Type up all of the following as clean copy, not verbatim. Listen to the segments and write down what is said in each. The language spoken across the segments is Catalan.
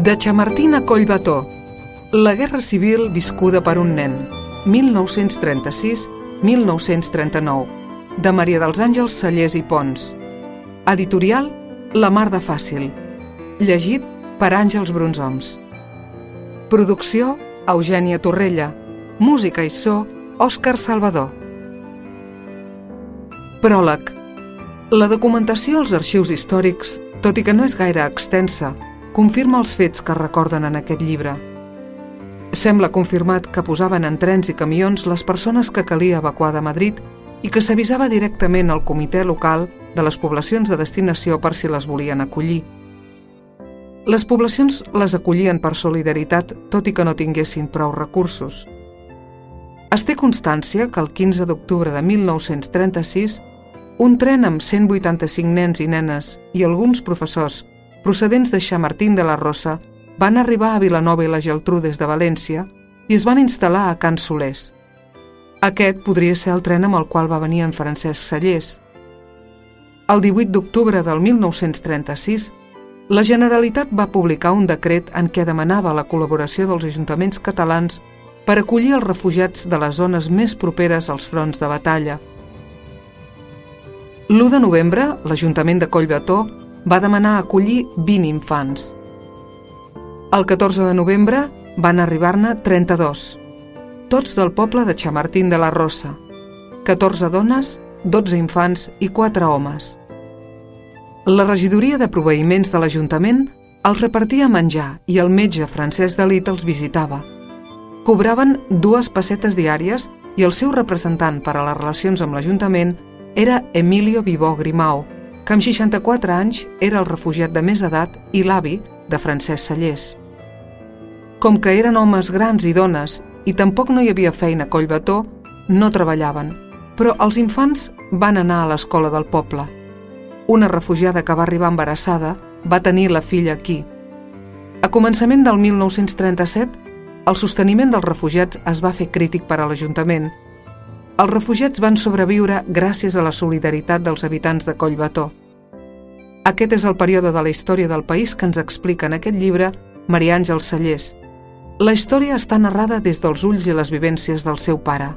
De Chamartín a Collbató, la guerra civil viscuda per un nen, 1936-1939, de Maria dels Àngels Sallés i Pons. Editorial La Mar de Fàcil. Llegit per Àngels Brunsoms. Producció Eugènia Torrella. Música i so Òscar Salvador. Pròleg. La documentació als arxius històrics, tot i que no és gaire extensa, confirma els fets que recorden en aquest llibre. Sembla confirmat que posaven en trens i camions les persones que calia evacuar de Madrid i que s'avisava directament al comitè local de les poblacions de destinació per si les volien acollir. Les poblacions les acollien per solidaritat, tot i que no tinguessin prou recursos. Es té constància que el 15 d'octubre de 1936 un tren amb 185 nens i nenes i alguns professors procedents de Chamartín de la Rosa van arribar a Vilanova i la Geltrú des de València i es van instal·lar a Can Solers. Aquest podria ser el tren amb el qual va venir en Francesc Sallés. El 18 d'octubre del 1936, la Generalitat va publicar un decret en què demanava la col·laboració dels ajuntaments catalans per acollir els refugiats de les zones més properes als fronts de batalla. L'1 de novembre, l'Ajuntament de Collbató va demanar acollir 20 infants. El 14 de novembre van arribar-ne 32, tots del poble de Chamartín de la Rosa, 14 dones, 12 infants i 4 homes. La regidoria de proveïments de l'Ajuntament els repartia menjar i el metge Francesc Dalit els visitava. Cobraven 2 pessetes diàries i el seu representant per a les relacions amb l'Ajuntament era Emilio Vivó Grimau, que amb 64 anys era el refugiat de més edat i l'avi de Francesc Sallés. Com que eren homes grans i dones i tampoc no hi havia feina a Collbató, no treballaven, però els infants van anar a l'escola del poble. Una refugiada que va arribar embarassada va tenir la filla aquí. A començament del 1937, el sosteniment dels refugiats es va fer crític per a l'Ajuntament. Els refugiats van sobreviure gràcies a la solidaritat dels habitants de Collbató. Aquest és el període de la història del país que ens explica en aquest llibre Maria Àngels Sallés. La història està narrada des dels ulls i les vivències del seu pare.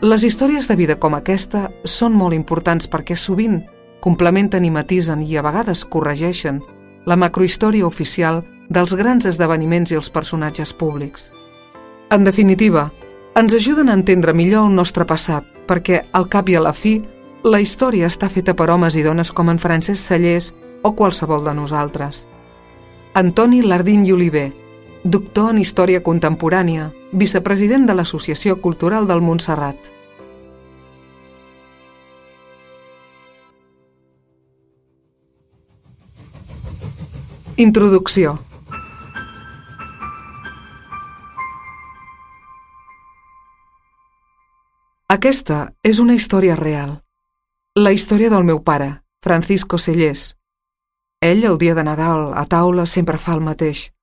Les històries de vida com aquesta són molt importants perquè sovint complementen i matisen i a vegades corregeixen la macrohistòria oficial dels grans esdeveniments i els personatges públics. En definitiva, ens ajuden a entendre millor el nostre passat, perquè, al cap i a la fi, la història està feta per homes i dones com en Francesc Sallés o qualsevol de nosaltres. Antoni Lardín i Oliver, doctor en Història Contemporània, vicepresident de l'Associació Cultural del Montserrat. Introducció. Aquesta és una història real. La història del meu pare, Francisco Sallés. Ell, el dia de Nadal, a taula, sempre fa el mateix.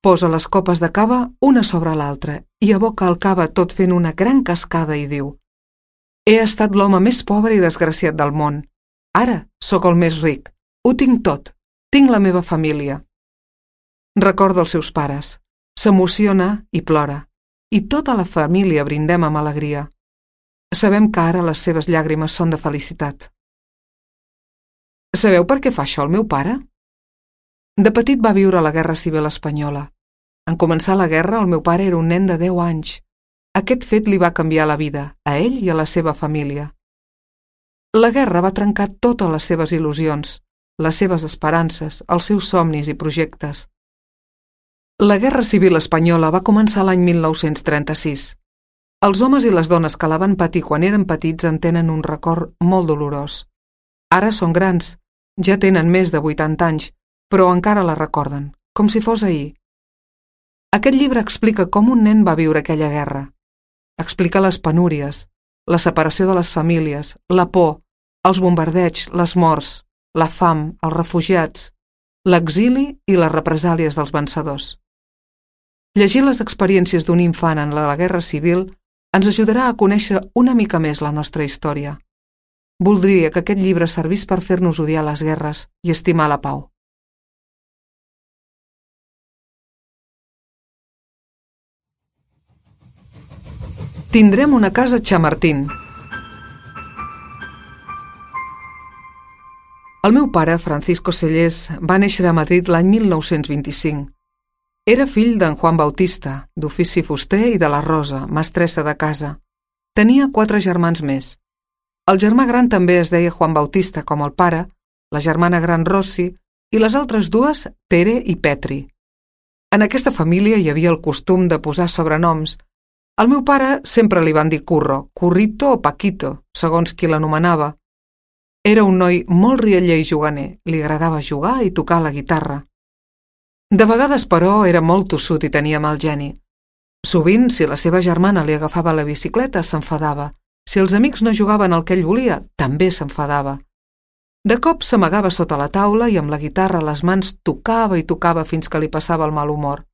Posa les copes de cava una sobre l'altra i aboca el cava tot fent una gran cascada i diu: «He estat l'home més pobre i desgraciat del món. Ara sóc el més ric. Ho tinc tot. Tinc la meva família». Recorda els seus pares. S'emociona i plora. I tota la família brindem amb alegria. Sabem que ara les seves llàgrimes són de felicitat. Sabeu per què fa això el meu pare? De petit va viure la Guerra Civil Espanyola. En començar la guerra, el meu pare era un nen de 10 anys. Aquest fet li va canviar la vida, a ell i a la seva família. La guerra va trencar totes les seves il·lusions, les seves esperances, els seus somnis i projectes. La Guerra Civil Espanyola va començar l'any 1936. Els homes i les dones que la van patir quan eren petits en tenen un record molt dolorós. Ara són grans, ja tenen més de 80 anys, però encara la recorden, com si fos ahir. Aquest llibre explica com un nen va viure aquella guerra. Explica les penúries, la separació de les famílies, la por, els bombardeigs, les morts, la fam, els refugiats, l'exili i les represàlies dels vencedors. Llegir les experiències d'un infant en la Guerra Civil ens ajudarà a conèixer una mica més la nostra història. Voldria que aquest llibre servís per fer-nos odiar les guerres i estimar la pau. Tindrem una casa Chamartín. El meu pare, Francisco Sellés, va néixer a Madrid l'any 1925. Era fill d'en Juan Bautista, d'ofici fuster, i de la Rosa, mestressa de casa. Tenia 4 germans més. El germà gran també es deia Juan Bautista, com el pare, la germana gran Rossi, i les altres dues, Tere i Petri. En aquesta família hi havia el costum de posar sobrenoms. Al meu pare sempre li van dir Curro, Currito o Paquito, segons qui l'anomenava. Era un noi molt rialler i juganer, li agradava jugar i tocar la guitarra. De vegades, però, era molt tossut i tenia mal geni. Sovint, si la seva germana li agafava la bicicleta, s'enfadava. Si els amics no jugaven el que ell volia, també s'enfadava. De cop s'amagava sota la taula i amb la guitarra a les mans tocava i tocava fins que li passava el mal humor.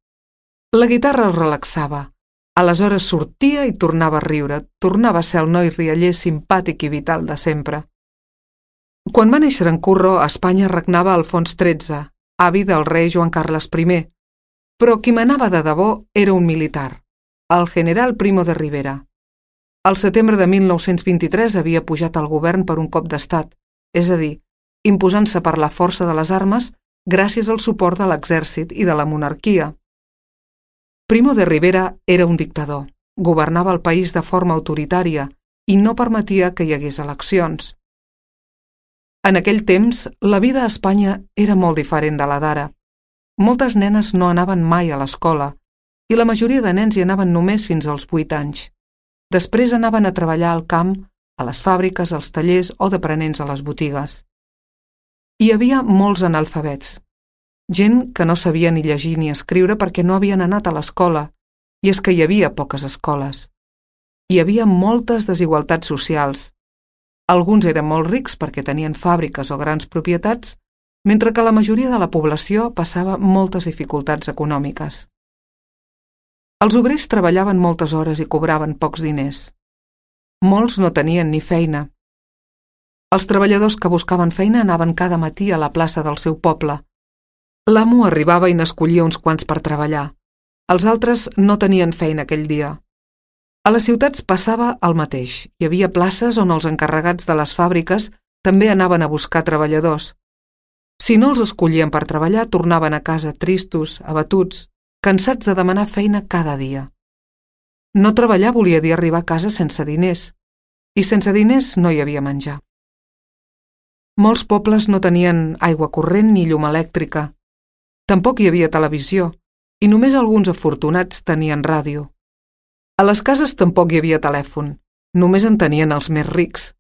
La guitarra el relaxava. Aleshores sortia i tornava a riure, tornava a ser el noi rialler simpàtic i vital de sempre. Quan va néixer en Curro, a Espanya regnava Alfons XIII, avi del rei Joan Carles I, però qui manava de debò era un militar, el general Primo de Rivera. Al setembre de 1923 havia pujat al govern per un cop d'estat, és a dir, imposant-se per la força de les armes gràcies al suport de l'exèrcit i de la monarquia. Primo de Rivera era un dictador, governava el país de forma autoritària i no permetia que hi hagués eleccions. En aquell temps, la vida a Espanya era molt diferent de la d'ara. Moltes nenes no anaven mai a l'escola i la majoria de nens hi anaven només fins als 8 anys. Després anaven a treballar al camp, a les fàbriques, als tallers o d'aprenents a les botigues. Hi havia molts analfabets, gent que no sabia ni llegir ni escriure perquè no havien anat a l'escola, i és que hi havia poques escoles. Hi havia moltes desigualtats socials. Alguns eren molt rics perquè tenien fàbriques o grans propietats, mentre que la majoria de la població passava moltes dificultats econòmiques. Els obrers treballaven moltes hores i cobraven pocs diners. Molts no tenien ni feina. Els treballadors que buscaven feina anaven cada matí a la plaça del seu poble. L'amo arribava i n'escollia uns quants per treballar. Els altres no tenien feina aquell dia. A les ciutats passava el mateix. Hi havia places on els encarregats de les fàbriques també anaven a buscar treballadors. Si no els escollien per treballar, tornaven a casa tristos, abatuts, cansats de demanar feina cada dia. No treballar volia dir arribar a casa sense diners, i sense diners no hi havia menjar. Molts pobles no tenien aigua corrent ni llum elèctrica. Tampoc hi havia televisió, i només alguns afortunats tenien ràdio. A les cases tampoc hi havia telèfon, només en tenien els més rics.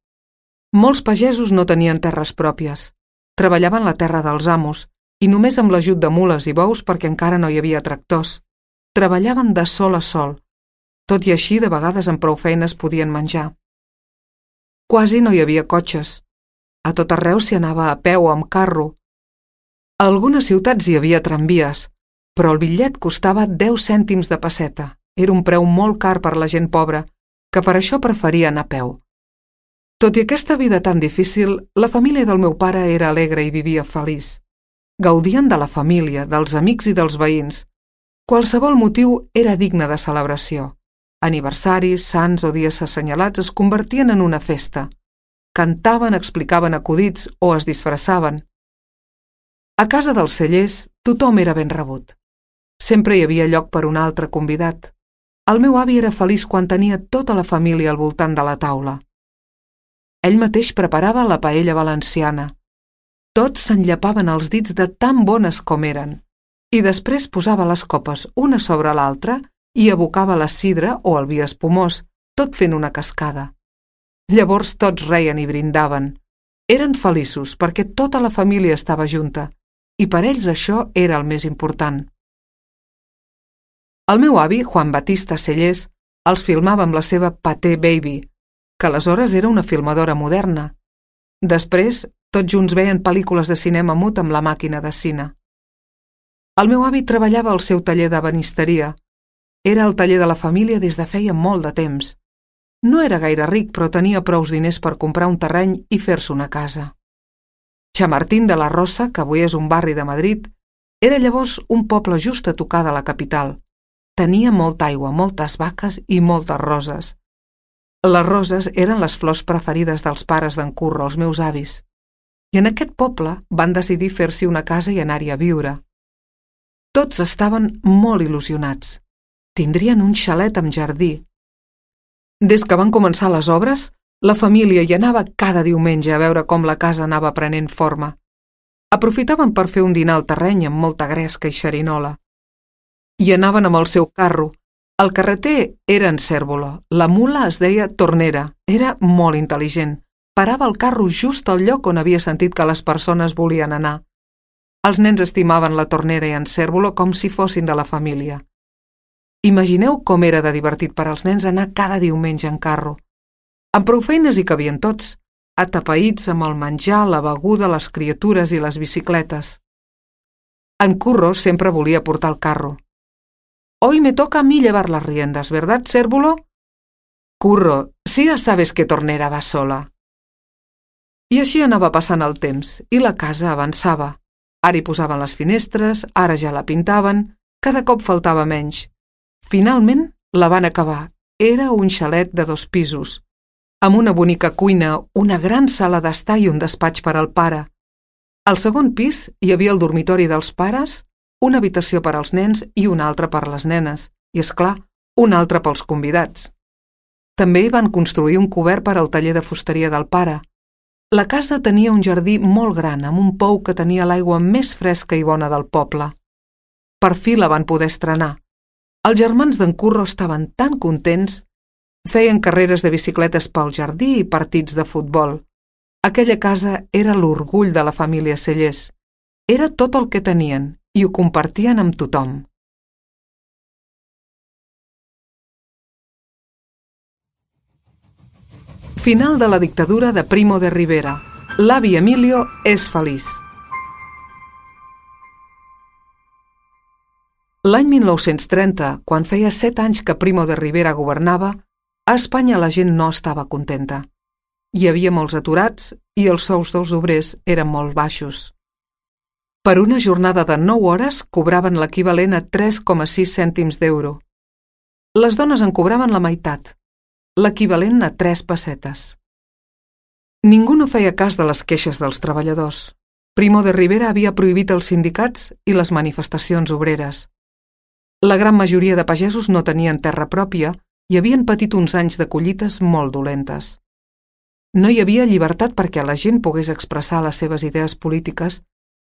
Molts pagesos no tenien terres pròpies, treballaven la terra dels amos i només amb l'ajut de mules i bous perquè encara no hi havia tractors. Treballaven de sol a sol, tot i així de vegades amb prou feines podien menjar. Quasi no hi havia cotxes. A tot arreu s'hi anava a peu o amb carro. A algunes ciutats hi havia tramvies, però el bitllet costava 10 cèntims de pesseta. Era un preu molt car per la gent pobra, que per això preferia anar a peu. Tot i aquesta vida tan difícil, la família del meu pare era alegre i vivia feliç. Gaudien de la família, dels amics i dels veïns. Qualsevol motiu era digne de celebració. Aniversaris, sants o dies assenyalats es convertien en una festa. Cantaven, explicaven acudits o es disfressaven. A casa dels Sellés tothom era ben rebut. Sempre hi havia lloc per un altre convidat. El meu avi era feliç quan tenia tota la família al voltant de la taula. Ell mateix preparava la paella valenciana. Tots s'enllapaven els dits de tan bones com eren, i després posava les copes una sobre l'altra i abocava la sidra o el vi espumós, tot fent una cascada. Llavors tots reien i brindaven. Eren feliços perquè tota la família estava junta, i per ells això era el més important. El meu avi, Juan Batista Sellés, els filmava amb la seva Pathé Baby, que aleshores era una filmadora moderna. Després, tots junts veien pel·lícules de cinema mut amb la màquina de cine. El meu avi treballava al seu taller d'ebenisteria. Era el taller de la família des de feia molt de temps. No era gaire ric, però tenia prous diners per comprar un terreny i fer-se una casa. Chamartín de la Rosa, que avui és un barri de Madrid, era llavors un poble just a tocar de la capital. Tenia molta aigua, moltes vaques i moltes roses. Les roses eren les flors preferides dels pares d'en Curro, els meus avis, i en aquest poble van decidir fer-s'hi una casa i anar-hi a viure. Tots estaven molt il·lusionats. Tindrien un xalet amb jardí. Des que van començar les obres, la família hi anava cada diumenge a veure com la casa anava prenent forma. Aprofitaven per fer un dinar al terreny amb molta gresca i xerinola. I anaven amb el seu carro. El carreter era en Cérvolo, la mula es deia Tornera, era molt intel·ligent. Parava el carro just al lloc on havia sentit que les persones volien anar. Els nens estimaven la Tornera i en Cérvolo com si fossin de la família. Imagineu com era de divertit per als nens anar cada diumenge en carro. Amb prou feines hi cabien tots, atapeïts amb el menjar, la beguda, les criatures i les bicicletes. En Curro sempre volia portar el carro. «Hoy me toca a mí llevar las riendas, ¿verdad, Cérvolo?» «Curro, si ya sabes que Tornera va sola». I així anava passant el temps, i la casa avançava. Ara hi posaven les finestres, ara ja la pintaven, cada cop faltava menys. Finalment la van acabar. Era un xalet de 2 pisos, amb una bonica cuina, una gran sala d'estar i un despatx per al pare. Al segon pis hi havia el dormitori dels pares, una habitació per als nens i una altra per les nenes, i, és clar, una altra pels convidats. També hi van construir un cobert per al taller de fusteria del pare. La casa tenia un jardí molt gran, amb un pou que tenia l'aigua més fresca i bona del poble. Per fi la van poder estrenar. Els germans d'en Curro estaven tan contents. Feien carreres de bicicletes pel jardí i partits de futbol. Aquella casa era l'orgull de la família Cellers. Era tot el que tenien i ho compartien amb tothom. Final de la dictadura de Primo de Rivera. L'avi Emilio és feliç. L'any 1930, quan feia 7 anys que Primo de Rivera governava, a Espanya la gent no estava contenta. Hi havia molts aturats i els sous dels obrers eren molt baixos. Per una jornada de 9 hores cobraven l'equivalent a 3,6 cèntims d'euro. Les dones en cobraven la meitat, l'equivalent a 3 pessetes. Ningú no feia cas de les queixes dels treballadors. Primo de Rivera havia prohibit els sindicats i les manifestacions obreres. La gran majoria de pagesos no tenien terra pròpia i havien patit uns anys de collites molt dolentes. No hi havia llibertat perquè la gent pogués expressar les seves idees polítiques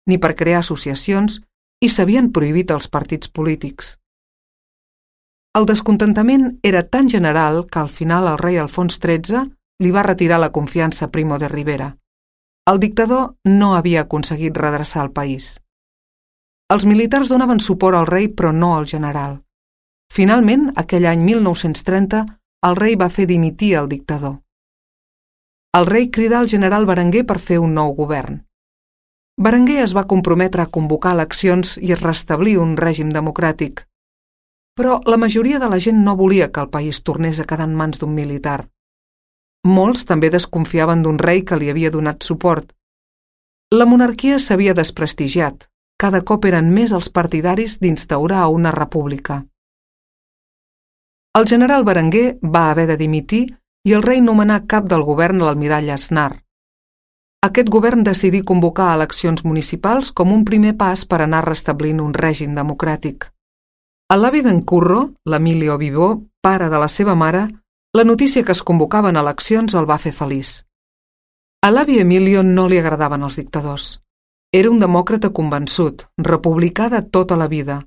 ni per crear associacions i s'havien prohibit els partits polítics. El descontentament era tan general que al final el rei Alfons XIII li va retirar la confiança a Primo de Rivera. El dictador no havia aconseguit redreçar el país. Els militars donaven suport al rei però no al general. Finalment, aquell any 1930, el rei va fer dimitir el dictador. El rei cridà al general Berenguer per fer un nou govern. Berenguer es va comprometre a convocar eleccions i a restablir un règim democràtic. Però la majoria de la gent no volia que el país tornés a quedar en mans d'un militar. Molts també desconfiaven d'un rei que li havia donat suport. La monarquia s'havia desprestigiat. Cada cop eren més els partidaris d'instaurar una república. El general Berenguer va haver de dimitir i el rei nomenà cap del govern l'almirall Aznar. Aquest govern decidí convocar eleccions municipals com un primer pas per anar restablint un règim democràtic. A l'avi d'en Curro, l'Emilio Vivó, pare de la seva mare, la notícia que es convocaven eleccions el va fer feliç. A l'avi Emilio no li agradaven els dictadors. Era un demòcrata convençut, republicà de tota la vida,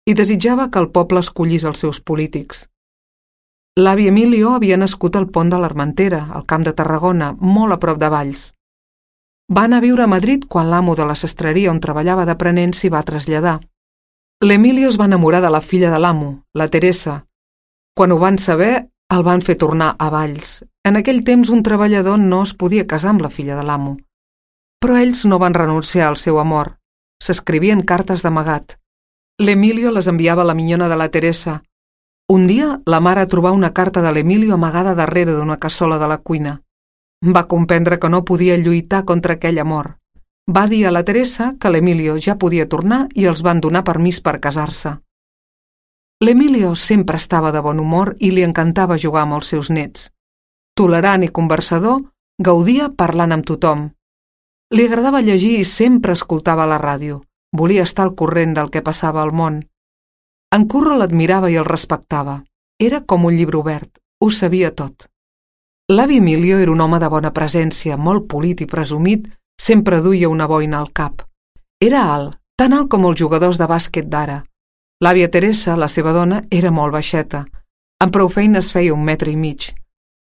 i desitjava que el poble escollís els seus polítics. L'avi Emilio havia nascut al Pont de l'Armentera, al Camp de Tarragona, molt a prop de Valls. Va anar a viure a Madrid quan l'amo de la sastreria on treballava d'aprenent s'hi va traslladar. L'Emilio es va enamorar de la filla de l'amo, la Teresa. Quan ho van saber, el van fer tornar a Valls. En aquell temps un treballador no es podia casar amb la filla de l'amo. Però ells no van renunciar al seu amor. S'escrivien cartes d'amagat. L'Emilio les enviava a la minyona de la Teresa. Un dia, la mare trobà una carta de l'Emilio amagada darrere d'una cassola de la cuina. Va comprendre que no podia lluitar contra aquell amor. Va dir a la Teresa que l'Emilio ja podia tornar i els van donar permís per casar-se. L'Emilio sempre estava de bon humor i li encantava jugar amb els seus nets. Tolerant i conversador, gaudia parlant amb tothom. Li agradava llegir i sempre escoltava la ràdio. Volia estar al corrent del que passava al món. En Curro l'admirava i el respectava. Era com un llibre obert, ho sabia tot. L'avi Emilio era un home de bona presència, molt polit i presumit, sempre duia una boina al cap. Era alt, tan alt com els jugadors de bàsquet d'ara. L'àvia Teresa, la seva dona, era molt baixeta. Amb prou feines feia 1,5 metres.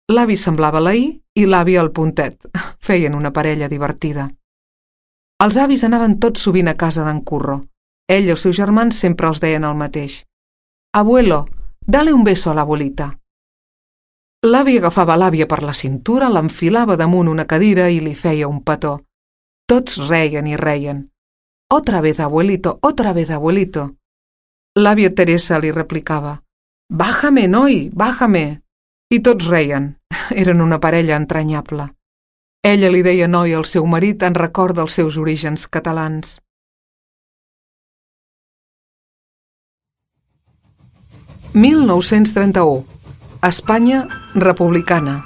L'avi semblava l'Ahir i l'àvia el Puntet. Feien una parella divertida. Els avis anaven tots sovint a casa d'en Curro. Ell i els seus germans sempre els deien el mateix. «Abuelo, dale un beso a l'abuelita». L'avi agafava l'àvia per la cintura, l'enfilava damunt una cadira i li feia un petó. Tots reien i reien. «Otra vez, abuelito, otra vez, abuelito». L'àvia Teresa li replicava. «Bájame, noi, bájame». I tots reien. Eren una parella entranyable. Ella li deia noi al seu marit en record dels seus orígens catalans. «1931. Espanya republicana».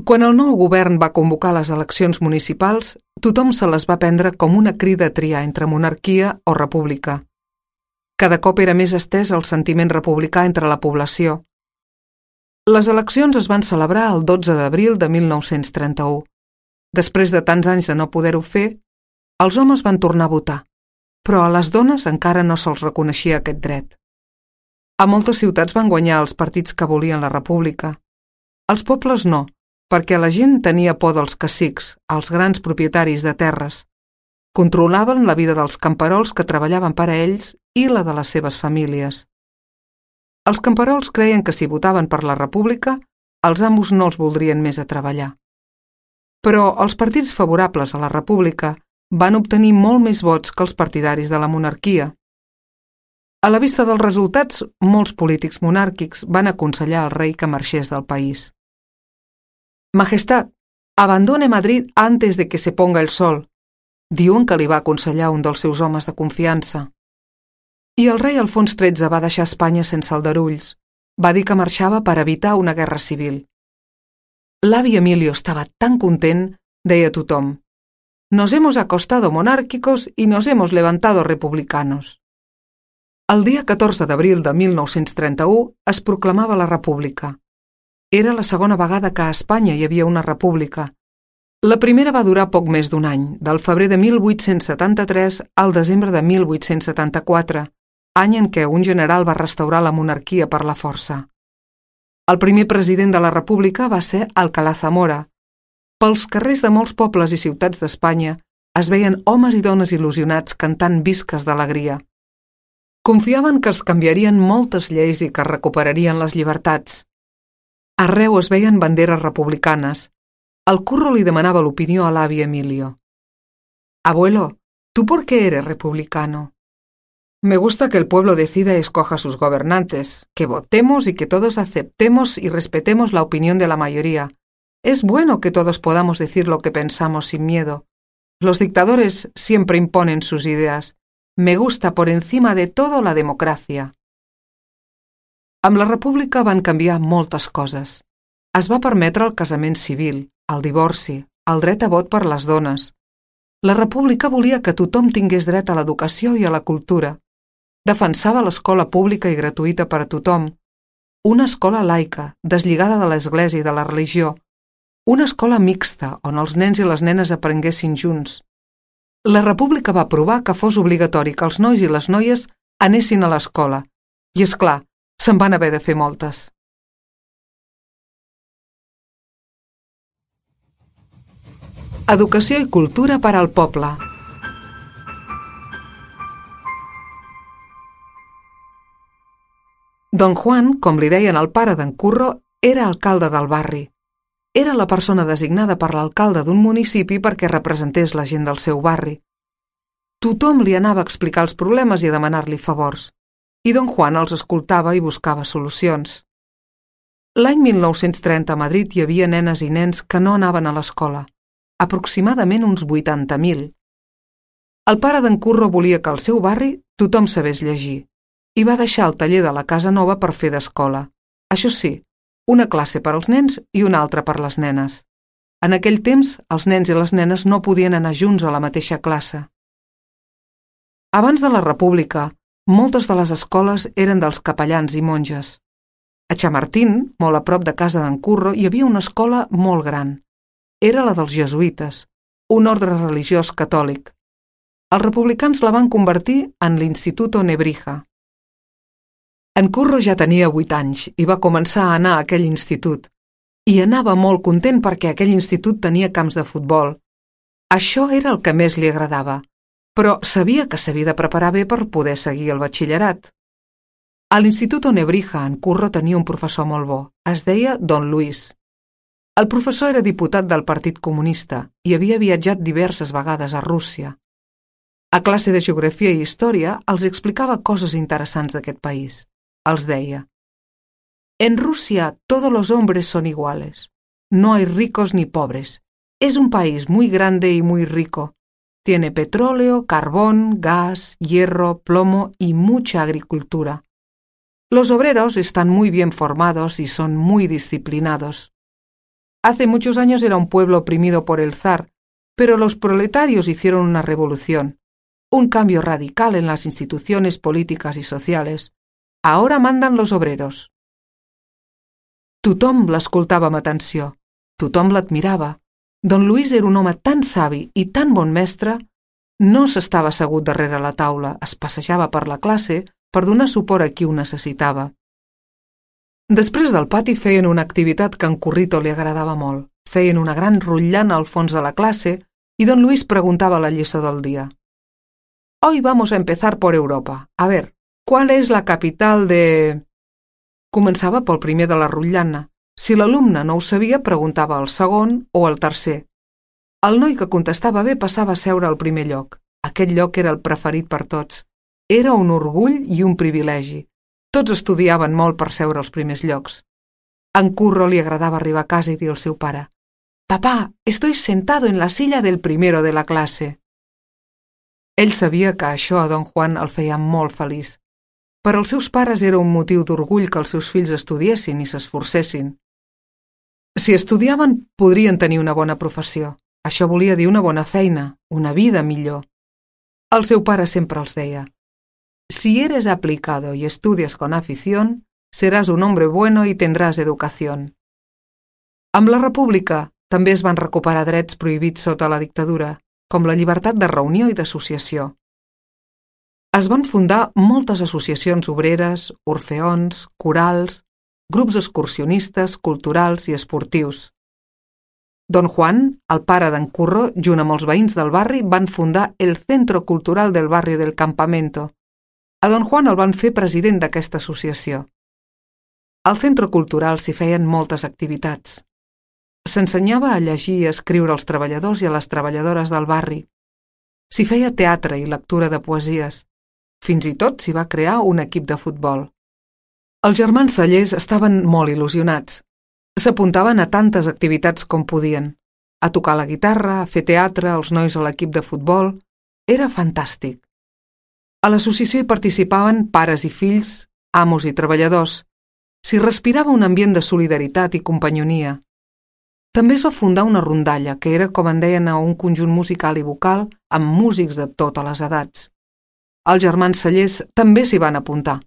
Quan el nou govern va convocar les eleccions municipals, tothom se les va prendre com una crida a triar entre monarquia o república. Cada cop era més estès el sentiment republicà entre la població. Les eleccions es van celebrar el 12 d'abril de 1931. Després de tants anys de no poder-ho fer, els homes van tornar a votar, però a les dones encara no se'ls reconeixia aquest dret. A moltes ciutats van guanyar els partits que volien la república. Els pobles no, perquè la gent tenia por dels cacics, els grans propietaris de terres. Controlaven la vida dels camperols que treballaven per a ells i la de les seves famílies. Els camperols creien que si votaven per la república, els amos no els voldrien més a treballar. Però els partits favorables a la república van obtenir molt més vots que els partidaris de la monarquia. A la vista dels resultats, molts polítics monàrquics van aconsellar al rei que marxés del país. «Majestad, abandone Madrid antes de que se ponga el sol», diuen que li va aconsellar un dels seus homes de confiança. I el rei Alfons XIII va deixar Espanya sense aldarulls. Va dir que marxava per evitar una guerra civil. L'avi Emilio estava tan content, deia tothom. «Nos hemos acostado monárquicos y nos hemos levantado republicanos». El dia 14 d'abril de 1931 es proclamava la república. Era la segona vegada que a Espanya hi havia una república. La primera va durar poc més d'un any, del febrer de 1873 al desembre de 1874, any en què un general va restaurar la monarquia per la força. El primer president de la república va ser Alcalá Zamora. Pels carrers de molts pobles i ciutats d'Espanya es veien homes i dones il·lusionats cantant visques d'alegria. Confiaven que es canviarien moltes lleis i que es recuperarien les llibertats. Arreu es veien banderes republicanes. El Curro li demanava l'opinió a l'avi Emilio. «Abuelo, ¿tú por qué eres republicano?» «Me gusta que el pueblo decida y escoja a sus gobernantes, que votemos y que todos aceptemos y respetemos la opinión de la mayoría. Es bueno que todos podamos decir lo que pensamos sin miedo. Los dictadores siempre imponen sus ideas. Me gusta por encima de todo la democracia». Amb la república van canviar moltes coses. Es va permetre el casament civil, el divorci, el dret a vot per les dones. La república volia que tothom tingués dret a l'educació i a la cultura. Defensava l'escola pública i gratuïta per a tothom. Una escola laica, deslligada de l'església i de la religió. Una escola mixta, on els nens i les nenes aprenguessin junts. La república va aprovar que fos obligatori que els nois i les noies anessin a l'escola. I, és clar, se'n van haver de fer moltes. Educació i cultura per al poble. Don Juan, com li deien al pare d'en Curro, era alcalde del barri. Era la persona designada per l'alcalde d'un municipi perquè representés la gent del seu barri. Tothom li anava a explicar els problemes i a demanar-li favors, i don Juan els escoltava i buscava solucions. L'any 1930 a Madrid hi havia nenes i nens que no anaven a l'escola, aproximadament uns 80.000. El pare d'en Curro volia que al seu barri tothom sabés llegir, i va deixar el taller de la casa nova per fer d'escola. Això sí, una classe per als nens i una altra per les nenes. En aquell temps, els nens i les nenes no podien anar junts a la mateixa classe. Abans de la República, moltes de les escoles eren dels capellans i monges. A Chamartín, molt a prop de casa d'en Curro, hi havia una escola molt gran. Era la dels jesuïtes, un ordre religiós catòlic. Els republicans la van convertir en l'Instituto Nebrija. En Curro ja tenia 8 anys i va començar a anar a aquell institut. I anava molt content perquè aquell institut tenia camps de futbol. Això era el que més li agradava, però sabia que s'havia de preparar bé per poder seguir el batxillerat. A l'Instituto Nebrija, en Curro tenia un professor molt bo. Es deia Don Luis. El professor era diputat del Partit Comunista i havia viatjat diverses vegades a Rússia. A classe de geografia i història els explicava coses interessants d'aquest país. Els deia: En Rusia todos los hombres son iguales. No hay ricos ni pobres. Es un país muy grande y muy rico. Tiene petróleo, carbón, gas, hierro, plomo y mucha agricultura. Los obreros están muy bien formados y son muy disciplinados. Hace muchos años era un pueblo oprimido por el zar, pero los proletarios hicieron una revolución, un cambio radical en las instituciones políticas y sociales. Ahora mandan los obreros. Tothom l'escoltava amb atenció, tothom l'admirava. Don Luis era un home tan savi i tan bon mestre, no s'estava assegut darrere la taula, es passejava per la classe per donar suport a qui ho necessitava. Després del pati feien una activitat que a en Currito li agradava molt. Feien una gran rotllana al fons de la classe i don Luis preguntava la lliçó del dia. Hoy vamos a empezar por Europa. A ver, ¿cuál es la capital de...? Començava pel primer de la rotllana. Si l'alumne no ho sabia, preguntava al segon o al tercer. El noi que contestava bé passava a seure al primer lloc. Aquest lloc era el preferit per tots. Era un orgull i un privilegi. Tots estudiaven molt per seure als primers llocs. A en Curro li agradava arribar a casa i dir al seu pare: «Papá, estoy sentado en la silla del primero de la clase». Ell sabia que això a don Juan el feia molt feliç. Per als seus pares era un motiu d'orgull que els seus fills estudiessin i s'esforcessin. Si estudiaven, podrien tenir una bona professió. Això volia dir una bona feina, una vida millor. El seu pare sempre els deia: «Si eres aplicado y estudias con afición, serás un hombre bueno y tendrás educación». Amb la República també es van recuperar drets prohibits sota la dictadura, com la llibertat de reunió i d'associació. Es van fundar moltes associacions obreres, orfeons, corals, grups excursionistes, culturals i esportius. Don Juan, el pare d'en Curro, junt amb els veïns del barri, van fundar el Centro Cultural del Barrio del Campamento. A don Juan el van fer president d'aquesta associació. Al Centro Cultural s'hi feien moltes activitats. S'ensenyava a llegir i a escriure als treballadors i a les treballadores del barri. S'hi feia teatre i lectura de poesies. Fins i tot s'hi va crear un equip de futbol. Els germans Cellers estaven molt il·lusionats. S'apuntaven a tantes activitats com podien. A tocar la guitarra, a fer teatre, els nois a l'equip de futbol. Era fantàstic. A l'associació hi participaven pares i fills, amos i treballadors. S'hi respirava un ambient de solidaritat i companyonia. També es va fundar una rondalla, que era, com en deien, un conjunt musical i vocal amb músics de totes les edats. Els germans Cellers també s'hi van apuntar.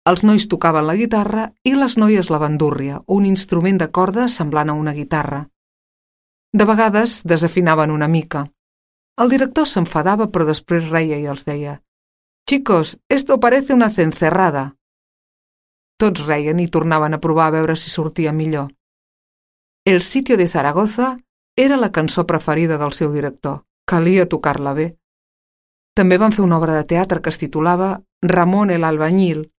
Els nois tocaven la guitarra i les noies la bandúrria, un instrument de corda semblant a una guitarra. De vegades desafinaven una mica. El director s'enfadava, però després reia i els deia: «Chicos, esto parece una cencerrada». Tots reien i tornaven a provar a veure si sortia millor. El sitio de Zaragoza era la cançó preferida del seu director. Calia tocar-la bé. També van fer una obra de teatre que es titulava Ramón el albañil.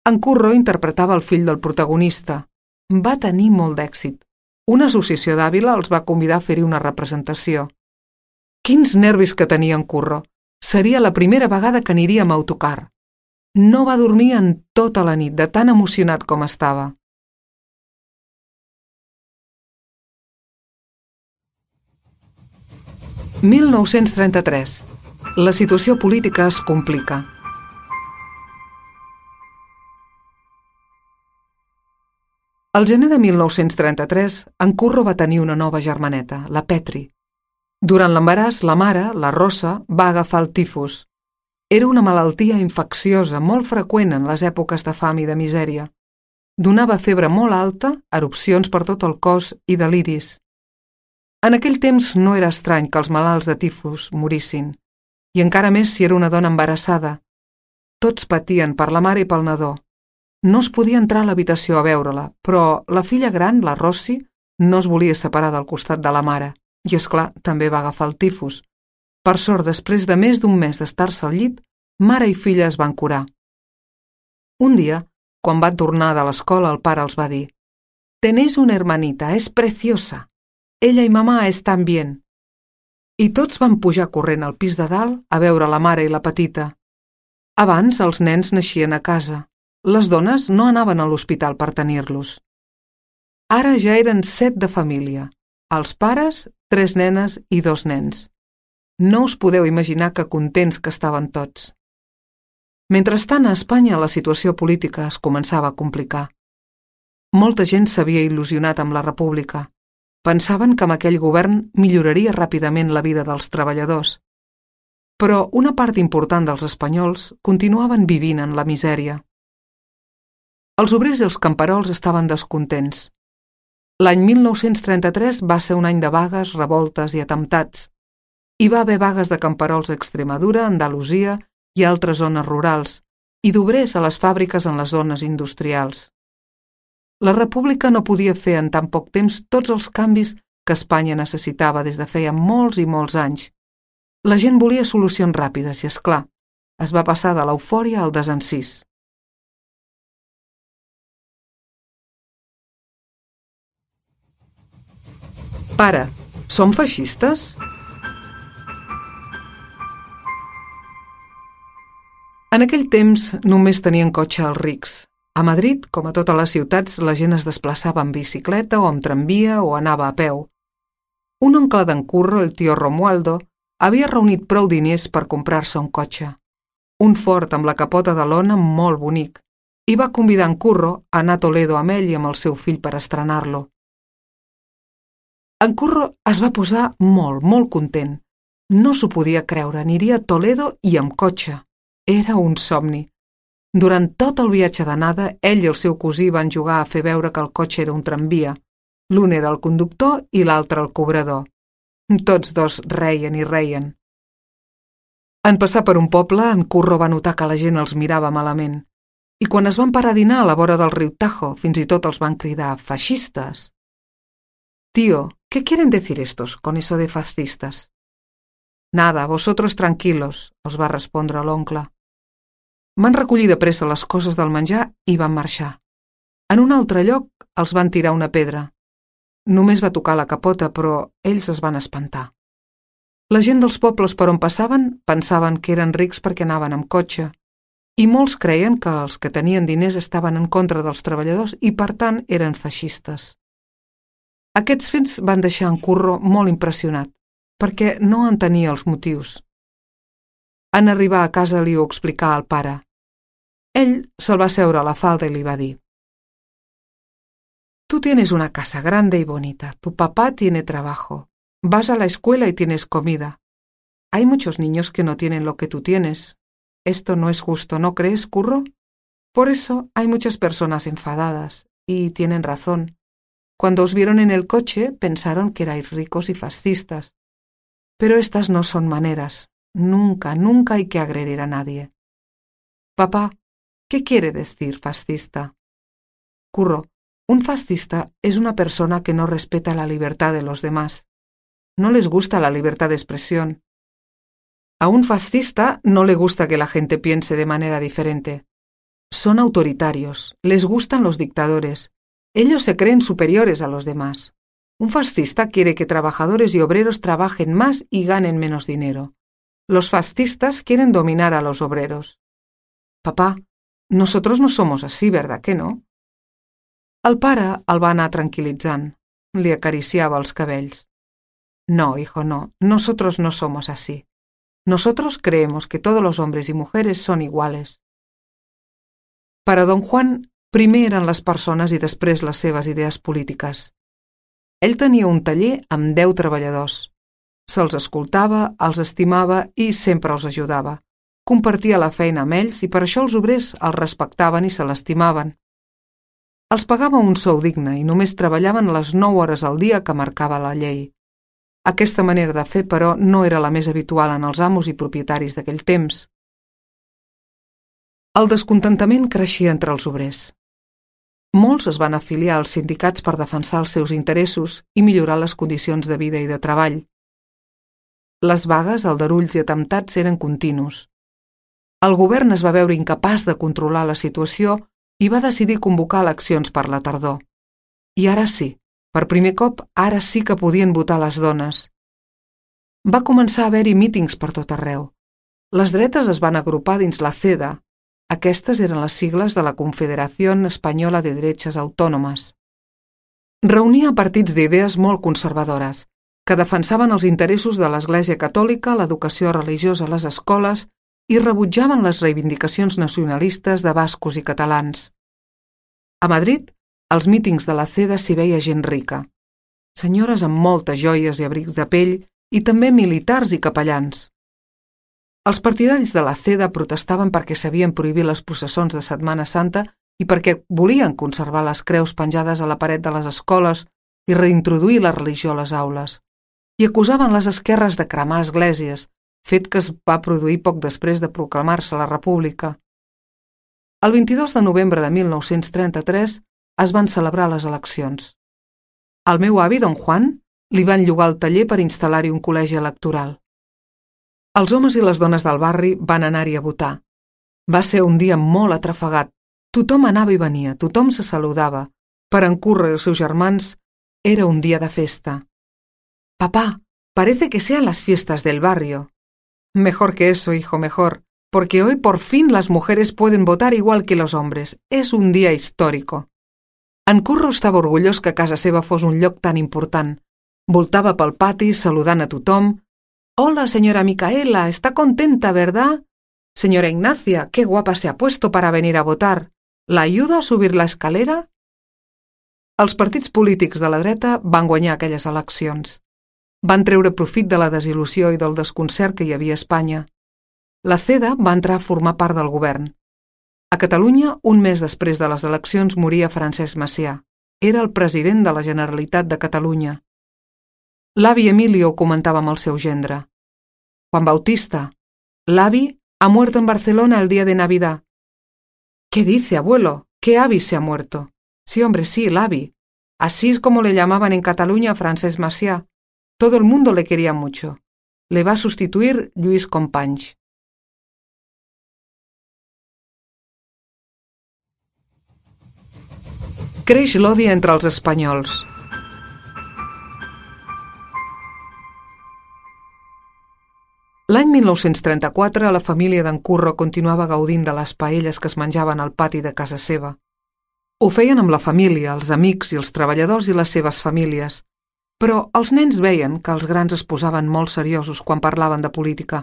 En Curro interpretava el fill del protagonista. Va tenir molt d'èxit. Una associació d'Àvila els va convidar a fer-hi una representació. Quins nervis que tenia en Curro! Seria la primera vegada que aniria amb autocar. No va dormir en tota la nit, de tan emocionat com estava. «1933. La situació política es complica. Al gener de 1933, en Curro va tenir una nova germaneta, la Petri. Durant l'embaràs, la mare, la Rosa, va agafar el tifus. Era una malaltia infecciosa molt freqüent en les èpoques de fam i de misèria. Donava febre molt alta, erupcions per tot el cos i deliris. En aquell temps no era estrany que els malalts de tifus morissin, i encara més si era una dona embarassada. Tots patien per la mare i pel nadó. No es podia entrar a l'habitació a veure-la, però la filla gran, la Rossi, no es volia separar del costat de la mare, i és clar, també va agafar el tifus. Per sort, després de més d'un mes d'estar-se al llit, mare i filla es van curar. Un dia, quan va tornar de l'escola, el pare els va dir: «Tenéis una hermanita, es preciosa. Ella i mamà estan bien». I tots van pujar corrent al pis de dalt a veure la mare i la petita. Abans els nens naixien a casa. Les dones no anaven a l'hospital per tenir-los. Ara ja eren 7 de família. Els pares, 3 nenes i 2 nens. No us podeu imaginar que contents que estaven tots. Mentrestant, a Espanya la situació política es començava a complicar. Molta gent s'havia il·lusionat amb la república. Pensaven que amb aquell govern milloraria ràpidament la vida dels treballadors. Però una part important dels espanyols continuaven vivint en la misèria. Els obrers i els camperols estaven descontents. L'any 1933 va ser un any de vagues, revoltes i atemptats. Hi va haver vagues de camperols a Extremadura, Andalusia i altres zones rurals, i d'obrers a les fàbriques en les zones industrials. La república no podia fer en tan poc temps tots els canvis que Espanya necessitava des de feia molts i molts anys. La gent volia solucions ràpides i, és clar, es va passar de l'eufòria al desencís. Pare, som feixistes? En aquell temps només tenien cotxe els rics. A Madrid, com a totes les ciutats, la gent es desplaçava amb bicicleta o amb tramvia o anava a peu. Un oncle d'en Curro, el tio Romualdo, havia reunit prou diners per comprar-se un cotxe. Un Ford amb la capota de lona molt bonic, i va convidar en Curro a anar a Toledo amb ell i amb el seu fill per estrenar-lo. En Curro es va posar molt content. No s'ho podia creure, aniria a Toledo i amb cotxe. Era un somni. Durant tot el viatge d'anada, ell i el seu cosí van jugar a fer veure que el cotxe era un tramvia. L'un era el conductor i l'altre el cobrador. Tots dos reien i reien. En passar per un poble, en Curro va notar que la gent els mirava malament. I quan es van parar a dinar a la vora del riu Tajo, fins i tot els van cridar «feixistes». «Tío, ¿qué quieren decir estos con eso de fascistas?» «Nada, vosotros tranquilos», els va respondre l'oncle. Van recollir de pressa les coses del menjar i van marxar. En un altre lloc els van tirar una pedra. Només va tocar la capota, però ells es van espantar. La gent dels pobles per on passaven pensaven que eren rics perquè anaven amb cotxe, i molts creien que els que tenien diners estaven en contra dels treballadors i, per tant, eren feixistes. Aquests fets van deixar en Curro molt impressionat, perquè no entenia els motius. En arribar a casa li ho explicà al pare. Ell se'l va seure a la falda i li va dir: «Tú tienes una casa grande y bonita, tu papá tiene trabajo, vas a la escuela y tienes comida. Hay muchos niños que no tienen lo que tú tienes. Esto no es justo, ¿no crees, Curro? Por eso hay muchas personas enfadadas, y tienen razón. Cuando os vieron en el coche pensaron que erais ricos y fascistas. Pero estas no son maneras. Nunca hay que agredir a nadie. Papá, ¿qué quiere decir fascista?» Curro, un fascista es una persona que no respeta la libertad de los demás. No les gusta la libertad de expresión. A un fascista no le gusta que la gente piense de manera diferente. Son autoritarios, les gustan los dictadores. Ellos se creen superiores a los demás. Un fascista quiere que trabajadores y obreros trabajen más y ganen menos dinero. Los fascistas quieren dominar a los obreros. Papá, nosotros no somos así, ¿verdad que no? El pare el va anar tranquil·litzant. Li acariciava els cabells. No, hijo, no. Nosotros no somos así. Nosotros creemos que todos los hombres y mujeres son iguales. Para don Juan, Primer eren les persones i després les seves idees polítiques. Ell tenia un taller amb 10 treballadors. Se'ls escoltava, els estimava i sempre els ajudava. Compartia la feina amb ells i per això els obrers els respectaven i se l'estimaven. Els pagava un sou digne i només treballaven les 9 hores al dia que marcava la llei. Aquesta manera de fer, però, no era la més habitual en els amos i propietaris d'aquell temps. El descontentament creixia entre els obrers. Molts es van afiliar als sindicats per defensar els seus interessos i millorar les condicions de vida i de treball. Les vagues, aldarulls i atemptats eren continus. El govern es va veure incapaç de controlar la situació i va decidir convocar eleccions per la tardor. I ara sí, per primer cop, ara sí que podien votar les dones. Va començar a haver-hi mítings per tot arreu. Les dretes es van agrupar dins la CEDA. Aquestes eren les sigles de la Confederación Española de Derechas Autónomas. Reunia partits d'idees molt conservadores, que defensaven els interessos de l'Església Catòlica, l'educació religiosa a les escoles i rebutjaven les reivindicacions nacionalistes de bascos i catalans. A Madrid, als mítings de la CEDA s'hi veia gent rica. Senyores amb moltes joies i abrics de pell i també militars i capellans. Els partidaris de la CEDA protestaven perquè s'havien prohibit les processons de Setmana Santa i perquè volien conservar les creus penjades a la paret de les escoles i reintroduir la religió a les aules. I acusaven les esquerres de cremar esglésies, fet que es va produir poc després de proclamar-se la República. El 22 de novembre de 1933 es van celebrar les eleccions. Al meu avi, don Juan, li van llogar el taller per instal·lar-hi un col·legi electoral. Els homes i les dones del barri van anar-hi a votar. Va ser un dia molt atrafegat. Tothom anava i venia, tothom se saludava. Per en Curro i els seus germans era un dia de festa. «Papá, parece que sean las fiestas del barrio». «Mejor que eso, hijo, mejor, porque hoy por fin las mujeres pueden votar igual que los hombres. Es un día histórico». En Curro estava orgullós que casa seva fos un lloc tan important. Voltava pel pati saludant a tothom. «Hola, señora Micaela, está contenta, ¿verdad? Señora Ignacia, qué guapa se ha puesto para venir a votar. ¿La ayudo a subir la escalera?» Els partits polítics de la dreta van guanyar aquelles eleccions. Van treure profit de la desil·lusió i del desconcert que hi havia a Espanya. La CEDA va entrar a formar part del govern. A Catalunya, un mes després de les eleccions, moria Francesc Macià. Era el president de la Generalitat de Catalunya. L'avi Emilio ho comentava amb el seu gendre. «Juan Bautista, l'avi ha muerto en Barcelona el día de Navidad». «¿Qué dice, abuelo? ¿Qué avi se ha muerto?» «Sí, hombre, sí, l'avi. Así es como le llamaban en Cataluña a Francesc Macià. Todo el mundo le quería mucho. Le va a sustituir Lluís Companys». Creix l'odi entre els espanyols. L'any 1934 la família d'en Curro continuava gaudint de les paelles que es menjaven al pati de casa seva. Ho feien amb la família, els amics i els treballadors i les seves famílies, però els nens veien que els grans es posaven molt seriosos quan parlaven de política.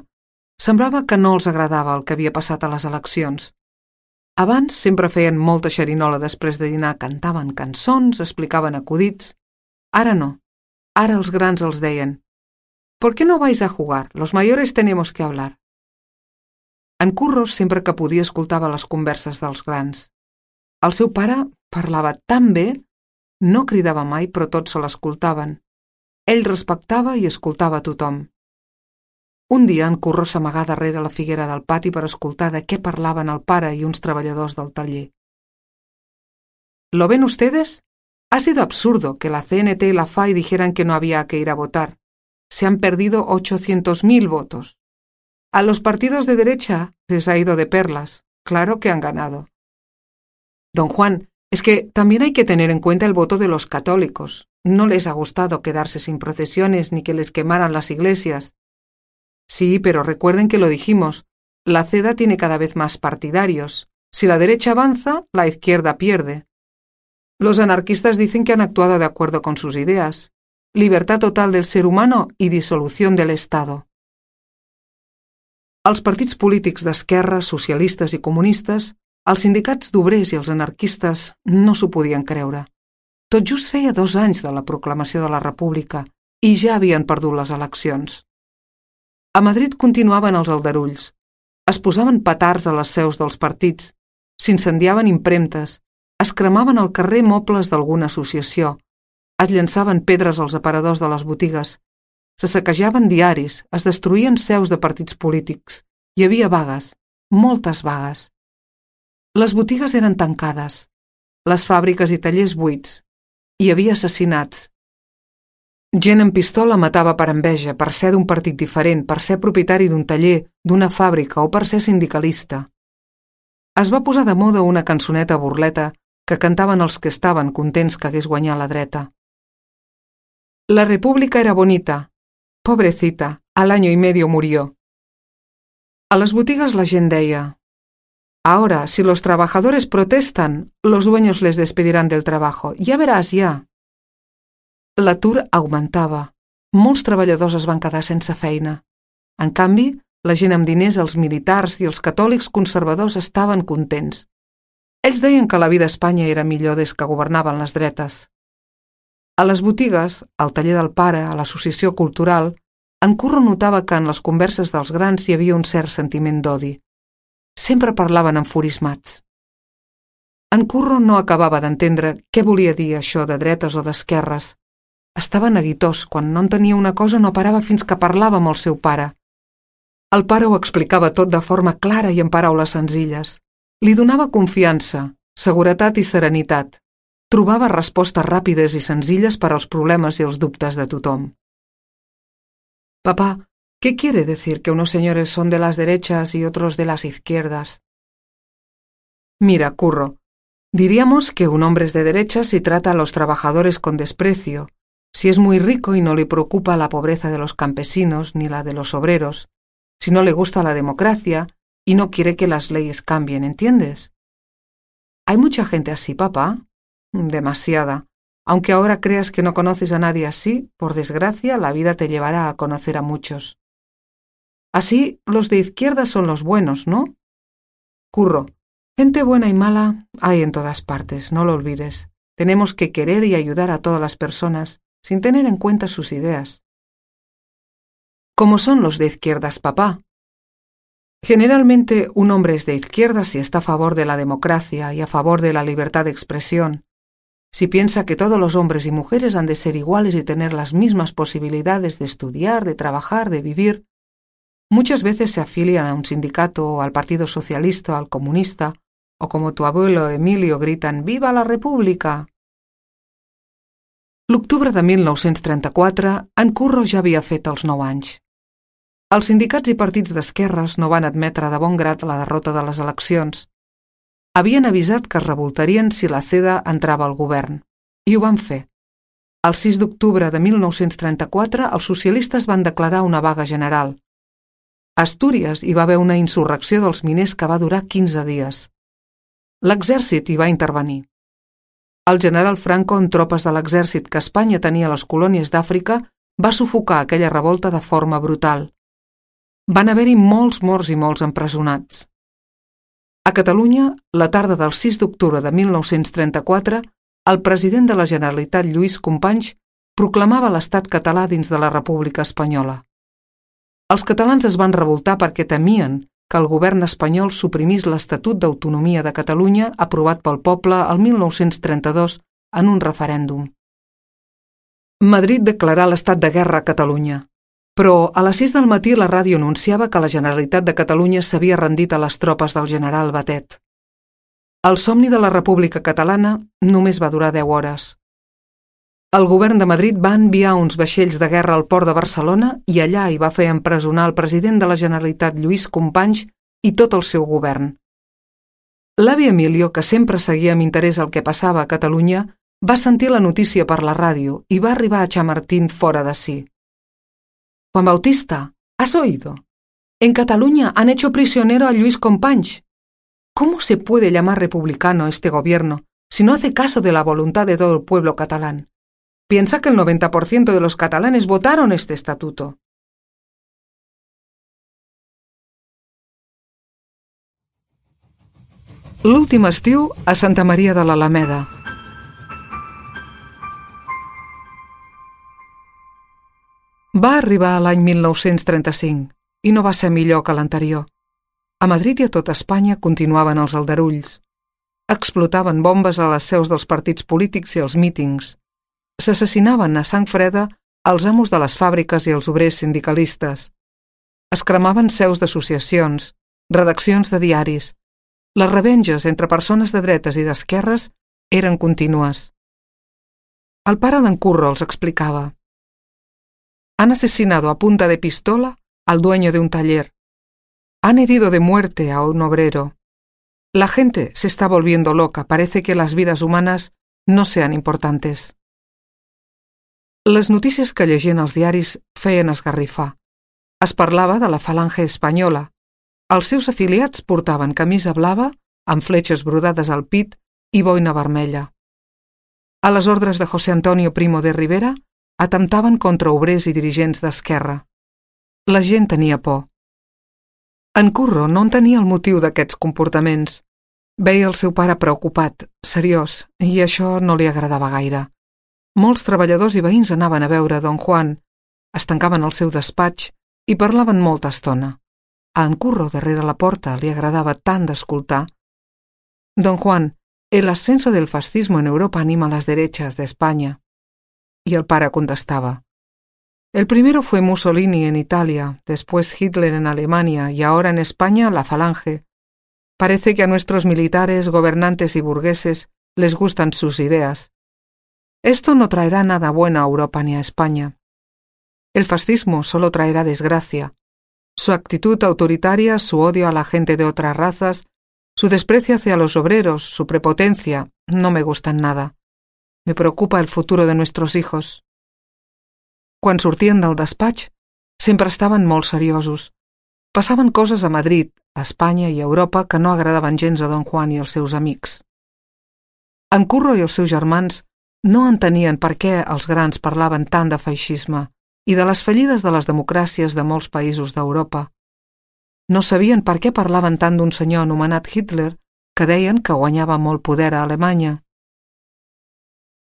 Semblava que no els agradava el que havia passat a les eleccions. Abans sempre feien molta xerinola després de dinar, cantaven cançons, explicaven acudits. Ara no. Ara els grans els deien: «¿Por qué no vais a jugar? Los mayores tenemos que hablar». En Curro sempre que podia escoltava les converses dels grans. El seu pare parlava tan bé, no cridava mai, però tots se l'escoltaven. Ell respectava i escoltava a tothom. Un dia en Curro s'amagà darrere la figuera del pati per escoltar de què parlaven el pare i uns treballadors del taller. «¿Lo ven ustedes? Ha sido absurdo que la CNT y la FAI dijeran que no había que ir a votar. Se han perdido 800.000 votos. A los partidos de derecha les ha ido de perlas. Claro que han ganado». «Don Juan, es que también hay que tener en cuenta el voto de los católicos. No les ha gustado quedarse sin procesiones ni que les quemaran las iglesias». «Sí, pero recuerden que lo dijimos. La CEDA tiene cada vez más partidarios. Si la derecha avanza, la izquierda pierde. Los anarquistas dicen que han actuado de acuerdo con sus ideas. Libertad total del ser humano y disolución del Estado». Els partits polítics d'esquerra, socialistes i comunistes Els sindicats d'obrers i els anarquistes no s'ho podien creure. Tot just feia 2 anys de la proclamació de la República i ja havien perdut les eleccions. A Madrid continuaven els aldarulls. Es posaven petards a les seus dels partits, s'incendiaven impremtes, es cremaven al carrer mobles d'alguna associació, es llançaven pedres als aparadors de les botigues, se saquejaven diaris, es destruïen seus de partits polítics, hi havia vagues, moltes vagues. Les botigues eren tancades, les fàbriques i tallers buits, hi havia assassinats. Gent amb pistola matava per enveja, per ser d'un partit diferent, per ser propietari d'un taller, d'una fàbrica o per ser sindicalista. Es va posar de moda una cançoneta burleta que cantaven els que estaven contents que hagués guanyat la dreta. La república era bonita. Pobrecita, al año y medio murió. A les botigues la gent deia: ahora, si los trabajadores protestan, los dueños les despedirán del trabajo. Ya verás, ya. L'atur augmentava. Molts treballadors es van quedar sense feina. En canvi, la gent amb diners, els militars i els catòlics conservadors estaven contents. Ells deien que la vida a Espanya era millor des que governaven les dretes. A les botigues, al taller del pare, a l'associació cultural, en Curro notava que en les converses dels grans hi havia un cert sentiment d'odi. Sempre parlaven enfurismats. En Curro no acabava d'entendre què volia dir això de dretes o d'esquerres. Estava neguitós, quan no entenia una cosa no parava fins que parlava amb el seu pare. El pare ho explicava tot de forma clara i en paraules senzilles. Li donava confiança, seguretat i serenitat. Trobava respostes ràpides i senzilles per als problemes i els dubtes de tothom. Papá, ¿qué quiere decir que unos señores son de las derechas y otros de las izquierdas? Mira, Curro, diríamos que un hombre es de derechas si trata a los trabajadores con desprecio, si es muy rico y no le preocupa la pobreza de los campesinos ni la de los obreros, si no le gusta la democracia y no quiere que las leyes cambien, ¿entiendes? ¿Hay mucha gente así, papá? Demasiada. Aunque ahora creas que no conoces a nadie así, por desgracia, la vida te llevará a conocer a muchos. Así, los de izquierda son los buenos, ¿no? Curro, gente buena y mala hay en todas partes, no lo olvides. Tenemos que querer y ayudar a todas las personas, sin tener en cuenta sus ideas. ¿Cómo son los de izquierdas, papá? Generalmente, un hombre es de izquierda si está a favor de la democracia y a favor de la libertad de expresión, si piensa que todos los hombres y mujeres han de ser iguales y tener las mismas posibilidades de estudiar, de trabajar, de vivir. Muchas veces se afilian a un sindicato o al Partido Socialista o al Comunista, o como tu abuelo Emilio gritan «Viva la República!». L'octubre de 1934, en Curro ja havia fet els 9 anys. Els sindicats i partits d'esquerres no van admetre de bon grat la derrota de les eleccions. Havien avisat que es revoltarien si la CEDA entrava al govern, i ho van fer. El 6 d'octubre de 1934, els socialistes van declarar una vaga general. A Astúries hi va haver una insurrecció dels miners que va durar 15 dies. L'exèrcit hi va intervenir. El general Franco, amb tropes de l'exèrcit que Espanya tenia a les colònies d'Àfrica, va sufocar aquella revolta de forma brutal. Van haver-hi molts morts i molts empresonats. A Catalunya, la tarda del 6 d'octubre de 1934, el president de la Generalitat, Lluís Companys, proclamava l'estat català dins de la República Espanyola. Els catalans es van revoltar perquè temien que el govern espanyol suprimís l'Estatut d'Autonomia de Catalunya aprovat pel poble el 1932 en un referèndum. Madrid declarà l'estat de guerra a Catalunya, però a les 6 del matí la ràdio anunciava que la Generalitat de Catalunya s'havia rendit a les tropes del general Batet. El somni de la República Catalana només va durar 10 hores. El govern de Madrid va enviar uns vaixells de guerra al port de Barcelona i allà hi va fer empresonar el president de la Generalitat, Lluís Companys, i tot el seu govern. L'avi Emilio, que sempre seguia amb interès el que passava a Catalunya, va sentir la notícia per la ràdio i va arribar a Chamartín fora de si. Juan Bautista, ¿has oído? En Cataluña han hecho prisionero a Lluís Companys. ¿Cómo se puede llamar republicano este gobierno si no hace caso de la voluntad de todo el pueblo catalán? Piensa que el 90% de los catalanes votaron este estatuto. L'últim estiu a Santa Maria de l'Alameda. Va arribar l'any 1935 i no va ser millor que l'anterior. A Madrid i a tota Espanya continuaven els aldarulls. Explotaven bombes a les seus dels partits polítics i els mítings. S'assassinaven a sang freda els amos de les fàbriques i els obrers sindicalistes. Es cremaven seus d'associacions, redaccions de diaris. Les revenges entre persones de dretes i d'esquerres eren contínues. El pare d'en Curro els explicava. Han asesinado a punta de pistola al dueño de un taller. Han herido de muerte a un obrero. La gente se está volviendo loca. Parece que las vidas humanas no sean importantes. Les notícies que llegien als diaris feien esgarrifar. Es parlava de la falange espanyola. Els seus afiliats portaven camisa blava amb fletxes brodades al pit i boina vermella. A les ordres de José Antonio Primo de Rivera atemptaven contra obrers i dirigents d'esquerra. La gent tenia por. En Curro no entenia el motiu d'aquests comportaments. Veia el seu pare preocupat, seriós, i això no li agradava gaire. Molts treballadors i veïns anaven a veure Don Juan, es tancaven al seu despatx i parlaven molta estona. A en Curro, darrere la porta, li agradava tant d'escoltar. Don Juan, el ascenso del fascismo en Europa anima a las derechas de España. Y el pare contestaba. El primero fue Mussolini en Italia, después Hitler en Alemania y ahora en España la Falange. Parece que a nuestros militares, gobernantes y burgueses les gustan sus ideas. Esto no traerá nada bueno a Europa ni a España. El fascismo solo traerá desgracia. Su actitud autoritaria, su odio a la gente de otras razas, su desprecio hacia los obreros, su prepotencia, no me gustan nada. Me preocupa el futuro de nuestros hijos. Quan sortien del despatx, sempre estaven molt seriosos. Passaven coses a Madrid, a Espanya i a Europa que no agradaven gens a Don Juan i els seus amics. En Curro i els seus germans no entenien per què els grans parlaven tant de feixisme i de les fallides de les democràcies de molts països d'Europa. No sabien per què parlaven tant d'un senyor anomenat Hitler que deien que guanyava molt poder a Alemanya.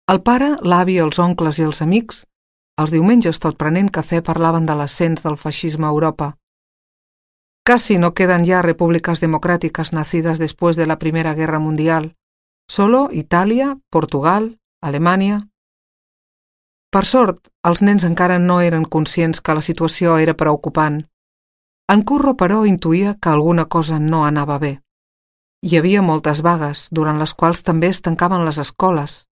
El pare, l'avi, els oncles i els amics, els diumenges tot prenent cafè parlaven de l'ascens del feixisme a Europa. Casi no quedan ya repúblicas democráticas nacidas después de la Primera Guerra Mundial. Solo Italia, Portugal, Alemanya. Per sort, els nens encara no eren conscients que la situació era preocupant. En Curro, però, intuïa que alguna cosa no anava bé. Hi havia moltes vagues, durant les quals també es tancaven les escoles.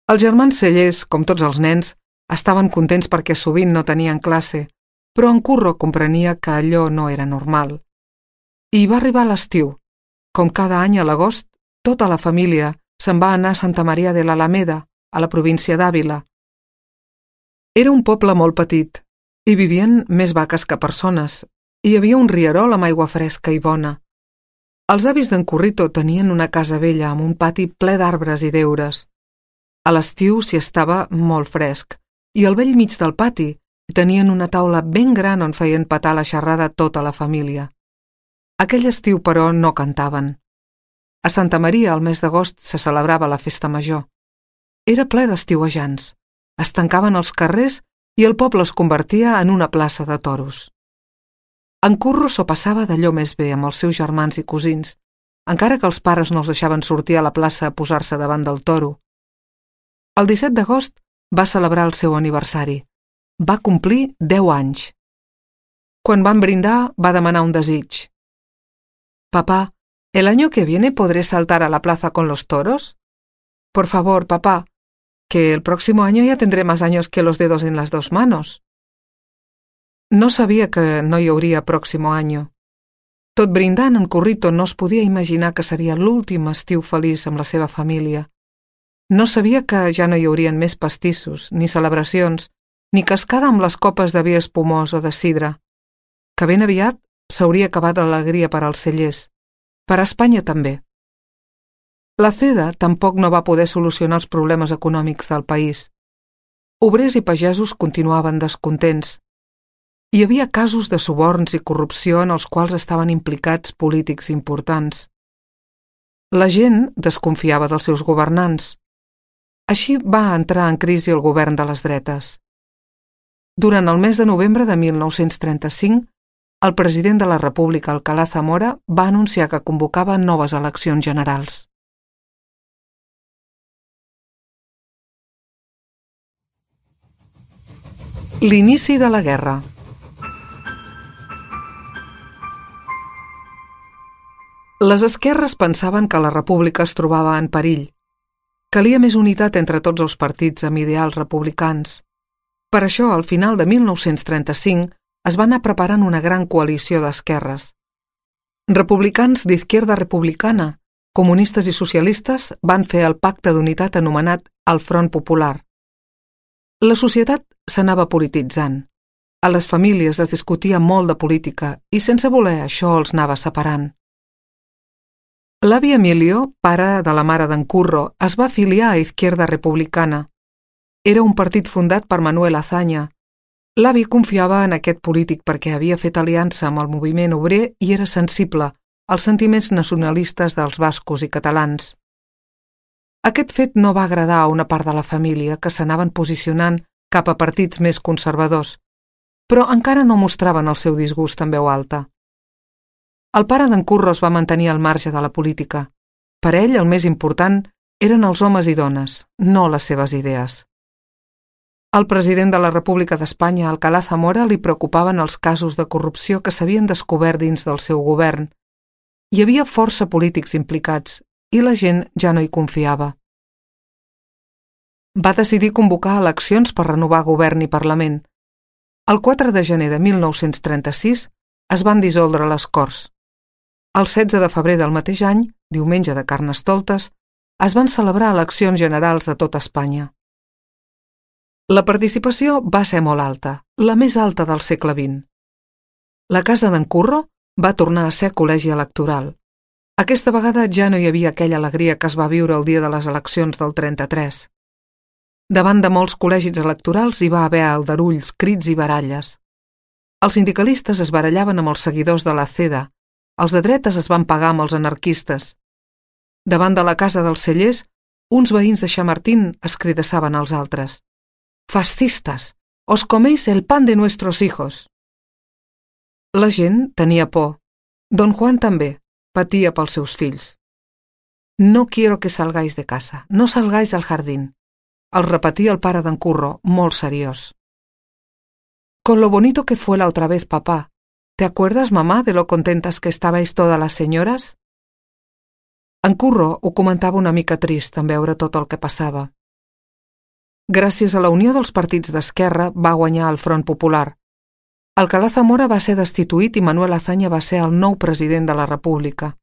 Els germans Cellers, com tots els nens, estaven contents perquè sovint no tenien classe, però en Curro comprenia que allò no era normal. I va arribar l'estiu. Com cada any a l'agost, tota la família se'n va anar a Santa Maria de l'Alameda, a la província d'Àvila. Era un poble molt petit. Hi vivien més vaques que persones. Hi havia un rierol amb aigua fresca i bona. Els avis d'en Currito tenien una casa vella amb un pati ple d'arbres i deures. A l'estiu s'hi estava molt fresc, i al bell mig del pati tenien una taula ben gran on feien petar la xerrada tota la família. Aquell estiu, però, no cantaven. A Santa Maria, al mes d'agost, se celebrava la festa major. Era ple d'estiuejants. Es tancaven els carrers i el poble es convertia en una plaça de toros. En Curro s'ho passava d'allò més bé amb els seus germans i cosins, encara que els pares no els deixaven sortir a la plaça a posar-se davant del toro. El 17 d'agost va celebrar el seu aniversari. Va complir 10 anys. Quan van brindar, va demanar un desig. «Papá, ¿el año que viene podré saltar a la plaza con los toros? Por favor, papá, que el próximo año ya tendré más años que los dedos en las dos manos». No sabia que no hi hauria pròximo any. Tot brindant, en Currito no es podia imaginar que seria l'últim estiu feliç amb la seva família. No sabia que ja no hi haurien més pastissos, ni celebracions, ni cascada amb les copes de vi espumós o de sidra, que ben aviat s'hauria acabat l'alegria per als Cellers, per a Espanya també. La CEDA tampoc no va poder solucionar els problemes econòmics del país. Obrers i pagesos continuaven descontents. Hi havia casos de suborns i corrupció en els quals estaven implicats polítics importants. La gent desconfiava dels seus governants. Així va entrar en crisi el govern de les dretes. Durant el mes de novembre de 1935, el president de la República, Alcalá Zamora, va anunciar que convocava noves eleccions generals. L'inici de la guerra. Les esquerres pensaven que la república es trobava en perill. Calia més unitat entre tots els partits amb ideals republicans. Per això, al final de 1935, es va anar preparant una gran coalició d'esquerres. Republicans d'Izquierda Republicana, comunistes i socialistes van fer el pacte d'unitat anomenat el Front Popular. La societat s'anava polititzant. A les famílies es discutia molt de política i sense voler això els anava separant. L'avi Emilio, pare de la mare d'en Curro, es va afiliar a Izquierda Republicana. Era un partit fundat per Manuel Azaña. L'avi confiava en aquest polític perquè havia fet aliança amb el moviment obrer i era sensible als sentiments nacionalistes dels bascos i catalans. Aquest fet no va agradar a una part de la família que s'anaven posicionant cap a partits més conservadors, però encara no mostraven el seu disgust en veu alta. El pare d'en Curro es va mantenir al marge de la política. Per ell el més important eren els homes i dones, no les seves idees. Al president de la República d'Espanya, Alcalá Zamora, li preocupaven els casos de corrupció que s'havien descobert dins del seu govern. Hi havia força polítics implicats i la gent ja no hi confiava. Va decidir convocar eleccions per renovar govern i Parlament. El 4 de gener de 1936 es van dissoldre les Corts. El 16 de febrer del mateix any, diumenge de Carnestoltes, es van celebrar eleccions generals a tot Espanya. La participació va ser molt alta, la més alta del segle XX. La casa d'en Curro va tornar a ser col·legi electoral. Aquesta vegada ja no hi havia aquella alegria que es va viure el dia de les eleccions del 33. Davant de molts col·legis electorals hi va haver aldarulls, crits i baralles. Els sindicalistes es barallaven amb els seguidors de la CEDA, els de dretes es van pagar amb els anarquistes. Davant de la casa dels cellers, uns veïns de Chamartín es cridassaven als altres. «Fascistas, os coméis el pan de nuestros hijos». La gent tenia por. Don Juan també patia pels seus fills. «No quiero que salgáis de casa, no salgáis al jardín», el repetia el pare d'en Curro, molt seriós. «Con lo bonito que fue la otra vez, papá. ¿Te acuerdas, mamá, de lo contentas que estabais todas las señoras?» En Curro ho comentava una mica trist en veure tot el que passava. Gràcies a la unió dels partits d'esquerra va guanyar el Front Popular. Alcalá Zamora va ser destituït i Manuel Azaña va ser el nou president de la República.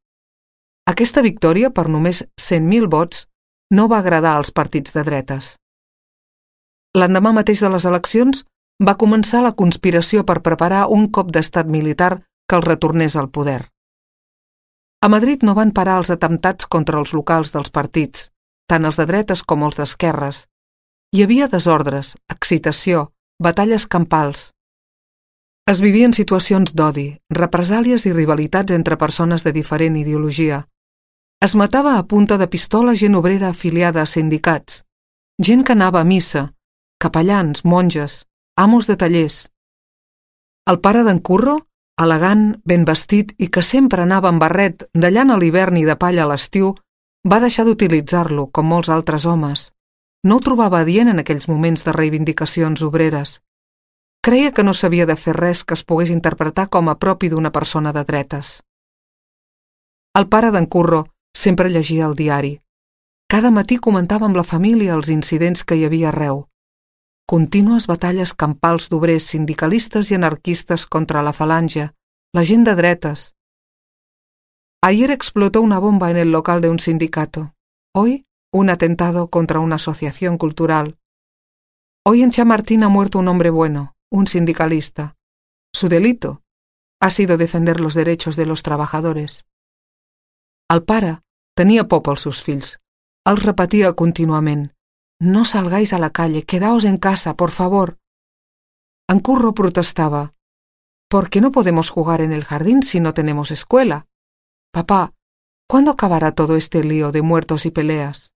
Aquesta victòria, per només 100.000 vots, no va agradar als partits de dretes. L'endemà mateix de les eleccions va començar la conspiració per preparar un cop d'estat militar que el retornés al poder. A Madrid no van parar els atemptats contra els locals dels partits, tant els de dretes com els d'esquerres. Hi havia desordres, excitació, batalles campals. Es vivien situacions d'odi, represàlies i rivalitats entre persones de diferent ideologia. Es matava a punta de pistola gent obrera afiliada a sindicats, gent que anava a missa, capellans, monges, amos de tallers. El pare d'en Curro, elegant, ben vestit i que sempre anava amb barret de llana a l'hivern i de palla a l'estiu, va deixar d'utilitzar-lo, com molts altres homes. No ho trobava adient en aquells moments de reivindicacions obreres. Creia que no s'havia de fer res que es pogués interpretar com a propi d'una persona de dretes. El pare d'en Curro sempre llegia el diari. Cada matí comentava amb la família els incidents que hi havia arreu. Contínues batalles campals d'obrers sindicalistes y anarquistas contra la falange, la gent de dretes. Ayer explotó una bomba en el local de un sindicato. Hoy, un atentado contra una asociación cultural. Hoy en Chamartín ha muerto un hombre bueno, un sindicalista. Su delito ha sido defender los derechos de los trabajadores. El pare tenia por pels seus fills. Els repetia contínuament. No salgáis a la calle, quedaos en casa, por favor. En Curro protestaba. ¿Por qué no podemos jugar en el jardín si no tenemos escuela? Papá, ¿Cuándo acabará todo este lío de muertos y peleas?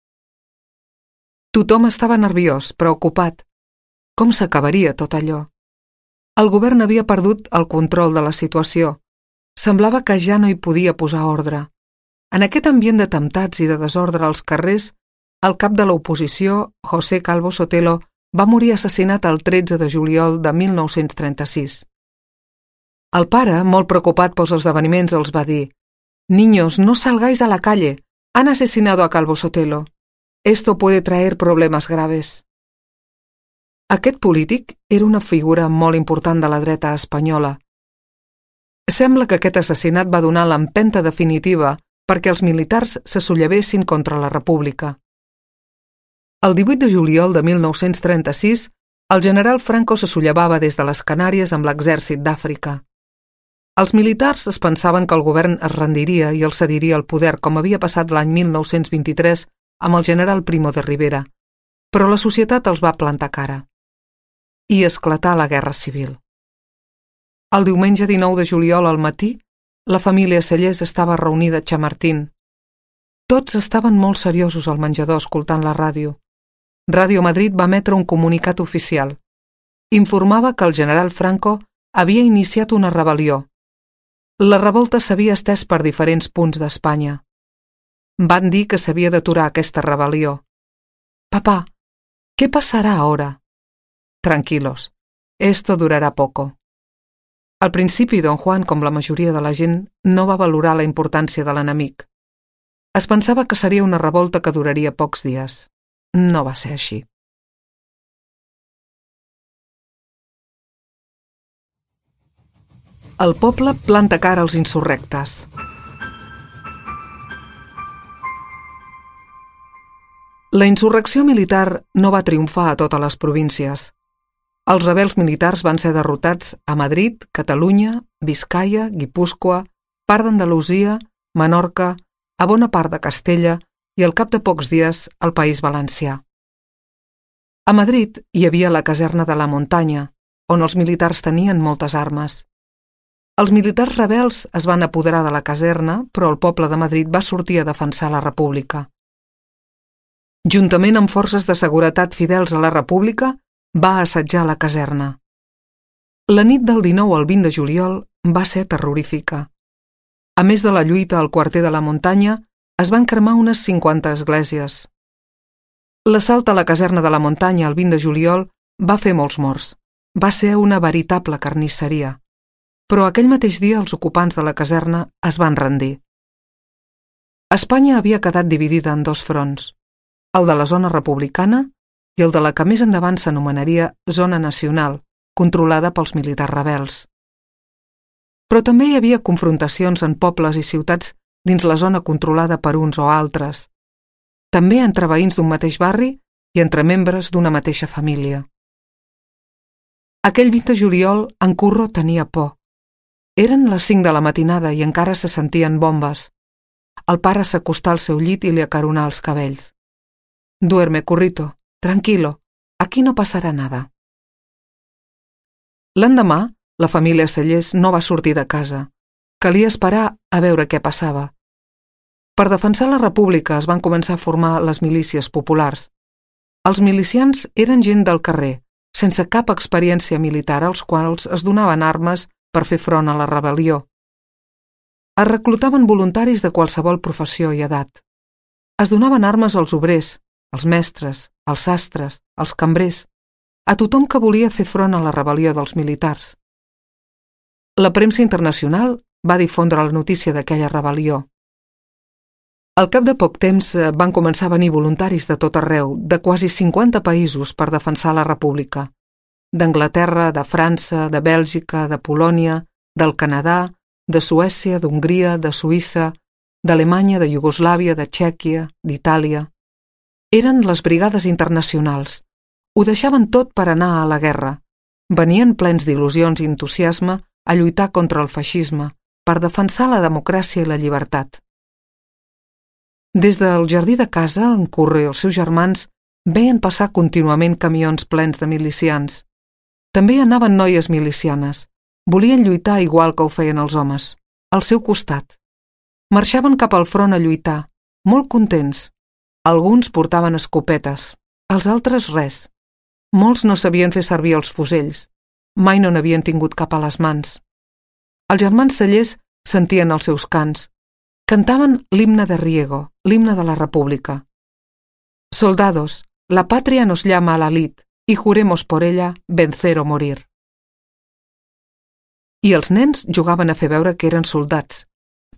Tothom estava nerviós, preocupat. Com s'acabaria tot allò? El govern havia perdut el control de la situació. Semblava que ja no hi podia posar ordre. En aquest ambient d'atemptats i de desordre als carrers, el cap de l'oposició, José Calvo Sotelo, va morir assassinat el 13 de juliol de 1936. El pare, molt preocupat pels esdeveniments, els va dir: «Niños, no salgáis a la calle. Han asesinado a Calvo Sotelo. Esto puede traer problemas graves». Aquest polític era una figura molt important de la dreta espanyola. Sembla que aquest assassinat va donar l'empenta definitiva perquè els militars se sollevessin contra la República. El 18 de juliol de 1936, el general Franco se sollevava des de les Canàries amb l'exèrcit d'Àfrica. Els militars es pensaven que el govern es rendiria i els cediria el poder, com havia passat l'any 1923 amb el general Primo de Rivera, però la societat els va plantar cara. I esclatà la Guerra Civil. El diumenge 19 de juliol al matí, la família Cellers estava reunida a Chamartín. Tots estaven molt seriosos al menjador escoltant la ràdio. Ràdio Madrid va emetre un comunicat oficial. Informava que el general Franco havia iniciat una rebel·lió. La revolta s'havia estès per diferents punts d'Espanya. Van dir que s'havia d'aturar aquesta rebel·lió. «Papá, ¿qué pasará ahora?» «Tranquilos, esto durará poco». Al principi, don Juan, com la majoria de la gent, no va valorar la importància de l'enemic. Es pensava que seria una revolta que duraria pocs dies. No va ser així. El poble planta cara als insurrectes. La insurrecció militar no va triomfar a totes les províncies. Els rebels militars van ser derrotats a Madrid, Catalunya, Biscaia, Guipúscoa, part d'Andalusia, Menorca, a bona part de Castella i al cap de pocs dies al País Valencià. A Madrid hi havia la caserna de la Muntanya, on els militars tenien moltes armes. Els militars rebels es van apoderar de la caserna, però el poble de Madrid va sortir a defensar la República. Juntament amb forces de seguretat fidels a la República, va assetjar la caserna. La nit del 19 al 20 de juliol va ser terrorífica. A més de la lluita al quarter de la Muntanya, es van cremar unes 50 esglésies. L'assalt a la caserna de la Muntanya el 20 de juliol va fer molts morts. Va ser una veritable carnisseria. Però aquell mateix dia els ocupants de la caserna es van rendir. Espanya havia quedat dividida en dos fronts, el de la zona republicana i el de la que més endavant s'anomenaria zona nacional, controlada pels militars rebels. Però també hi havia confrontacions en pobles i ciutats dins la zona controlada per uns o altres, també entre veïns d'un mateix barri i entre membres d'una mateixa família. Aquell 20 de juliol en Curro tenia por. Eren les 5 de la matinada i encara se sentien bombes. El pare s'acostà al seu llit i li acaronà els cabells. «Duerme, Currito, tranquilo, aquí no passarà nada». L'endemà, la família Cellers no va sortir de casa. Calia esperar a veure què passava. Per defensar la República es van començar a formar les milícies populars. Els milicians eren gent del carrer, sense cap experiència militar, als quals es donaven armes per fer front a la rebel·lió. Es reclutaven voluntaris de qualsevol professió i edat. Es donaven armes als obrers, als mestres, als sastres, als cambrers, a tothom que volia fer front a la rebel·lió dels militars. La premsa internacional va difondre la notícia d'aquella rebel·lió. Al cap de poc temps van començar a venir voluntaris de tot arreu, de quasi 50 països per defensar la República. D'Anglaterra, de França, de Bèlgica, de Polònia, del Canadà, de Suècia, d'Hongria, de Suïssa, d'Alemanya, de Iugoslàvia, de Txèquia, d'Itàlia. Eren les brigades internacionals. Ho deixaven tot per anar a la guerra. Venien plens d'il·lusions i entusiasme a lluitar contra el feixisme, per defensar la democràcia i la llibertat. Des del jardí de casa, en Curro i els seus germans veien passar contínuament camions plens de milicians. També hi anaven noies milicianes. Volien lluitar igual que ho feien els homes, al seu costat. Marxaven cap al front a lluitar, molt contents. Alguns portaven escopetes, els altres res. Molts no sabien fer servir els fusells. Mai no n'havien tingut cap a les mans. Els germans Cellers sentien els seus cants. Cantaven l'himne de Riego, l'himne de la República. Soldados, la patria nos llama a la lid y juremos por ella vencer o morir. I els nens jugaven a fer veure que eren soldats.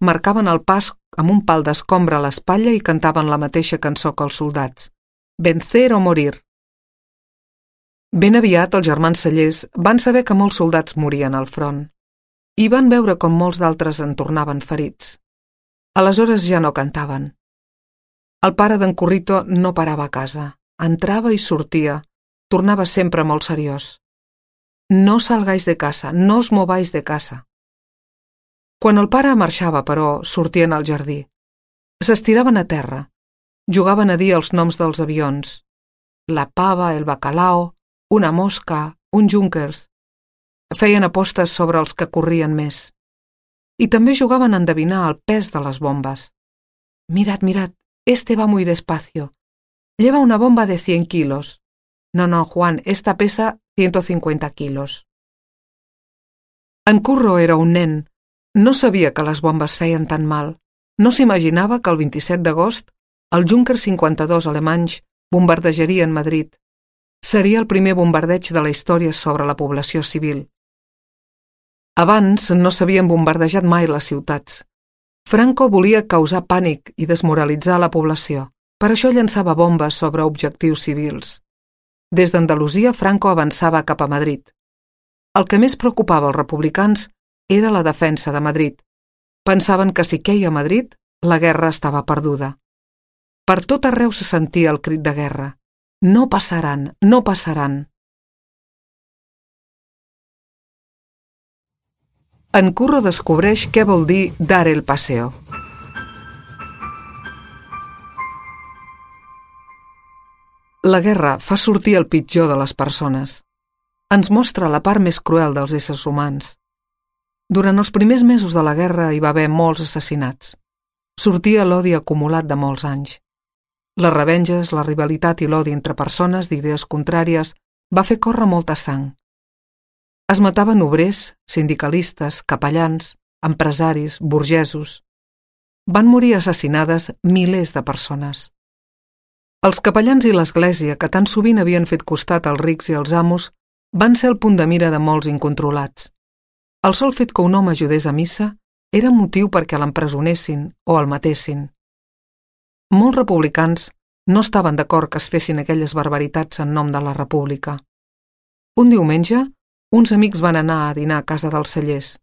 Marcaven el pas amb un pal d'escombra a l'espatlla i cantaven la mateixa cançó que els soldats. Vencer o morir. Ben aviat els germans Cellers van saber que molts soldats morien al front i van veure com molts d'altres en tornaven ferits. Aleshores ja no cantaven. El pare d'en Currito no parava a casa. Entrava i sortia. Tornava sempre molt seriós. No salgáis de casa, no os mováis de casa. Quan el pare marxava, però, sortien al jardí. S'estiraven a terra. Jugaven a dir els noms dels avions. La pava, el bacalao, una mosca, un Junkers. Feien apostes sobre els que corrien més. I també jugaven a endevinar el pes de les bombes. Mirad, mirad, este va muy despacio. Lleva una bomba de 100 kilos. No, Juan, esta pesa 150 kilos. En Curro era un nen. No sabia que les bombes feien tan mal. No s'imaginava que el 27 d'agost el Junker 52 alemanys bombardejarien Madrid. Seria el primer bombardeig de la història sobre la població civil. Abans no s'havien bombardejat mai les ciutats. Franco volia causar pànic i desmoralitzar la població. Per això llançava bombes sobre objectius civils. Des d'Andalusia, Franco avançava cap a Madrid. El que més preocupava els republicans era la defensa de Madrid. Pensaven que si queia a Madrid, la guerra estava perduda. Per tot arreu se sentia el crit de guerra. No passaran, no passaran. En Curro descobreix què vol dir dar el paseo. La guerra fa sortir el pitjor de les persones. Ens mostra la part més cruel dels éssers humans. Durant els primers mesos de la guerra hi va haver molts assassinats. Sortia l'odi acumulat de molts anys. Les revenges, la rivalitat i l'odi entre persones d'idees contràries va fer córrer molta sang. Es mataven obrers, sindicalistes, capellans, empresaris, burgesos. Van morir assassinades milers de persones. Els capellans i l'església, que tan sovint havien fet costat als rics i als amos, van ser el punt de mira de molts incontrolats. El sol fet que un home ajudés a missa era motiu perquè l'empresonessin o el matessin. Molts republicans no estaven d'acord que es fessin aquelles barbaritats en nom de la república. Un diumenge, uns amics van anar a dinar a casa dels Cellers.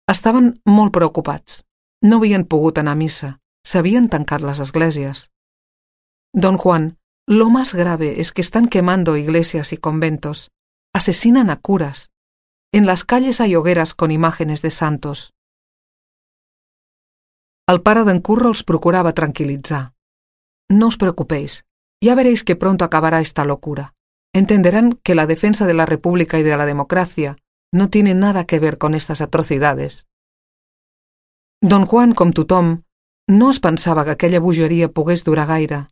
Estaven molt preocupats. No havien pogut anar a missa. S'havien tancat les esglésies. Don Juan, lo más grave es que están quemando iglesias y conventos. Asesinan a curas. En las calles hay hogueras con imágenes de santos. El pare d'en Curro els procurava tranquilitzar. No os preocupéis, ya veréis que pronto acabará esta locura. Entenderán que la defensa de la República y de la democracia no tiene nada que ver con estas atrocidades. Don Juan, com tothom, no es pensava que aquella bogeria pogués durar gaire.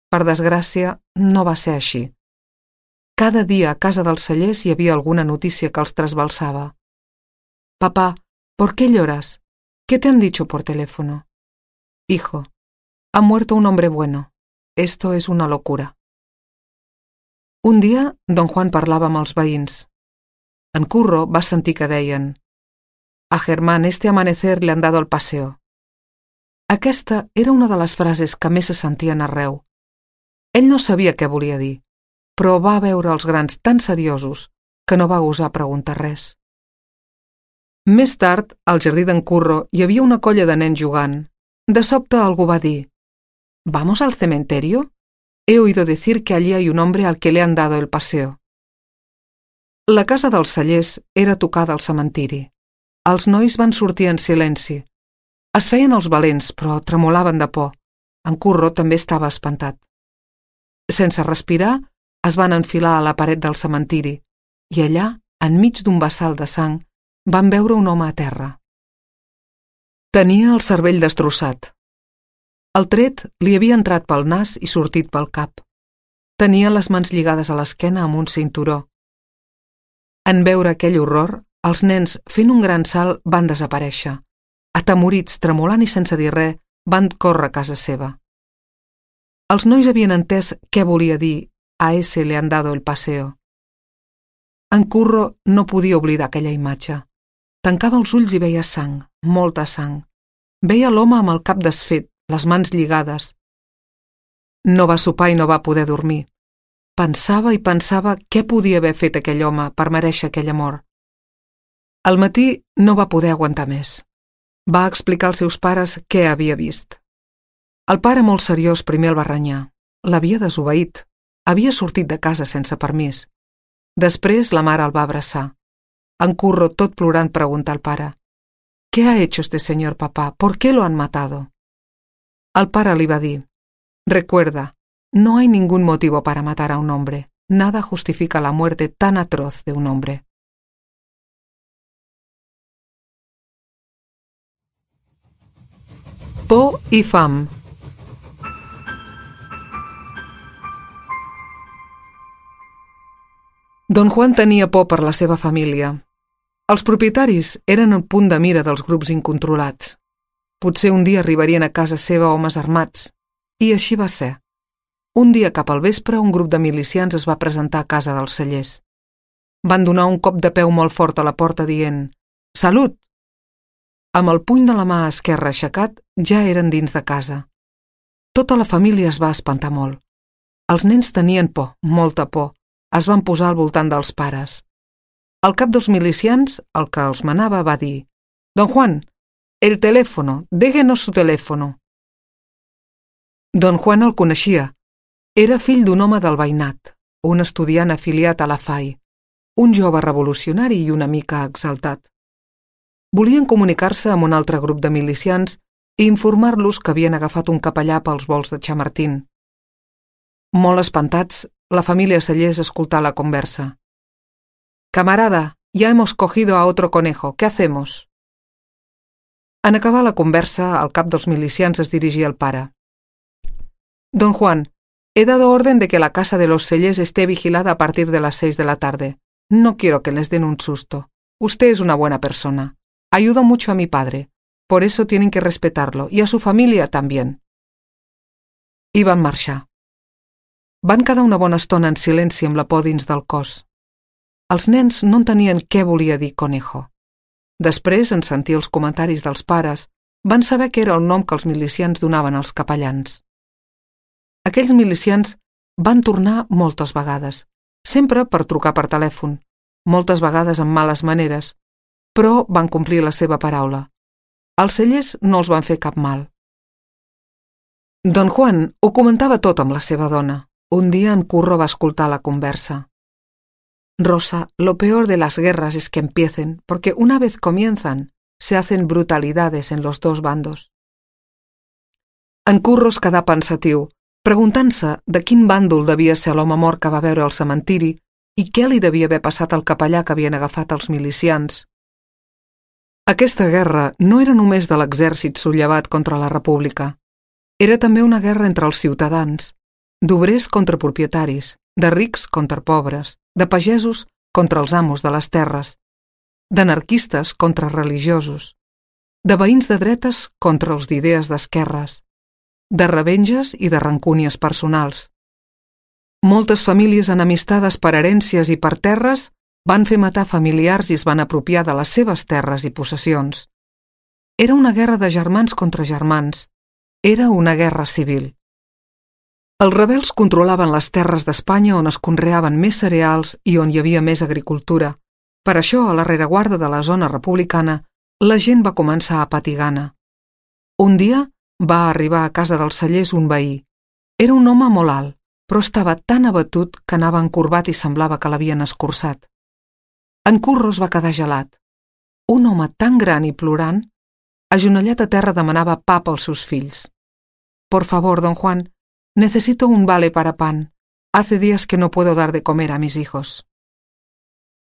Per desgràcia, no va ser així. Cada dia a casa dels Cellers hi havia alguna notícia que els trasbalsava. Papá, ¿por qué lloras? ¿Qué te han dicho por teléfono? Hijo, ha muerto un hombre bueno. Esto es una locura. Un dia, don Juan parlava amb els veïns. En Curro va sentir que deien: a Germán este amanecer le han dado el paseo. Aquesta era una de les frases que més se sentien arreu. Ell no sabia què volia dir, però va veure els grans tan seriosos que no va gosar preguntar res. Més tard, al jardí d'en Curro hi havia una colla de nens jugant. De sobte algú va dir: ¿Vamos al cementerio? He oído decir que allí hay un hombre al que le han dado el paseo. La casa dels Cellers era tocada al cementiri. Els nois van sortir en silenci. Es feien els valents, però tremolaven de por. En Curro també estava espantat. Sense respirar, es van enfilar a la paret del cementiri i allà, enmig d'un bassal de sang, van veure un home a terra. Tenia el cervell destrossat. El tret li havia entrat pel nas i sortit pel cap. Tenia les mans lligades a l'esquena amb un cinturó. En veure aquell horror, els nens, fent un gran salt, van desaparèixer. Atemorits, tremolant i sense dir res, van córrer a casa seva. Els nois havien entès què volia dir «a ese le han dado el paseo». En Curro no podia oblidar aquella imatge. Tancava els ulls i veia sang, molta sang. Veia l'home amb el cap desfet, les mans lligades. No va sopar i no va poder dormir. Pensava i pensava què podia haver fet aquell home per mereixer aquella mort. Al matí no va poder aguantar més. Va explicar als seus pares què havia vist. El pare, molt seriós, primer el va renyar. L'havia desobeït. Havia sortit de casa sense permís. Després la mare el va abraçar. En Curro, tot plorant, preguntà al pare: «¿Qué ha hecho este señor, papá? ¿Por qué lo han matado?» El pare li va dir: «Recuerda, no hay ningún motivo para matar a un hombre. Nada justifica la muerte tan atroz de un hombre». Por i fam. Don Juan tenia por per la seva família. Els propietaris eren el punt de mira dels grups incontrolats. Potser un dia arribarien a casa seva homes armats, i així va ser. Un dia cap al vespre un grup de milicians es va presentar a casa dels Cellers. Van donar un cop de peu molt fort a la porta dient «Salut!». Amb el puny de la mà esquerra aixecat ja eren dins de casa. Tota la família es va espantar molt. Els nens tenien por, molta por. Es van posar al voltant dels pares. El cap dels milicians, el que els manava, va dir «Don Juan, el teléfono, déjenos su teléfono». Don Juan el coneixia. Era fill d'un home del veïnat, un estudiant afiliat a la FAI, un jove revolucionari i una mica exaltat. Volien comunicar-se amb un altre grup de milicians i informar-los que havien agafat un capellà pels volts de Chamartín. Molt espantats, la família Cellers escoltà la conversa. «Camarada, ya hemos cogido a otro conejo, ¿qué hacemos?» En acabar la conversa, el cap dels milicians es dirigia al pare. «Don Juan, he dado orden de que la casa de los Cellers esté vigilada a partir de las 6 de la tarde. No quiero que les den un susto. Usted es una buena persona. Ayuda mucho a mi padre. Por eso tienen que respetarlo, y a su familia también». I van marxar. Van quedar una bona estona en silenci amb la por dins del cos. Els nens no entenien què volia dir conejo. Després, en sentir els comentaris dels pares, van saber que era el nom que els milicians donaven als capellans. Aquells milicians van tornar moltes vegades, sempre per trucar per telèfon, moltes vegades amb males maneres, però van complir la seva paraula. Els Cellers no els van fer cap mal. Don Juan ho comentava tot amb la seva dona. Un día en Curro va a escoltar la conversa. «Rosa, lo peor de las guerras es que empiecen, porque una vez comienzan, se hacen brutalidades en los dos bandos». En Curro es quedà pensatiu, preguntant-se de quin bàndol devia ser l'home mort que va veure al cementiri i què li devia haver passat al capellà que havien agafat els milicians. Aquesta guerra no era només de l'exèrcit sublevat contra la república. Era també una guerra entre els ciutadans, d'obrers contra propietaris, de rics contra pobres, de pagesos contra els amos de les terres, d'anarquistes contra religiosos, de veïns de dretes contra els d'idees d'esquerres, de revenges i de rancúnies personals. Moltes famílies enemistades per herències i per terres van fer matar familiars i es van apropiar de les seves terres i possessions. Era una guerra de germans contra germans. Era una guerra civil. Els rebels controlaven les terres d'Espanya on es conreaven més cereals i on hi havia més agricultura. Per això, a la rereguarda de la zona republicana, la gent va començar a patir gana. Un dia va arribar a casa dels Cellers un veí. Era un home molt alt, però estava tan abatut que anava encorbat i semblava que l'havien escurçat. En Curro es va quedar gelat. Un home tan gran i plorant, agenollat a terra, demanava pa pels seus fills. «Por favor, don Juan, necesito un vale para pan. Hace días que no puedo dar de comer a mis hijos».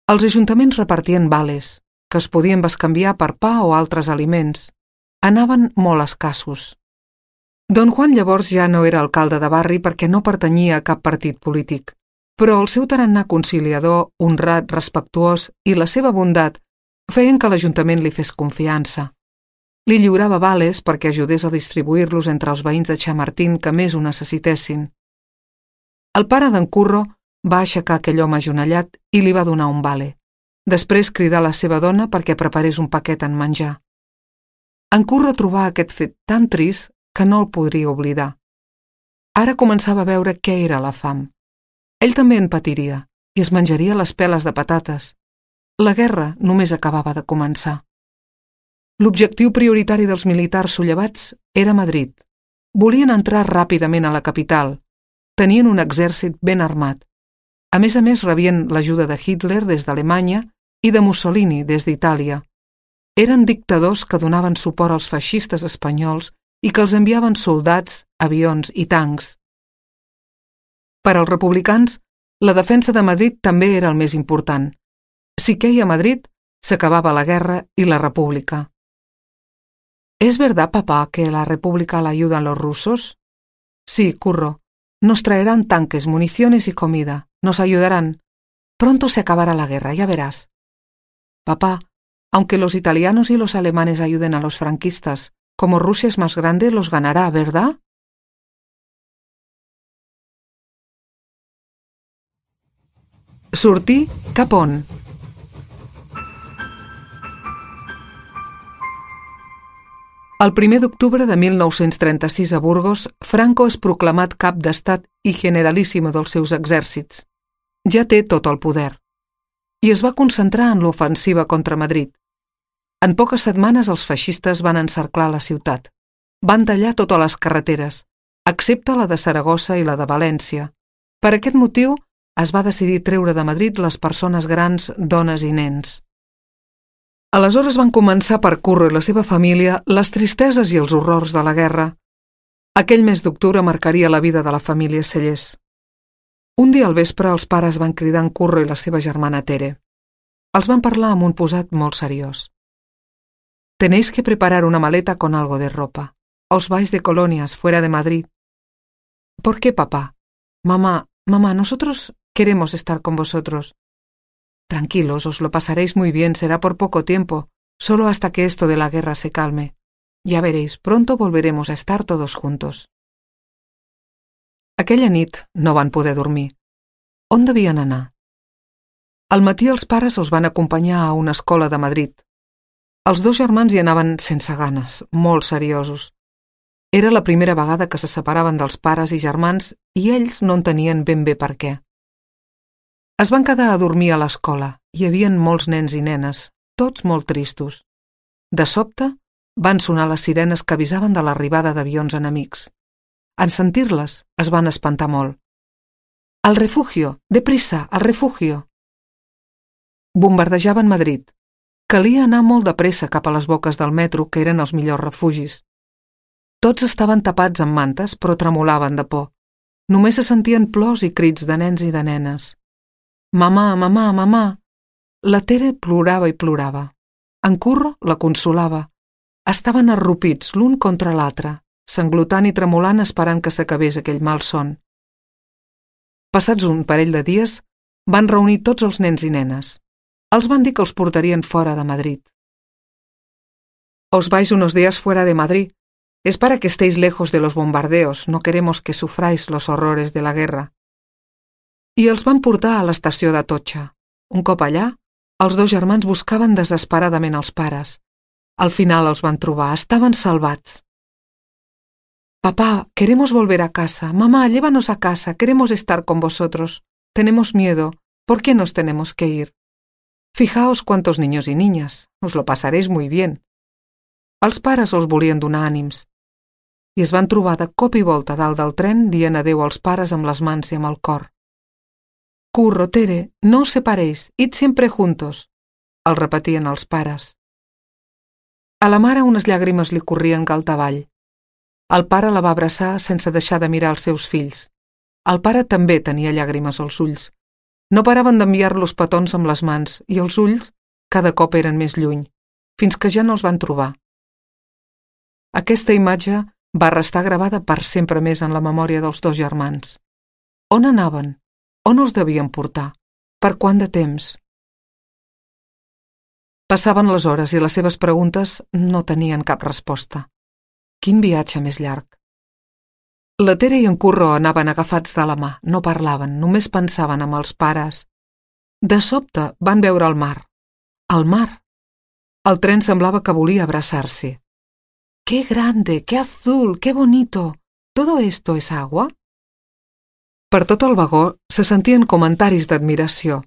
Els ajuntaments repartien vales, que es podien bescanviar per pa o altres aliments, anaven molt escassos. Don Juan llavors ja no era alcalde de barri perquè no pertanyia a cap partit polític, però el seu tarannà conciliador, honrat, respectuós i la seva bondat feien que l'Ajuntament li fes confiança. Li lliurava vales perquè ajudés a distribuir-los entre els veïns de Chamartín que més ho necessitessin. El pare d'en Curro va aixecar aquell home agenollat i li va donar un vale. Després cridà a la seva dona perquè preparés un paquet en menjar. En Curro trobà aquest fet tan trist que no el podria oblidar. Ara començava a veure què era la fam. Ell també en patiria i es menjaria les peles de patates. La guerra només acabava de començar. L'objectiu prioritari dels militars sollevats era Madrid. Volien entrar ràpidament a la capital. Tenien un exèrcit ben armat. A més, rebien l'ajuda de Hitler des d'Alemanya i de Mussolini des d'Itàlia. Eren dictadors que donaven suport als feixistes espanyols i que els enviaven soldats, avions i tancs. Per als republicans, la defensa de Madrid també era el més important. Si queia Madrid, s'acabava la guerra y la república. ¿Es verdad, papá, que la república la ayudan los rusos? Sí, Curro. Nos traerán tanques, municiones y comida. Nos ayudarán. Pronto se acabará la guerra, ya verás. Papá, aunque los italianos y los alemanes ayuden a los franquistas, como Rusia es más grande, los ganará, ¿verdad? Sortir cap on? El 1 d'octubre de 1936 a Burgos, Franco és proclamat cap d'estat i generalíssimo dels seus exèrcits. Ja té tot el poder. I es va concentrar en l'ofensiva contra Madrid. En poques setmanes els feixistes van encerclar la ciutat. Van tallar totes les carreteres, excepte la de Saragossa i la de València. Per aquest motiu, es va decidir treure de Madrid les persones grans, dones i nens. Aleshores van començar per Curro i la seva família les tristeses i els horrors de la guerra. Aquell mes d'octubre marcaria la vida de la família Cellers. Un dia al vespre els pares van cridar en Curro i la seva germana Tere. Els van parlar amb un posat molt seriós. Tenéis que preparar una maleta con algo de ropa. Os vais de colonias fuera de Madrid. ¿Por qué, papá? Mamá, nosotros queremos estar con vosotros. Tranquilos, os lo pasaréis muy bien, será por poco tiempo, solo hasta que esto de la guerra se calme. Ya veréis, pronto volveremos a estar todos juntos. Aquella nit no van poder dormir. On devien anar? Al matí els pares els van acompanyar a una escola de Madrid. Els dos germans hi anaven sense ganes, molt seriosos. Era la primera vegada que se separaven dels pares i germans i ells no entenien ben bé per què. Es van quedar a dormir a l'escola. Hi havia molts nens i nenes, tots molt tristos. De sobte, van sonar les sirenes que avisaven de l'arribada d'avions enemics. En sentir-les, es van espantar molt. «Al refugio! Deprisa! Al refugio!» Bombardejaven Madrid. Calia anar molt de pressa cap a les boques del metro, que eren els millors refugis. Tots estaven tapats amb mantes, però tremolaven de por. Només se sentien plors i crits de nens i de nenes. «Mamà, mamà, mamà!» La Tere plorava i plorava. En Curro la consolava. Estaven arrupits l'un contra l'altre, sanglotant i tremolant esperant que s'acabés aquell malson. Passats un parell de dies, van reunir tots els nens i nenes. Els van dir que els portarien fora de Madrid. «Os vais unos días fuera de Madrid. Es para que estéis lejos de los bombardeos. No queremos que sufráis los horrores de la guerra». I els van portar a l'estació d'Atocha. Un cop allà, els dos germans buscaven desesperadament els pares. Al final els van trobar, estaven salvats. «Papá, queremos volver a casa. Mamá, llévanos a casa, queremos estar con vosotros. Tenemos miedo. ¿Por qué nos tenemos que ir? Fijaos cuántos niños y niñas. Os lo pasaréis muy bien». Els pares els volien donar ànims. I es van trobar de cop i volta dalt del tren dient adéu als pares amb les mans i amb el cor. «Curro, Tere, no os separéis, id siempre juntos», el repetien els pares. A la mare unes llàgrimes li corrien galtavall. El pare la va abraçar sense deixar de mirar els seus fills. El pare també tenia llàgrimes als ulls. No paraven d'enviar-los petons amb les mans i els ulls cada cop eren més lluny, fins que ja no els van trobar. Aquesta imatge va restar gravada per sempre més en la memòria dels dos germans. On anaven? On els devien portar? Per quant de temps? Passaven les hores i les seves preguntes no tenien cap resposta. Quin viatge més llarg. La Tere i en Curro anaven agafats de la mà, no parlaven, només pensaven en els pares. De sobte van veure el mar. El mar. El tren semblava que volia abraçar-se. ¡Qué grande, qué azul, qué bonito! ¿Todo esto es agua? Per tot el vagó se sentien comentaris d'admiració.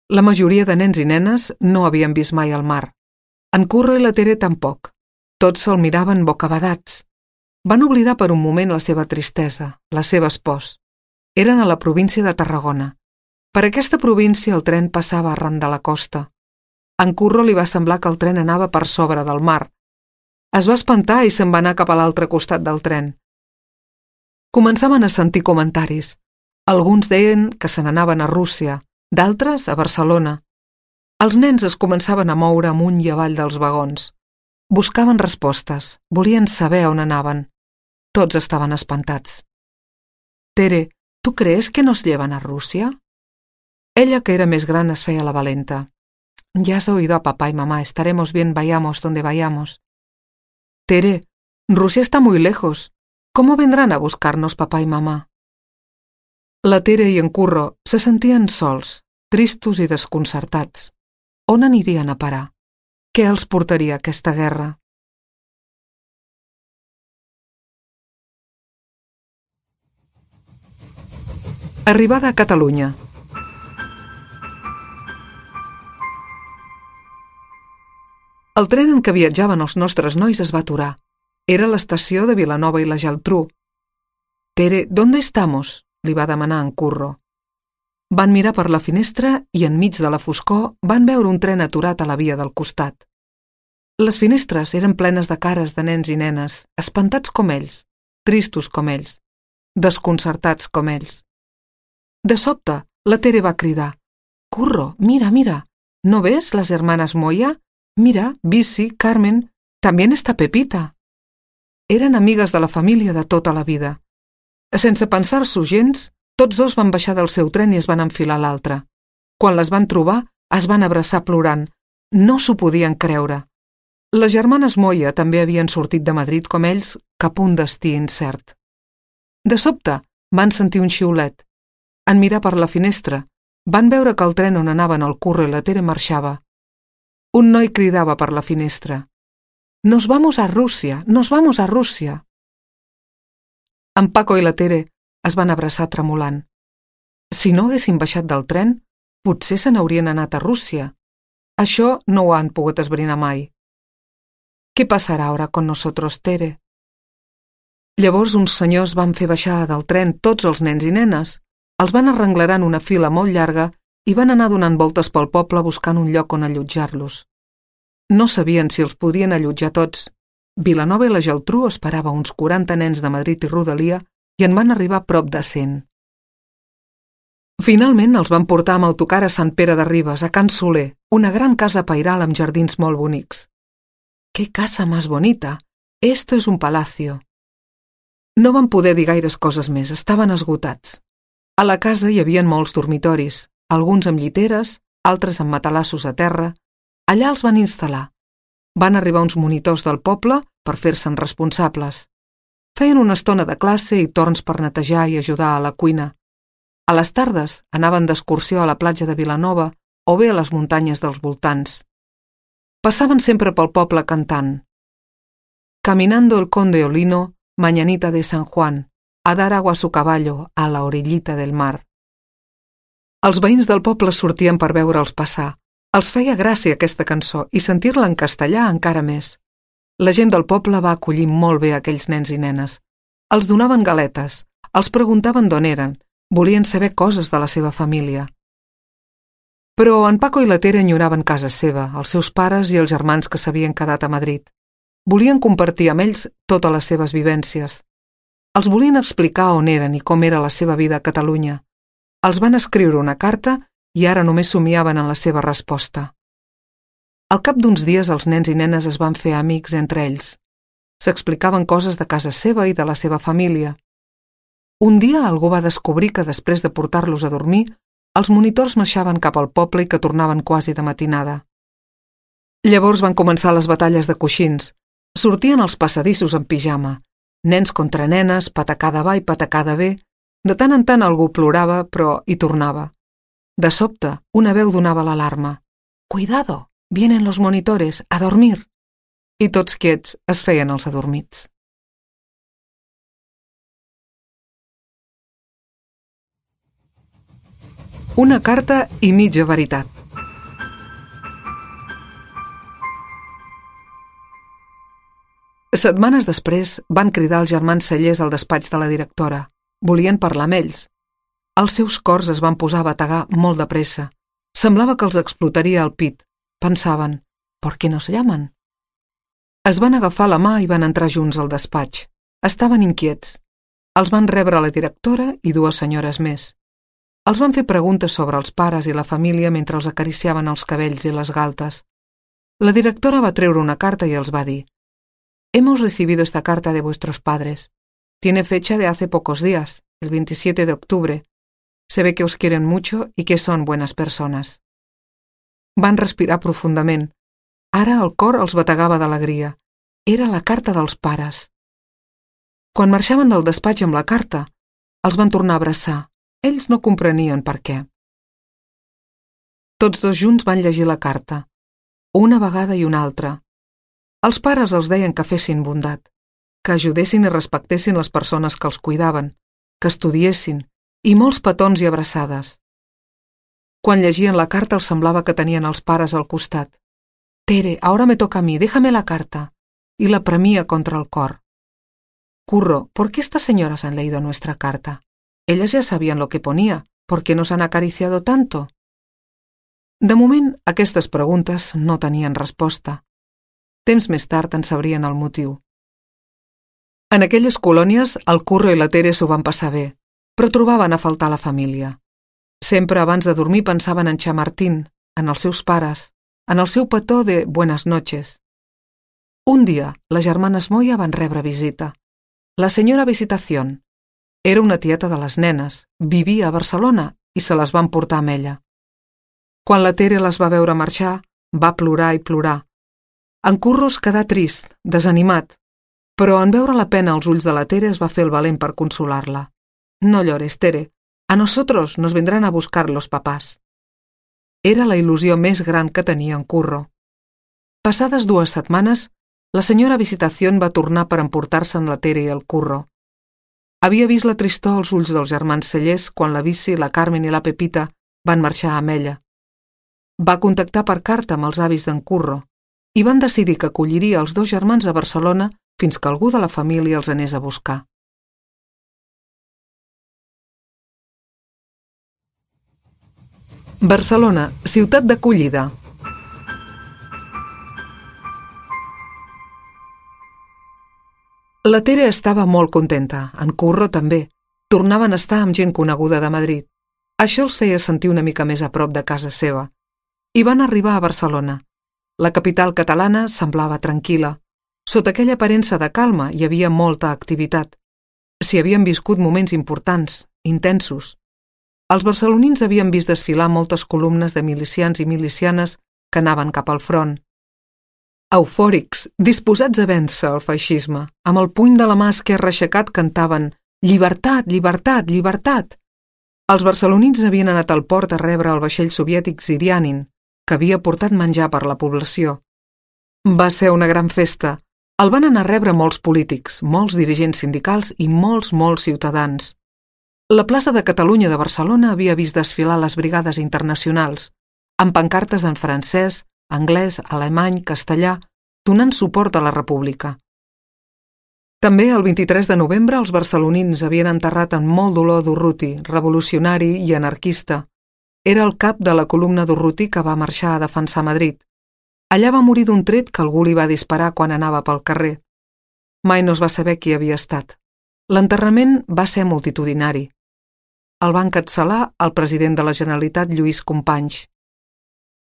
La majoria de nens i nenes no havien vist mai el mar. En Curro i la Tere tampoc. Tots se'l miraven bocabadats. Van oblidar per un moment la seva tristesa, les seves pors. Eren a la província de Tarragona. Per aquesta província el tren passava arran de la costa. A en Curro li va semblar que el tren anava per sobre del mar. Es va espantar i se'n va anar cap a l'altre costat del tren. Començaven a sentir comentaris. Alguns deien que se n'anaven a Rússia, d'altres a Barcelona. Els nens es començaven a moure amunt i avall dels vagons. Buscaven respostes, volien saber on anaven. Tots estaven espantats. Tere, ¿tú crees que nos llevan a Rusia? Ella, que era més gran, es feia la valenta. Ya has oído a papá y mamá, estaremos bien, vayamos donde vayamos. Tere, Rusia está muy lejos. ¿Cómo vendrán a buscarnos papá y mamá? La Tere i en Curro se sentien sols, tristos i desconcertats. On anirien a parar? Què els portaria aquesta guerra? Arribada a Catalunya. El tren en què viatjaven els nostres nois es va aturar. Era l'estació de Vilanova i la Geltrú. Tere, ¿dónde estamos? Li va demanar en Curro. Van mirar per la finestra i enmig de la foscor van veure un tren aturat a la via del costat. Les finestres eren plenes de cares de nens i nenes, espantats com ells, tristos com ells, desconcertats com ells. De sobte, la Tere va cridar: «Curro, mira, mira, ¿no ves las hermanas Moya? Mira, Bici, Carmen, también está Pepita». Eren amigues de la família de tota la vida. Sense pensar-s'ho gens, tots dos van baixar del seu tren i es van enfilar a l'altre. Quan les van trobar, es van abraçar plorant. No s'ho podien creure. Les germanes Moya també havien sortit de Madrid com ells cap a un destí incert. De sobte, van sentir un xiulet. En mirar per la finestra, van veure que el tren on anaven el Curro i la Tere marxava. Un noi cridava per la finestra: «Nos vamos a Rusia, nos vamos a Rusia». En Paco i la Tere es van abraçar tremolant. Si no haguessin baixat del tren, potser se n'haurien anat a Rússia. Això no ho han pogut esbrinar mai. «¿Qué passarà ahora con nosotros, Tere?» Llavors uns senyors van fer baixar del tren tots els nens i nenes, els van arrenglerar en una fila molt llarga i van anar donant voltes pel poble buscant un lloc on allotjar-los. No sabien si els podrien allotjar tots. Vilanova i la Geltrú esperava uns 40 nens de Madrid i rodalia i en van arribar prop de 100. Finalment els van portar amb autocar a Sant Pere de Ribes, a Can Soler, una gran casa pairal amb jardins molt bonics. «Qué casa más bonita! Esto es un palacio!» No van poder dir gaires coses més, estaven esgotats. A la casa hi havia molts dormitoris, alguns amb lliteres, altres amb matalassos a terra. Allà els van instal·lar. Van arribar uns monitors del poble per fer-se'n responsables. Feien una estona de classe i torns per netejar i ajudar a la cuina. A les tardes anaven d'excursió a la platja de Vilanova o bé a les muntanyes dels voltants. Passaven sempre pel poble cantant: «Caminando el conde Olino, mañanita de San Juan, a dar agua a su caballo a la orillita del mar». Els veïns del poble sortien per veure'ls passar. Els feia gràcia aquesta cançó i sentir-la en castellà encara més. La gent del poble va acollir molt bé aquells nens i nenes. Els donaven galetes, els preguntaven d'on eren, volien saber coses de la seva família. Però en Paco i la Tere enyoraven casa seva, els seus pares i els germans que s'havien quedat a Madrid. Volien compartir amb ells totes les seves vivències. Els volien explicar on eren i com era la seva vida a Catalunya. Els van escriure una carta i ara només somiaven en la seva resposta. Al cap d'uns dies els nens i nenes es van fer amics entre ells. S'explicaven coses de casa seva i de la seva família. Un dia algú va descobrir que després de portar-los a dormir, els monitors marxaven cap al poble i que tornaven quasi de matinada. Llavors van començar les batalles de coixins. Sortien als passadissos en pijama. Nens contra nenes, patacada va i patacada ve. De tant en tant algú plorava, però hi tornava. De sobte, una veu donava l'alarma. «Cuidado, vienen los monitores, a dormir!» I tots quiets es feien els adormits. Una carta i mitja veritat. Setmanes després van cridar els germans Cellers al despatx de la directora. Volien parlar amb ells. Els seus cors es van posar a bategar molt de pressa. Semblava que els explotaria el pit. Pensaven, ¿por qué no se llaman? Es van agafar la mà i van entrar junts al despatx. Estaven inquiets. Els van rebre la directora i dues senyores més. Els van fer preguntes sobre els pares i la família mentre els acariciaven els cabells i les galtes. La directora va treure una carta i els va dir: «Hemos recibido esta carta de vuestros padres. Tiene fecha de hace pocos días, el 27 de octubre. Se ve que os quieren mucho y que son buenas personas». Van respirar profundament. Ara el cor els bategava d'alegria. Era la carta dels pares. Quan marxaven del despatx amb la carta, els van tornar a abraçar. Ells no comprenien per què. Tots dos junts van llegir la carta, una vegada i una altra. Els pares els deien que fessin bondat, que ajudessin i respectessin les persones que els cuidaven, que estudiessin, i molts petons i abraçades. Quan llegien la carta els semblava que tenien els pares al costat. «Tere, ahora me toca a mí, déjame la carta», i la premia contra el cor. «Curro, ¿por qué estas señoras han leído nuestra carta? Ellas ya sabían lo que ponía, ¿por qué nos han acariciado tanto?» De moment, aquestes preguntes no tenien resposta. Temps més tard en sabrien el motiu. En aquelles colònies, el Curro i la Tere s'ho van passar bé, però trobaven a faltar la família. Sempre abans de dormir pensaven en Chamartín, en els seus pares, en el seu petó de «Buenas noches». Un dia, les germanes Moya van rebre visita. La senyora Visitación. Era una tieta de les nenes, vivia a Barcelona i se les van portar amb ella. Quan la Tere les va veure marxar, va plorar i plorar. En Curro es quedà trist, desanimat, però en veure la pena als ulls de la Tere es va fer el valent per consolar-la. «No llores, Tere. A nosotros nos vendrán a buscar los papás». Era la il·lusió més gran que tenia en Curro. Passades 2 setmanes, la senyora Visitación va tornar per emportar-se'n la Tere i el Curro. Havia vist la tristor als ulls dels germans Cellers quan la Vici, la Carmen i la Pepita van marxar amb ella. Va contactar per carta amb els avis d'en Curro i van decidir que acolliria els dos germans a Barcelona fins que algú de la família els anés a buscar. Barcelona, ciutat d'acollida. La Tere estava molt contenta, en Curro també. Tornaven a estar amb gent coneguda de Madrid. Això els feia sentir una mica més a prop de casa seva. I van arribar a Barcelona. La capital catalana semblava tranquil·la. Sota aquella aparença de calma hi havia molta activitat. S'hi havien viscut moments importants, intensos. Els barcelonins havien vist desfilar moltes columnes de milicians i milicianes que anaven cap al front. Eufòrics, disposats a vèncer el feixisme, amb el puny de la mà esquerra aixecat cantaven «Llibertat, llibertat, llibertat!». Els barcelonins havien anat al port a rebre el vaixell soviètic Zirianin, que havia portat menjar per la població. Va ser una gran festa. El van anar a rebre molts polítics, molts dirigents sindicals i molts ciutadans. La plaça de Catalunya de Barcelona havia vist desfilar les brigades internacionals, amb pancartes en francès, anglès, alemany, castellà, donant suport a la República. També el 23 de novembre els barcelonins havien enterrat amb molt dolor Durruti, revolucionari i anarquista. Era el cap de la columna Durruti que va marxar a defensar Madrid. Allà va morir d'un tret que algú li va disparar quan anava pel carrer. Mai no es va saber qui havia estat. L'enterrament va ser multitudinari. El va encapçalar el president de la Generalitat, Lluís Companys.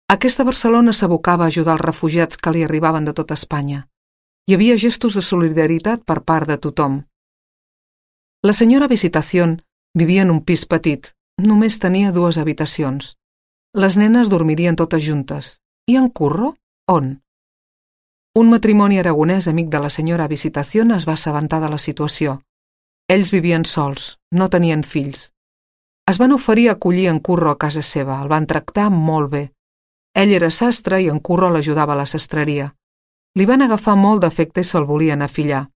Aquesta Barcelona s'abocava a ajudar els refugiats que li arribaven de tota Espanya. Hi havia gestos de solidaritat per part de tothom. La senyora Visitación vivia en un pis petit, només tenia 2 habitacions. Les nenes dormirien totes juntes. I en Curro, on? Un matrimoni aragonès amic de la senyora Visitación es va assabentar de la situació. Ells vivien sols, no tenien fills. Es van oferir a acollir en Curro a casa seva, el van tractar molt bé. Ell era sastre i en Curro l'ajudava a la sastreria. Li van agafar molt d'afecte i se'l volien afillar.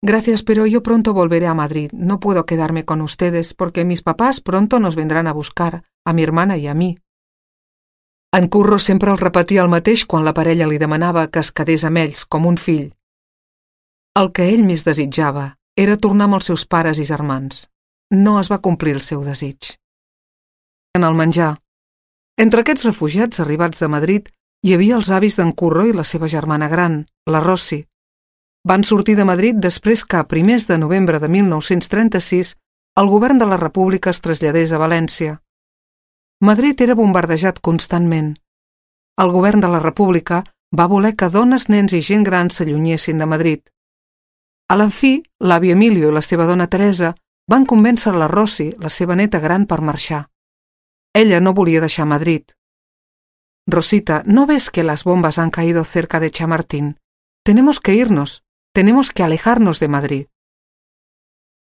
Gracias, pero yo pronto volveré a Madrid. No puedo quedarme con ustedes porque mis papás pronto nos vendrán a buscar, a mi hermana y a mí. En Curro sempre el repetia el mateix quan la parella li demanava que es quedés amb ells, com un fill. El que ell més desitjava era tornar amb els seus pares i germans. No es va complir el seu desig. En el menjar. Entre aquests refugiats arribats de Madrid hi havia els avis d'en Curro i la seva germana gran, la Rossi. Van sortir de Madrid després que, a primers de novembre de 1936, el govern de la República es traslladés a València. Madrid era bombardejat constantment. El govern de la República va voler que dones, nens i gent gran s'allunyessin de Madrid. A la fi, l'avi Emilio i la seva dona Teresa van convèncer la Rossi, la seva neta gran, per marxar. Ella no volia deixar Madrid. Rosita, ¿no ves que las bombas han caído cerca de Chamartín? Tenemos que irnos. Tenemos que alejarnos de Madrid.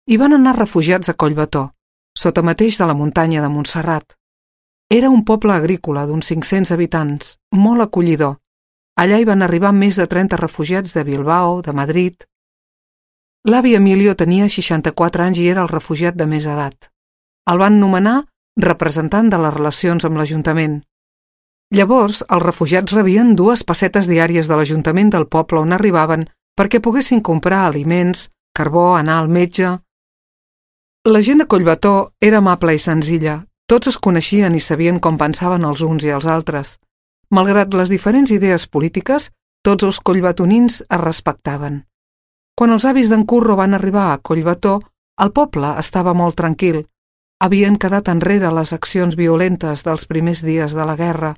Hi van anar refugiats a Collbató, sota mateix de la muntanya de Montserrat. Era un poble agrícola d'uns 500 habitants, molt acollidor. Allà hi van arribar més de 30 refugiats de Bilbao, de Madrid. L'avi Emilio tenia 64 anys i era el refugiat de més edat. El van nomenar representant de les relacions amb l'Ajuntament. Llavors, els refugiats rebien 2 pessetes diàries de l'Ajuntament del poble on arribaven perquè poguessin comprar aliments, carbó, anar al metge. La gent de Collbató era amable i senzilla. Tots es coneixien i sabien com pensaven els uns i els altres. Malgrat les diferents idees polítiques, tots els collbatonins es respectaven. Quan els avis d'en Curro van arribar a Collbató, el poble estava molt tranquil. Havien quedat enrere les accions violentes dels primers dies de la guerra.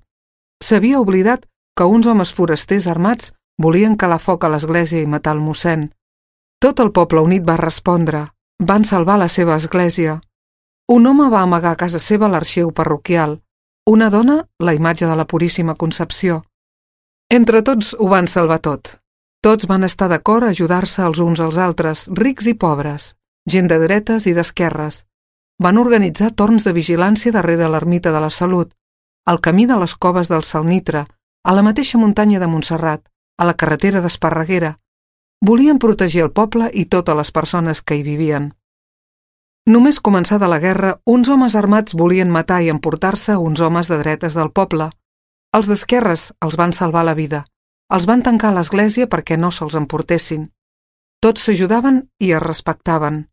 S'havia oblidat que uns homes forasters armats volien calar foc a l'església i matar el mossèn. Tot el poble unit va respondre. Van salvar la seva església. Un home va amagar a casa seva l'arxiu parroquial. Una dona, la imatge de la Puríssima Concepció. Entre tots ho van salvar tot. Tots van estar d'acord a ajudar-se els uns als altres, rics i pobres, gent de dretes i d'esquerres. Van organitzar torns de vigilància darrere l'ermita de la Salut, al camí de les coves del Salnitre, a la mateixa muntanya de Montserrat, a la carretera d'Esparreguera. Volien protegir el poble i totes les persones que hi vivien. Només començada la guerra, uns homes armats volien matar i emportar-se uns homes de dretes del poble. Els d'esquerres els van salvar la vida. Els van tancar a l'església perquè no se'ls emportessin. Tots s'ajudaven i es respectaven.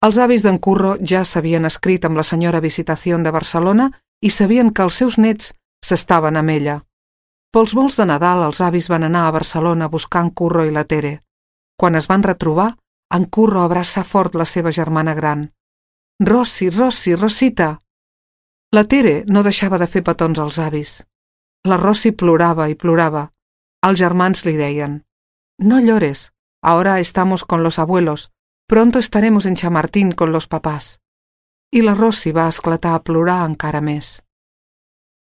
Els avis d'en Curro ja s'havien escrit amb la senyora Visitación de Barcelona i sabien que els seus nets s'estaven amb ella. Pels vols de Nadal els avis van anar a Barcelona a buscar en Curro i la Tere. Quan es van retrobar, en Curro abraçà fort la seva germana gran. «Rossi, Rossi, Rosita!» La Tere no deixava de fer petons als avis. La Rossi plorava i plorava. Els germans li deien: «No llores, ahora estamos con los abuelos, pronto estaremos en Chamartín con los papás». I la Rossi va esclatar a plorar encara més.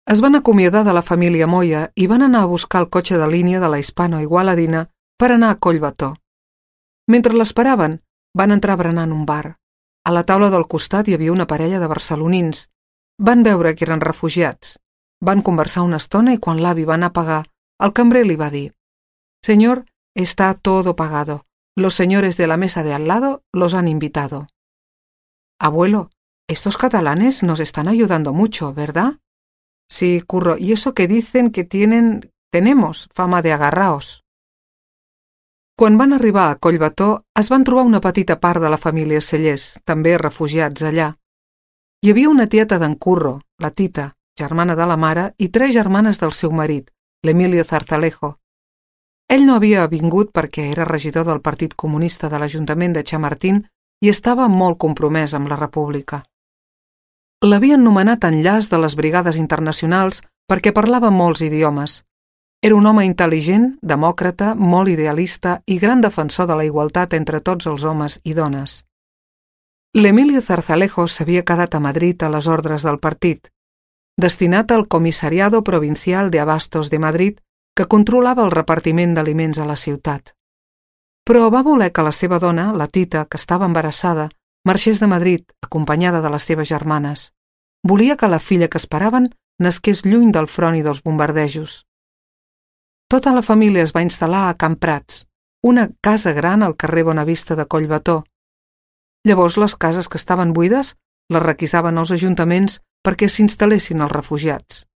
Es van acomiadar de la família Moya i van anar a buscar el cotxe de línia de la Hispano-Igualadina per anar a Collbató. Mentre l'esperaven, van entrar a berenar en un bar. A la taula del costat hi havia una parella de barcelonins. Van veure que eren refugiats. Van conversar una estona i quan l'avi va anar a pagar, el cambrer li va dir: «Señor, está todo pagado. Los señores de la mesa de al lado los han invitado». «Abuelo, estos catalanes nos están ayudando mucho, ¿verdad?» «Sí, Curro, y eso que dicen que tenemos fama de agarraos». Quan van arribar a Collbató, es van trobar una petita part de la família Cellers, també refugiats allà. Hi havia una tieta d'en Curro, la Tita, germana de la mare, i 3 germanes del seu marit, l'Emilio Zarzalejo. Ell no havia vingut perquè era regidor del Partit Comunista de l'Ajuntament de Chamartín i estava molt compromès amb la República. L'havien nomenat enllaç de les brigades internacionals perquè parlava molts idiomes. Era un home intel·ligent, demòcrata, molt idealista i gran defensor de la igualtat entre tots els homes i dones. L'Emilio Zarzalejos s'havia quedat a Madrid a les ordres del partit, destinat al Comissariado Provincial de Abastos de Madrid, que controlava el repartiment d'aliments a la ciutat. Però va voler que la seva dona, la Tita, que estava embarassada, marxés de Madrid, acompanyada de les seves germanes. Volia que la filla que esperaven nasqués lluny del front i dels bombardejos. Tota la família es va instal·lar a Can Prats, una casa gran al carrer Bonavista de Collbató. Llavors les cases que estaven buides les requisaven els ajuntaments perquè s'instal·lessin els refugiats.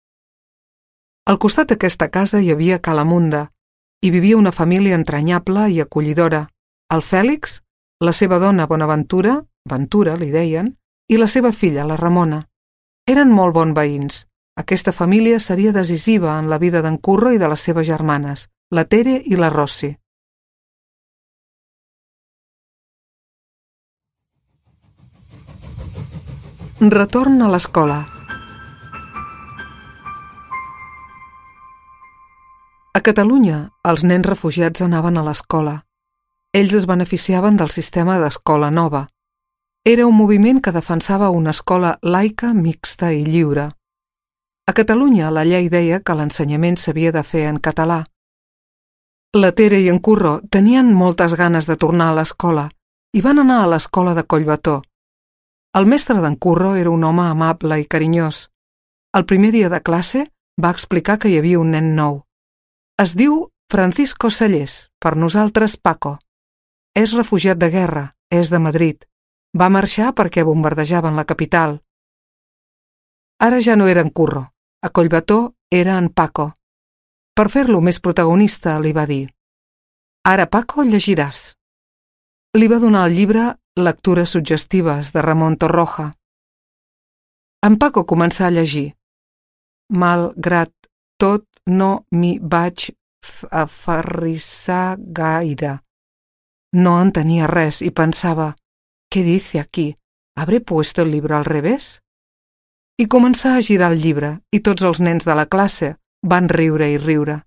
Al costat d'aquesta casa hi havia Ca l'Amunda. Hi vivia una família entranyable i acollidora. El Fèlix, la seva dona Bonaventura, Ventura li deien, i la seva filla, la Ramona. Eren molt bons veïns. Aquesta família seria decisiva en la vida d'en Curro i de les seves germanes, la Tere i la Rossi. Retorn a l'escola. A Catalunya, els nens refugiats anaven a l'escola. Ells es beneficiaven del sistema d'escola nova. Era un moviment que defensava una escola laica, mixta i lliure. A Catalunya, la llei deia que l'ensenyament s'havia de fer en català. La Tere i en Curro tenien moltes ganes de tornar a l'escola i van anar a l'escola de Collbató. El mestre d'en Curro era un home amable i carinyós. El primer dia de classe va explicar que hi havia un nen nou. Es diu Francisco Sallés, per nosaltres Paco. És refugiat de guerra, és de Madrid. Va marxar perquè bombardejaven la capital. Ara ja no era en Curro. A Collbató era en Paco. Per fer-lo més protagonista, li va dir: «Ara, Paco, llegiràs». Li va donar el llibre Lectures suggestives, de Ramon Torroja. En Paco començà a llegir. «Malgrat tot, no m'hi vaig aferrissar gaire». No entenia res i pensava: «¿Qué dice aquí? ¿Habré puesto el libro al revés?» I començà a girar el llibre i tots els nens de la classe van riure i riure.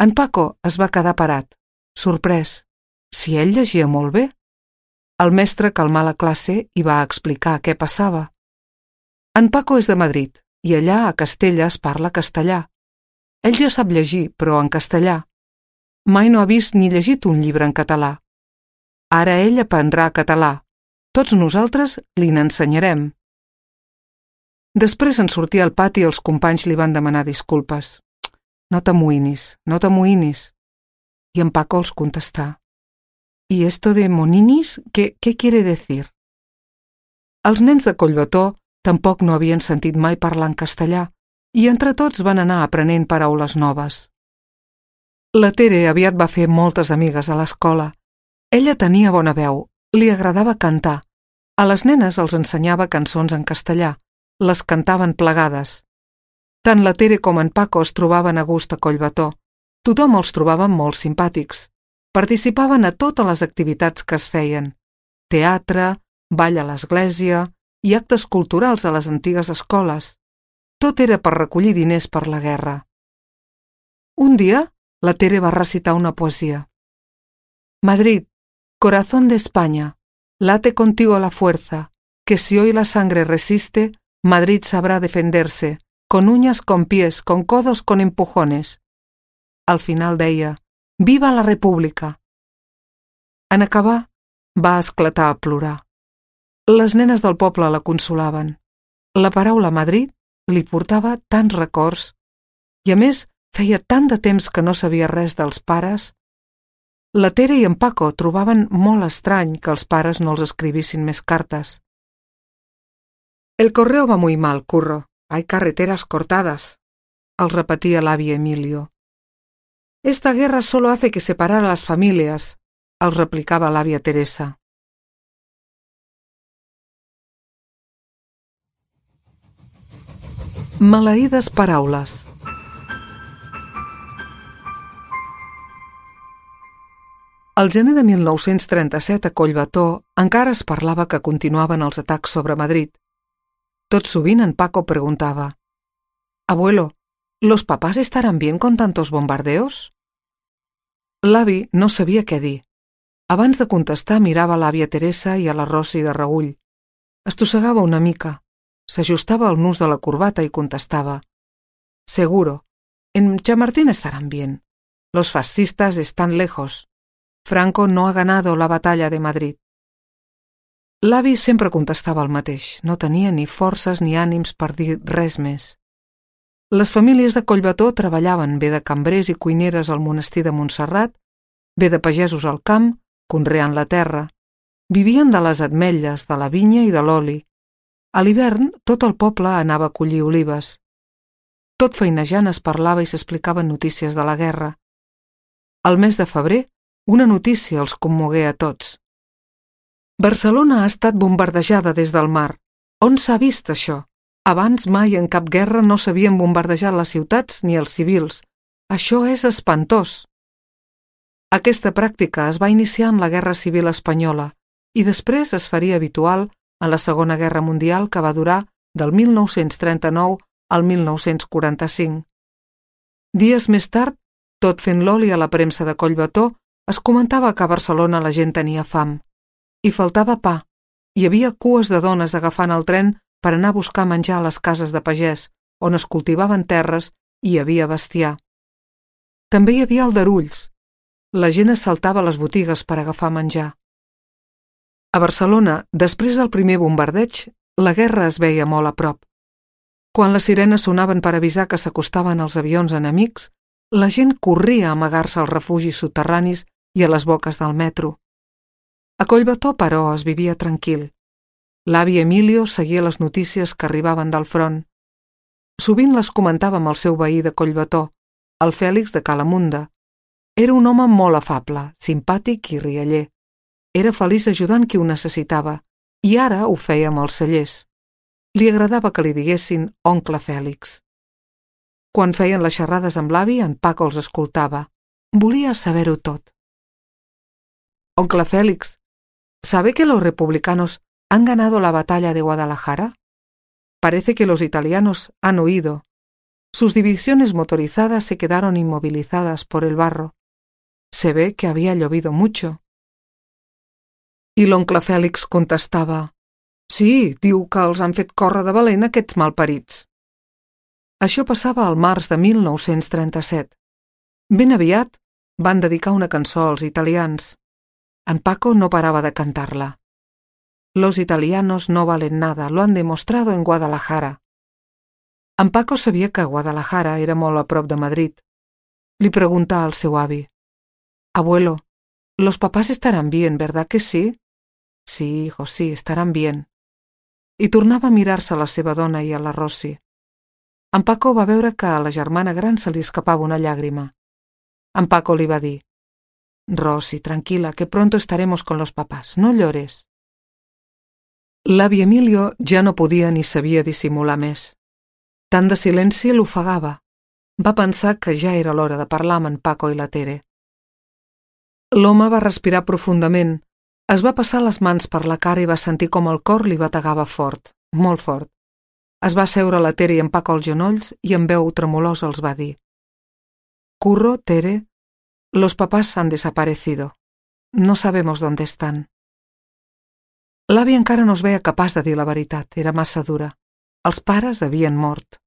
En Paco es va quedar parat, sorprès. Si ell llegia molt bé? El mestre calmà la classe i va explicar què passava. En Paco és de Madrid i allà a Castella es parla castellà. Ell ja sap llegir, però en castellà. Mai no ha vist ni llegit un llibre en català. Ara ell aprendrà català. Tots nosaltres li n'ensenyarem. Després, en sortir al pati, els companys li van demanar disculpes. «No t'amoïnis, no t'amoïnis». I en Paco els contestà: «¿Y esto de moninis, qué quiere decir?» Els nens de Collbató tampoc no havien sentit mai parlar en castellà i entre tots van anar aprenent paraules noves. La Tere aviat va fer moltes amigues a l'escola. Ella tenia bona veu, li agradava cantar. A les nenes els ensenyava cançons en castellà. Les cantaven plegades. Tant la Tere com en Paco es trobaven a gust a Collbató. Tothom els trobava molt simpàtics. Participaven a totes les activitats que es feien. Teatre, ball a l'església i actes culturals a les antigues escoles. Tot era per recollir diners per la guerra. Un dia, la Tere va recitar una poesia. «Madrid, corazón de España, late contigo la fuerza, que si hoy la sangre resiste, Madrid sabrá defenderse, con uñas, con pies, con codos, con empujones». Al final deia: «Viva la República!». En acabar, va esclatar a plorar. Les nenes del poble la consolaven. La paraula Madrid li portava tants records i, a més, feia tant de temps que no sabia res dels pares. La Tere i en Paco trobaven molt estrany que els pares no els escrivissin més cartes. «El correo va muy mal, Curro. Hay carreteras cortadas», els repetia l'avi Emilio. «Esta guerra solo hace que separar a las familias», els replicava l'àvia Teresa. Maleïdes paraules. Al gener de 1937 a Collbató encara es parlava que continuaven els atacs sobre Madrid. Tot sovint en Paco preguntava: «Abuelo, ¿Los papás estarán bien con tantos bombardeos? L'avi no sabia què dir. Abans de contestar mirava a l'àvia Teresa i a la Rosy de reüll. Estossegava una mica. S'ajustava el nus de la corbata i contestava. Seguro. En Chamartín estarán bien. Los fascistas están lejos. Franco no ha ganado la batalla de Madrid. L'avi sempre contestava el mateix. No tenia ni forces ni ànims per dir res més. Les famílies de Collbató treballaven bé de cambrers i cuineres al monestir de Montserrat, bé de pagesos al camp, conreant la terra. Vivien de les ametlles, de la vinya i de l'oli. A l'hivern, tot el poble anava a collir olives. Tot feinejant es parlava i s'explicaven notícies de la guerra. Al mes de febrer, una notícia els commogué a tots. Barcelona ha estat bombardejada des del mar. On s'ha vist això? Abans mai en cap guerra no s'havien bombardejat les ciutats ni els civils. Això és espantós. Aquesta pràctica es va iniciar en la Guerra Civil Espanyola i després es faria habitual en la Segona Guerra Mundial, que va durar del 1939 al 1945. Dies més tard, tot fent l'oli a la premsa de Collbató, es comentava que a Barcelona la gent tenia fam. Hi faltava pa. Hi havia cues de dones agafant el tren per anar a buscar menjar a les cases de pagès, on es cultivaven terres i hi havia bestiar. També hi havia aldarulls. La gent assaltava les botigues per agafar menjar. A Barcelona, després del primer bombardeig, la guerra es veia molt a prop. Quan les sirenes sonaven per avisar que s'acostaven els avions enemics, la gent corria a amagar-se als refugis soterranis i a les boques del metro. A Collbató, però, es vivia tranquil. L'avi Emilio seguia les notícies que arribaven del front. Sovint les comentava amb el seu veí de Collbató, el Fèlix de Calamunda. Era un home molt afable, simpàtic i rialler. Era feliç ajudant qui ho necessitava, i ara ho feia amb els cellers. Li agradava que li diguessin oncle Fèlix. Quan feien les xerrades amb l'avi, en Paco els escoltava. Volia saber-ho tot. Oncle Félix, ¿sabe que los republicanos han ganado la batalla de Guadalajara? Parece que los italianos han huido. Sus divisiones motorizadas se quedaron inmovilizadas por el barro. Se ve que había llovido mucho. I l'oncle Fèlix contestava: Sí, diu que els han fet córrer de valent aquests malparits. Això passava al març de 1937. Ben aviat van dedicar una cançó als italians. En Paco no parava de cantar-la. Los italianos no valen nada, lo han demostrado en Guadalajara. En Paco sabia que Guadalajara era molt a prop de Madrid. Li preguntà al seu avi: Abuelo, los papás estarán bien, ¿verdad que sí? Sí, hijo, sí, estarán bien. I tornava a mirar-se a la seva dona i a la Rosy. En Paco va veure que a la germana gran se li escapava una llàgrima. En Paco li va dir: Rosy, tranquila, que pronto estaremos con los papás, no llores. L'avi Emilio ja no podia ni sabia dissimular més. Tant de silenci l'ofegava. Va pensar que ja era l'hora de parlar amb en Paco i la Tere. L'home va respirar profundament, es va passar les mans per la cara i va sentir com el cor li bategava fort, molt fort. Es va asseure la Tere i en Paco als genolls i amb veu tremolosa els va dir: Curro, Tere, los papás han desaparecido. No sabemos dónde están. L'avi encara no es veia capaç de dir la veritat, era massa dura. Els pares havien mort.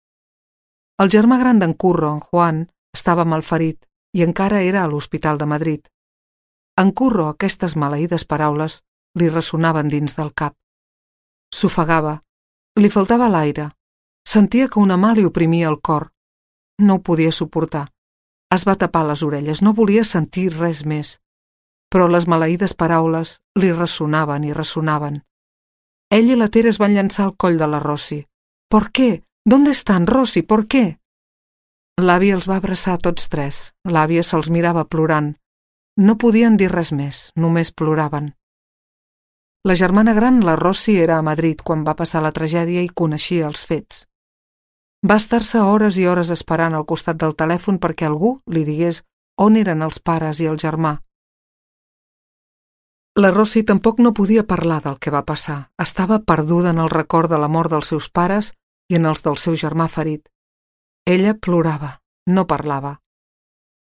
El germà gran d'en Curro, en Juan, estava malferit i encara era a l'Hospital de Madrid. En Curro aquestes maleïdes paraules li ressonaven dins del cap. S'ofegava, li faltava l'aire, sentia que una mà li oprimia el cor. No ho podia suportar. Es va tapar les orelles, no volia sentir res més. Però les maleïdes paraules li ressonaven i ressonaven. Ell i la Tere es van llançar al coll de la Rosy. ¿Por qué? ¿Dónde están, Rosy? ¿Por qué? L'àvia els va abraçar tots tres. L'àvia se'ls mirava plorant. No podien dir res més, només ploraven. La germana gran, la Rosy, era a Madrid quan va passar la tragèdia i coneixia els fets. Va estar-se hores i hores esperant al costat del telèfon perquè algú li digués on eren els pares i el germà. La Rosy tampoc no podia parlar del que va passar. Estava perduda en el record de la mort dels seus pares i en els del seu germà ferit. Ella plorava, no parlava.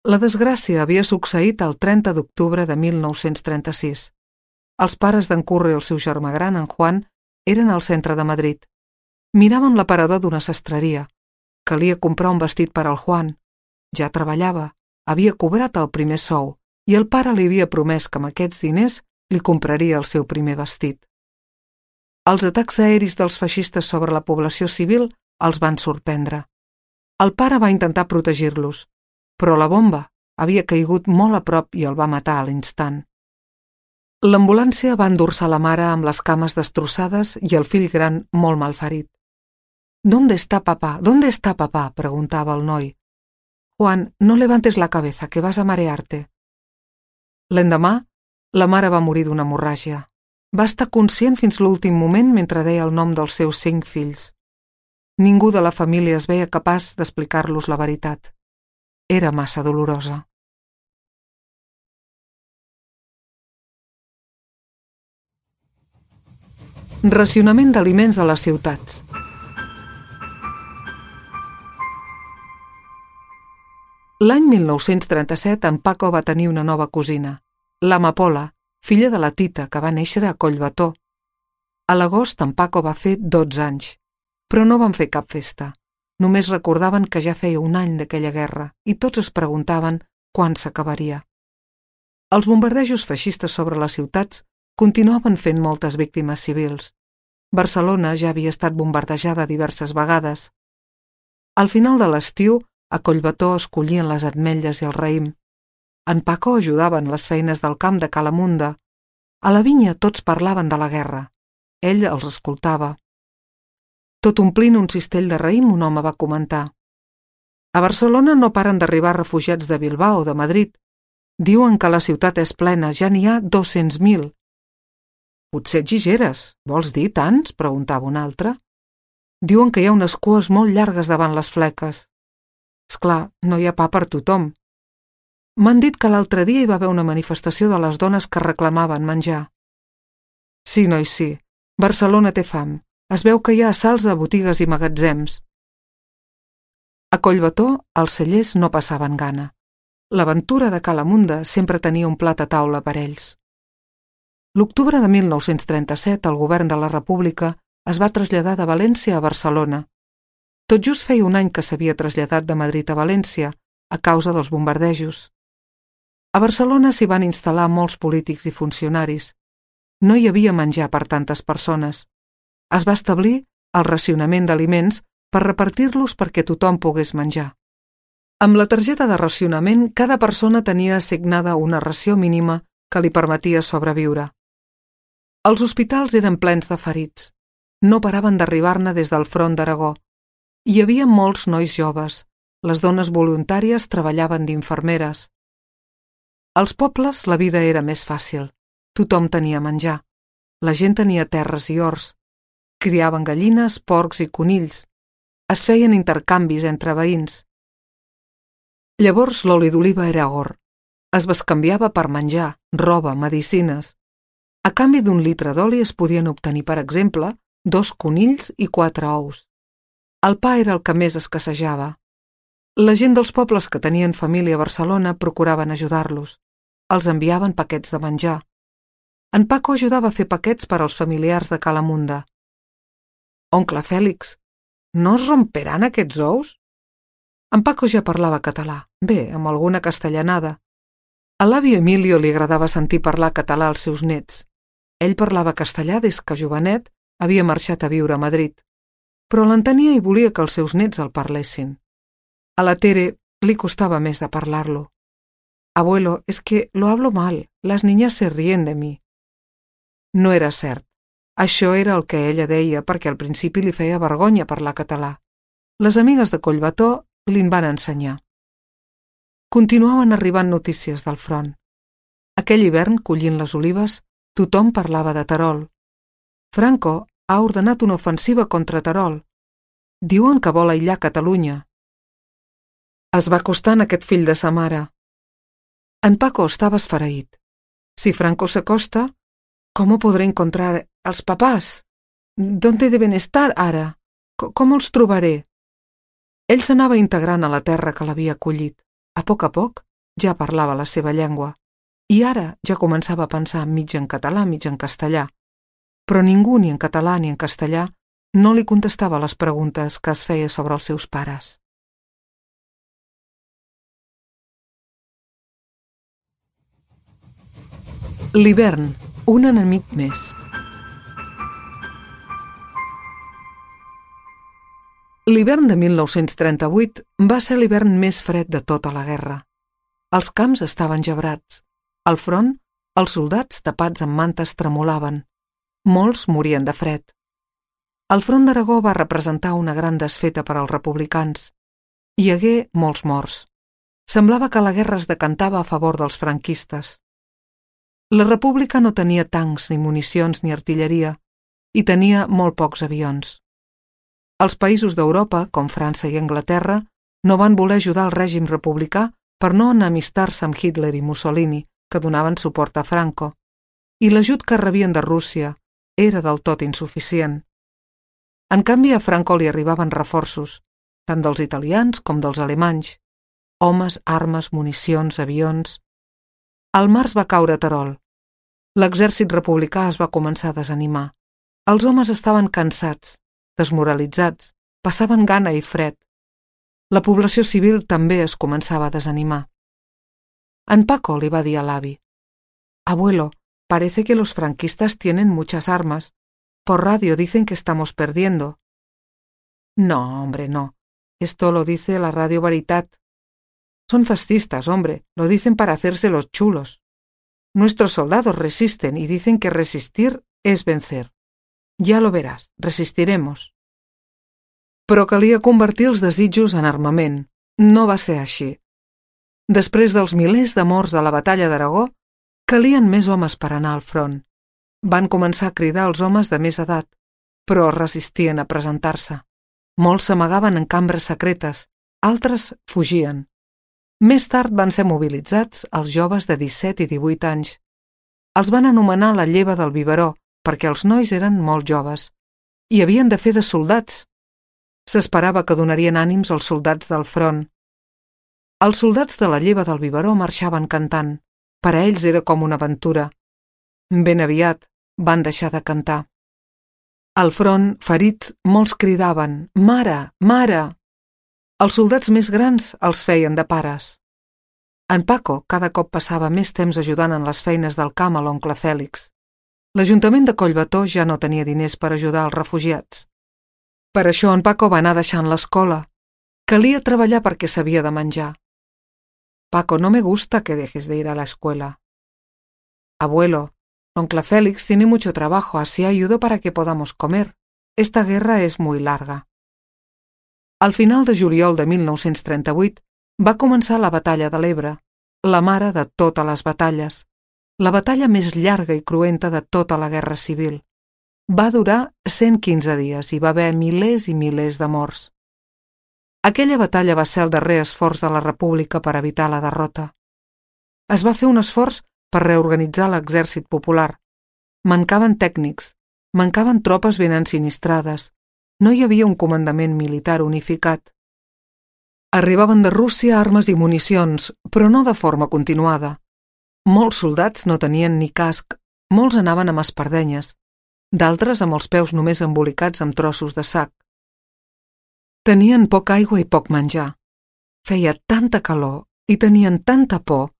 La desgràcia havia succeït el 30 d'octubre de 1936. Els pares d'en Curro i el seu germà gran, en Juan, eren al centre de Madrid. Miraven l'aparador d'una sastreria. Calia comprar un vestit per al Juan. Ja treballava, havia cobrat el primer sou i el pare li havia promès que amb aquests diners li compraria el seu primer vestit. Els atacs aeris dels feixistes sobre la població civil els van sorprendre. El pare va intentar protegir-los, però la bomba havia caigut molt a prop i el va matar a l'instant. L'ambulància va endur-se la mare amb les cames destrossades i el fill gran molt malferit. «¿Dónde está papá? ¿Dónde está papá?», preguntava el noi. «Juan, no levantes la cabeza, que vas a marearte». L'endemà, la mare va morir d'una hemorràgia. Va estar conscient fins l'últim moment mentre deia el nom dels seus 5 fills. Ningú de la família es veia capaç d'explicar-los la veritat. Era massa dolorosa. Racionament d'aliments a les ciutats. L'any 1937 en Paco va tenir una nova cosina, l'Amapola, filla de la Tita, que va néixer a Collbató. A l'agost en Paco va fer 12 anys, però no van fer cap festa. Només recordaven que ja feia un any d'aquella guerra i tots es preguntaven quan s'acabaria. Els bombardejos feixistes sobre les ciutats continuaven fent moltes víctimes civils. Barcelona ja havia estat bombardejada diverses vegades. Al final de l'estiu, a Collbató es collien les ametlles i el raïm. En Paco ajudava en les feines del camp de Calamunda. A la vinya tots parlaven de la guerra. Ell els escoltava. Tot omplint un cistell de raïm, un home va comentar: «A Barcelona no paren d'arribar refugiats de Bilbao o de Madrid. Diuen que la ciutat és plena, ja n'hi ha 200.000. «Potser exageres. Vols dir tants?», preguntava un altre. «Diuen que hi ha unes cues molt llargues davant les fleques. Esclar, no hi ha pa per tothom. M'han dit que l'altre dia hi va haver una manifestació de les dones que reclamaven menjar». «Sí, noi, sí. Barcelona té fam. Es veu que hi ha assalts a botigues i magatzems». A Collbató els cellers no passaven gana. L'aventura de Calamunda sempre tenia un plat a taula per ells. L'octubre de 1937 el govern de la República es va traslladar de València a Barcelona. Tot just feia un any que s'havia traslladat de Madrid a València a causa dels bombardejos. A Barcelona s'hi van instal·lar molts polítics i funcionaris. No hi havia menjar per tantes persones. Es va establir el racionament d'aliments per repartir-los perquè tothom pogués menjar. Amb la targeta de racionament, cada persona tenia assignada una ració mínima que li permetia sobreviure. Els hospitals eren plens de ferits. No paraven d'arribar-ne des del front d'Aragó. Hi havia molts nois joves. Les dones voluntàries treballaven d'infermeres. Als pobles la vida era més fàcil. Tothom tenia menjar. La gent tenia terres i horts. Criaven gallines, porcs i conills. Es feien intercanvis entre veïns. Llavors l'oli d'oliva era or. Es bescanviava per menjar, roba, medicines. A canvi d'un litre d'oli es podien obtenir, per exemple, 2 conills i 4 ous. El pa era el que més escassejava. La gent dels pobles que tenien família a Barcelona procuraven ajudar-los. Els enviaven paquets de menjar. En Paco ajudava a fer paquets per als familiars de Calamunda. «Oncle Fèlix, no es romperan aquests ous?» En Paco ja parlava català, bé, amb alguna castellanada. A l'avi Emilio li agradava sentir parlar català als seus nets. Ell parlava castellà des que jovenet havia marxat a viure a Madrid, però l'entenia i volia que els seus nets el parlessin. A la Tere li costava més de parlar-lo. «Abuelo, es que lo hablo mal, las niñas se ríen de mi». No era cert. Això era el que ella deia perquè al principi li feia vergonya parlar català. Les amigues de Collbató li'n van ensenyar. Continuaven arribant notícies del front. Aquell hivern, collint les olives, tothom parlava de Terol. Franco ha ordenat una ofensiva contra Terol. Diuen que vol aïllar Catalunya. Es va acostant aquest fill de sa mare. En Paco estava esfereït. Si Franco s'acosta, ¿cómo podré encontrar als papás? ¿Dónde deben estar ara? ¿Cómo els trobaré? Ell s'anava integrant a la terra que l'havia acollit. A poc ja parlava la seva llengua. I ara ja començava a pensar mig en català, mig en castellà. Però ningú, ni en català ni en castellà, no li contestava les preguntes que es feia sobre els seus pares. L'hivern, un enemic més. L'hivern de 1938 va ser l'hivern més fred de tota la guerra. Els camps estaven gebrats. Al front, els soldats tapats amb mantes tremolaven. Molts morien de fred. El front d'Aragó va representar una gran desfeta per als republicans. Hi hagué molts morts. Semblava que la guerra es decantava a favor dels franquistes. La república no tenia tancs, ni municions, ni artilleria, i tenia molt pocs avions. Els països d'Europa, com França i Anglaterra, no van voler ajudar el règim republicà per no enemistar-se amb Hitler i Mussolini, que donaven suport a Franco, i l'ajut que rebien de Rússia era del tot insuficient. En canvi, a Franco li arribaven reforços, tant dels italians com dels alemanys, homes, armes, municions, avions. El març va caure a Terol. L'exèrcit republicà es va començar a desanimar. Els homes estaven cansats, desmoralitzats, passaven gana i fred. La població civil també es començava a desanimar. En Paco li va dir a l'avi: «Abuelo, parece que los franquistas tienen muchas armas. Por radio dicen que estamos perdiendo». «No, hombre, no. Esto lo dice la Radio Veritat. Son fascistas, hombre, lo dicen para hacerse los chulos. Nuestros soldados resisten y dicen que resistir es vencer. Ya lo verás, resistiremos». Però calia convertir els desitjos en armament. No va ser així. Després dels milers de morts de la batalla d'Aragó, calien més homes per anar al front. Van començar a cridar els homes de més edat, però resistien a presentar-se. Molts s'amagaven en cambres secretes, altres fugien. Més tard van ser mobilitzats els joves de 17 i 18 anys. Els van anomenar la lleva del biberó, perquè els nois eren molt joves i havien de fer de soldats. S'esperava que donarien ànims als soldats del front. Els soldats de la lleva del biberó marxaven cantant. Per a ells era com una aventura. Ben aviat van deixar de cantar. Al front, ferits, molts cridaven: «Mare, mare!». Els soldats més grans els feien de pares. En Paco cada cop passava més temps ajudant en les feines del camp a l'oncle Fèlix. L'Ajuntament de Collbató ja no tenia diners per ajudar els refugiats. Per això en Paco va anar deixant l'escola. Calia treballar perquè s'havia de menjar. «Paco, no me gusta que dejes de ir a la escuela». «Abuelo, oncle Félix tiene mucho trabajo, así ayudo para que podamos comer. Esta guerra es muy larga». Al final de juliol de 1938 va començar la batalla de l'Ebre, la mare de totes les batalles, la batalla més llarga i cruenta de tota la guerra civil. Va durar 115 dies i va haver milers i milers de morts. Aquella batalla va ser el darrer esforç de la República per evitar la derrota. Es va fer un esforç per reorganitzar l'exèrcit popular. Mancaven tècnics, mancaven tropes ben ensinistrades, no hi havia un comandament militar unificat. Arribaven de Rússia armes i municions, però no de forma continuada. Molts soldats no tenien ni casc, molts anaven amb espardenyes, d'altres amb els peus només embolicats amb trossos de sac. Tenien poca aigua i poc menjar. Feia tanta calor i tenien tanta por.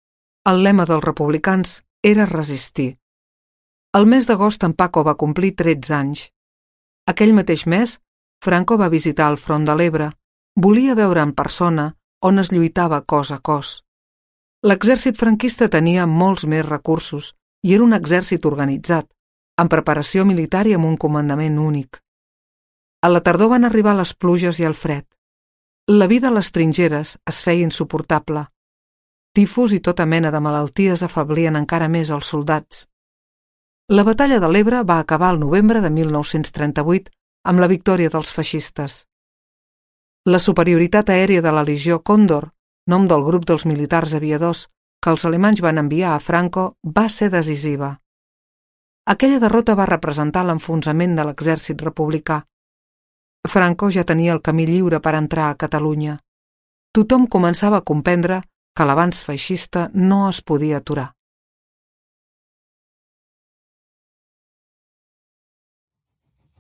El lema dels republicans era resistir. El mes d'agost en Paco va complir 13 anys. Aquell mateix mes, Franco va visitar el front de l'Ebre. Volia veure en persona on es lluitava cos a cos. L'exèrcit franquista tenia molts més recursos i era un exèrcit organitzat, amb preparació militar i amb un comandament únic. A la tardor van arribar les pluges i el fred. La vida a les trinxeres es feia insuportable. Tifus i tota mena de malalties afablien encara més els soldats. La batalla de l'Ebre va acabar el novembre de 1938 amb la victòria dels feixistes. La superioritat aèria de la Legió Còndor, nom del grup dels militars aviadors que els alemanys van enviar a Franco, va ser decisiva. Aquella derrota va representar l'enfonsament de l'exèrcit republicà. Franco ja tenia el camí lliure per entrar a Catalunya. Tothom començava a comprendre que l'avanç feixista no es podia aturar.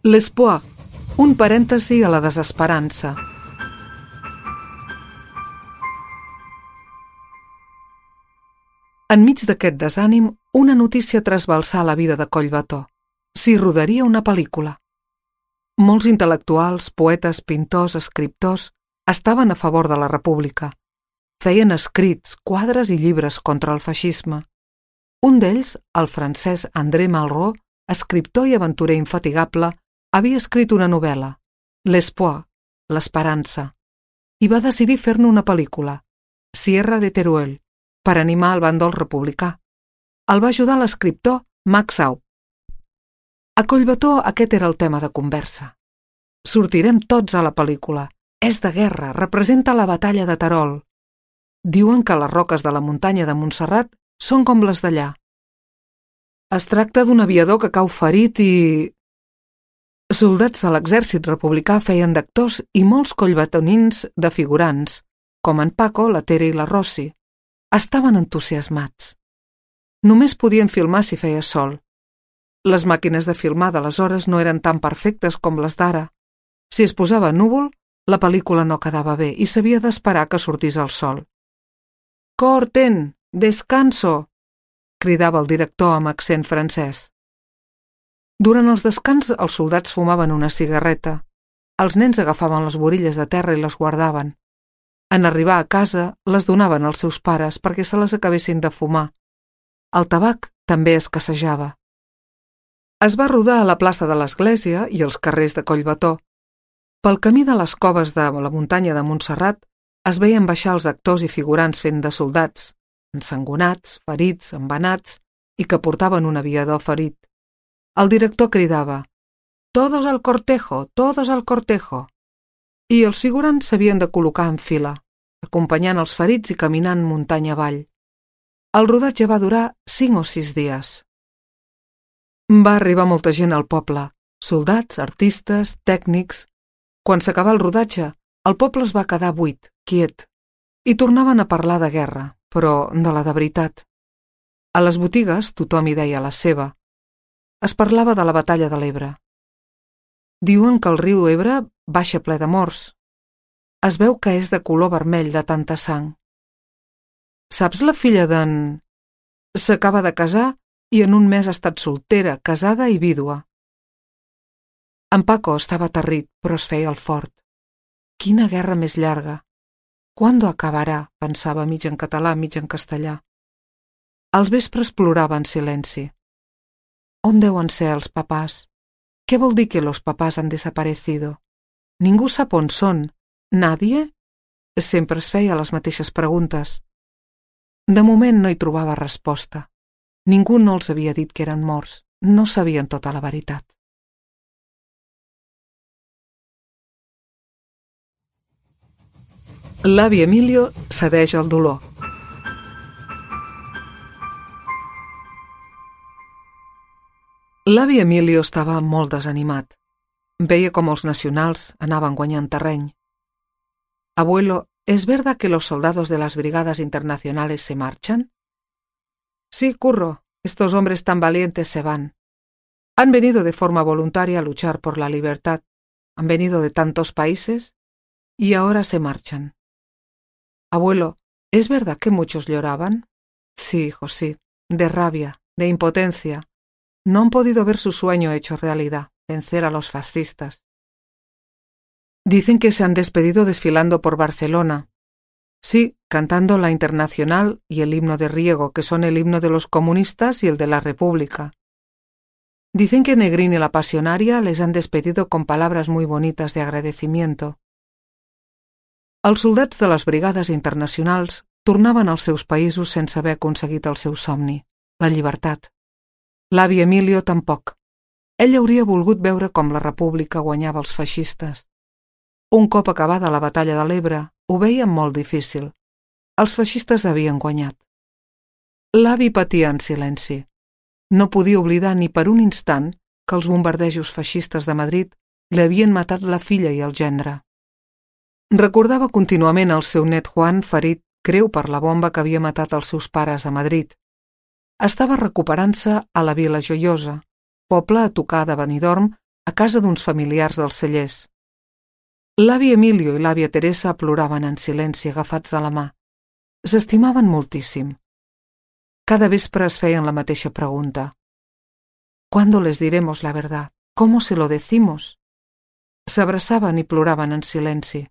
L'espoir, un parèntesi a la desesperança. Enmig d'aquest desànim, una notícia trasbalsà la vida de Collbató. S'hi rodaria una pel·lícula. Molts intel·lectuals, poetes, pintors, escriptors estaven a favor de la República. Feien escrits, quadres i llibres contra el feixisme. Un d'ells, el francès André Malraux, escriptor i aventurer infatigable, havia escrit una novel·la, L'espoir, l'esperança, i va decidir fer-ne una pel·lícula, Sierra de Teruel, per animar el bàndol republicà. El va ajudar l'escriptor Max Aub. A Collbató aquest era el tema de conversa. Sortirem tots a la pel·lícula. És de guerra, representa la batalla de Terol. Diuen que les roques de la muntanya de Montserrat són com les d'allà. Es tracta d'un aviador que cau ferit i... Soldats de l'exèrcit republicà feien d'actors i molts collbatonins de figurants, com en Paco, la Tere i la Rossi. Estaven entusiasmats. Només podien filmar si feia sol. Les màquines de filmar d'aleshores no eren tan perfectes com les d'ara. Si es posava núvol, la pel·lícula no quedava bé i s'havia d'esperar que sortís el sol. «Corten! Descanso!», cridava el director amb accent francès. Durant els descans, els soldats fumaven una cigarreta. Els nens agafaven les borilles de terra i les guardaven. En arribar a casa, les donaven als seus pares perquè se les acabessin de fumar. El tabac també escassejava. Es va rodar a la plaça de l'Església i als carrers de Collbató. Pel camí de les coves de la muntanya de Montserrat es veien baixar els actors i figurants fent de soldats, ensangonats, ferits, embenats i que portaven un aviador ferit. El director cridava «Todos al cortejo, todos al cortejo!» i els figurants s'havien de col·locar en fila, acompanyant els ferits i caminant muntanya avall. El rodatge va durar 5 o 6 dies. Va arribar molta gent al poble, soldats, artistes, tècnics. Quan s'acabà el rodatge, el poble es va quedar buit, quiet, i tornaven a parlar de guerra, però de la de veritat. A les botigues tothom hi deia la seva. Es parlava de la batalla de l'Ebre. Diuen que el riu Ebre baixa ple de morts. Es veu que és de color vermell de tanta sang. Saps la filla d'en... S'acaba de casar i en un mes ha estat soltera, casada i vídua. En Paco estava aterrit, però es feia el fort. Quina guerra més llarga. ¿Cuándo acabarà?, pensava mig en català, mig en castellà. Als vespres plorava en silenci. On deuen ser els papàs? Què vol dir que los papás han desaparecido? Ningú sap on són. Nadie? Sempre es feia les mateixes preguntes. De moment no hi trobava resposta. Ningú no els havia dit que eren morts. No sabien tota la veritat. L'avi Emilio cedeix al dolor. L'avi Emilio estava molt desanimat. Veia com els nacionals anaven guanyant terreny. Abuelo, ¿es verdad que los soldados de las brigadas internacionales se marchan? Sí, Curro, estos hombres tan valientes se van. Han venido de forma voluntaria a luchar por la libertad. Han venido de tantos países y ahora se marchan. Abuelo, ¿es verdad que muchos lloraban? Sí, hijo, sí, de rabia, de impotencia. No han podido ver su sueño hecho realidad, vencer a los fascistas. Dicen que se han despedido desfilando por Barcelona. Sí, cantando la Internacional y el himno de Riego, que son el himno de los comunistas y el de la República. Dicen que Negrín y la Pasionaria les han despedido con palabras muy bonitas de agradecimiento. Els soldats de les brigades internacionals tornaven als seus països sense haver aconseguit el seu somni, la llibertat. L'avi Emilio tampoc. Ell hauria volgut veure com la República guanyava els feixistes. Un cop acabada la batalla de l'Ebre, ho veien molt difícil. Els feixistes havien guanyat. L'avi patia en silenci. No podia oblidar ni per un instant que els bombardejos feixistes de Madrid Li havien matat la filla i el gendre. Recordava contínuament el seu net Juan ferit greu per la bomba que havia matat els seus pares a Madrid. Estava recuperant-se a la Vila Joiosa, poble a tocar de Benidorm, a casa d'uns familiars dels Cellers. L'avi Emilio i l'àvia Teresa ploraven en silenci agafats de la mà. S'estimaven moltíssim. Cada vespre es feien la mateixa pregunta. ¿Cuándo les diremos la verdad? ¿Cómo se lo decimos? S'abraçaven i ploraven en silenci.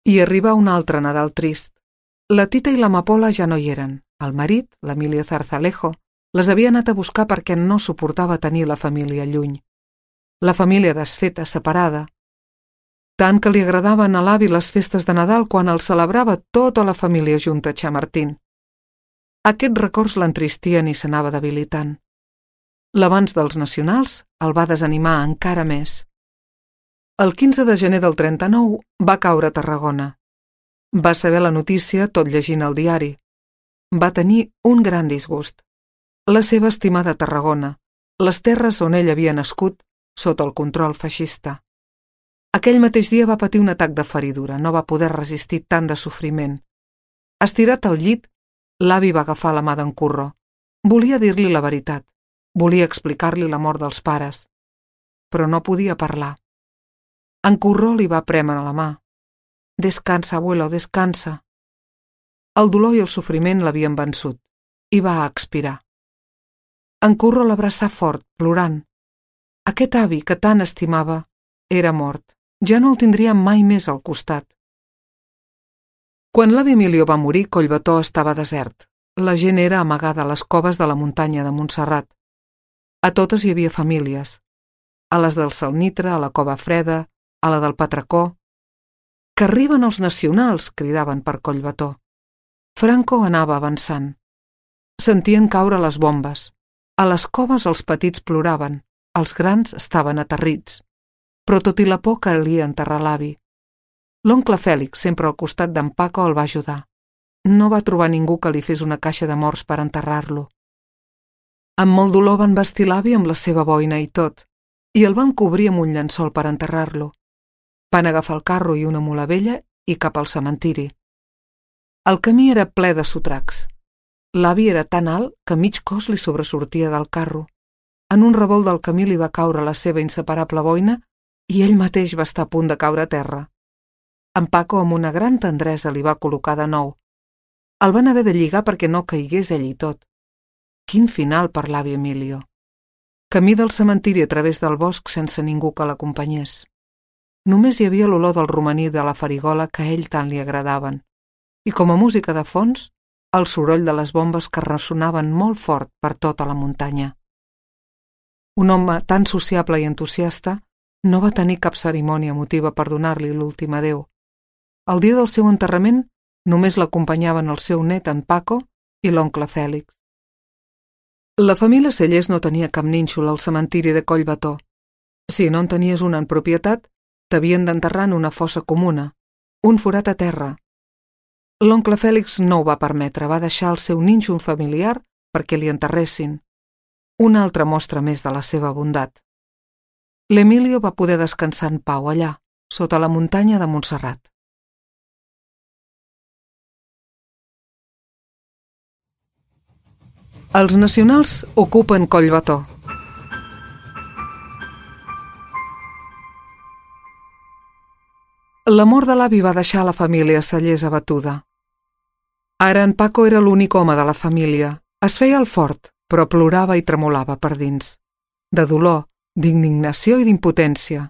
I arribà un altre Nadal trist. La Tita i l'Amapola ja no hi eren. El marit, l'Emilio Zarzalejo, les havia anat a buscar perquè no suportava tenir la família lluny. La família desfeta, separada. Tant que li agradaven a l'avi les festes de Nadal quan el celebrava tota la família junta a Chamartín. Aquests records l'entristien i s'anava debilitant. L'avanç dels nacionals el va desanimar encara més. El 15 de gener del 39 va caure a Tarragona. Va saber la notícia tot llegint el diari. Va tenir un gran disgust. La seva estimada Tarragona, les terres on ell havia nascut, sota el control feixista. Aquell mateix dia va patir un atac de feridura, no va poder resistir tant de sofriment. Estirat al llit, l'avi va agafar la mà d'en Curro. Volia dir-li la veritat, volia explicar-li la mort dels pares, però no podia parlar. En Curro li va prémer la mà. «Descansa, abuelo, descansa». El dolor i el sofriment l'havien vençut i va expirar. En Curro l'abraçà fort, plorant. Aquest avi que tant estimava era mort. Ja no el tindria mai més al costat. Quan l'avi Emilio va morir, Collbató estava desert. La gent era amagada a les coves de la muntanya de Montserrat. A totes hi havia famílies. A les del Salnitre, a la Cova Freda, a la del Patracó. «Que arriben els nacionals!» cridaven per Collbató. Franco anava avançant. Sentien caure les bombes. A les coves els petits ploraven, els grans estaven aterrits. Però tot i la por calia enterrar l'avi. L'oncle Fèlix, sempre al costat d'en Paco, el va ajudar. No va trobar ningú que li fes una caixa de morts per enterrar-lo. Amb molt dolor van vestir l'avi amb la seva boina i tot, i el van cobrir amb un llençol per enterrar-lo. Van agafar el carro i una mula vella i cap al cementiri. El camí era ple de sotracs. L'avi era tan alt que mig cos li sobresortia del carro. En un revolt del camí li va caure la seva inseparable boina i ell mateix va estar a punt de caure a terra. En Paco, amb una gran tendresa, li va col·locar de nou. El van haver de lligar perquè no caigués ell i tot. Quin final per l'avi Emilio. Camí del cementiri a través del bosc sense ningú que l'acompanyés. Només hi havia l'olor del romaní de la farigola que a ell tant li agradaven. I com a música de fons, el soroll de les bombes que ressonaven molt fort per tota la muntanya. Un home tan sociable i entusiasta no va tenir cap cerimònia emotiva per donar-li l'últim adéu. El dia del seu enterrament només l'acompanyaven el seu net, en Paco, i l'oncle Fèlix. La família Cellers no tenia cap nínxol al cementiri de Collbató. Si no en tenies una en propietat, t'havien d'enterrar en una fossa comuna, un forat a terra. L'oncle Fèlix no ho va permetre, va deixar el seu nínxol familiar perquè li enterressin. Una altra mostra més de la seva bondat. L'Emilio va poder descansar en pau allà, sota la muntanya de Montserrat. Els nacionals ocupen Collbató. La mort de l'avi va deixar la família Cellers abatuda. Ara en Paco era l'únic home de la família. Es feia el fort, però plorava i tremolava per dins. De dolor, d'indignació i d'impotència.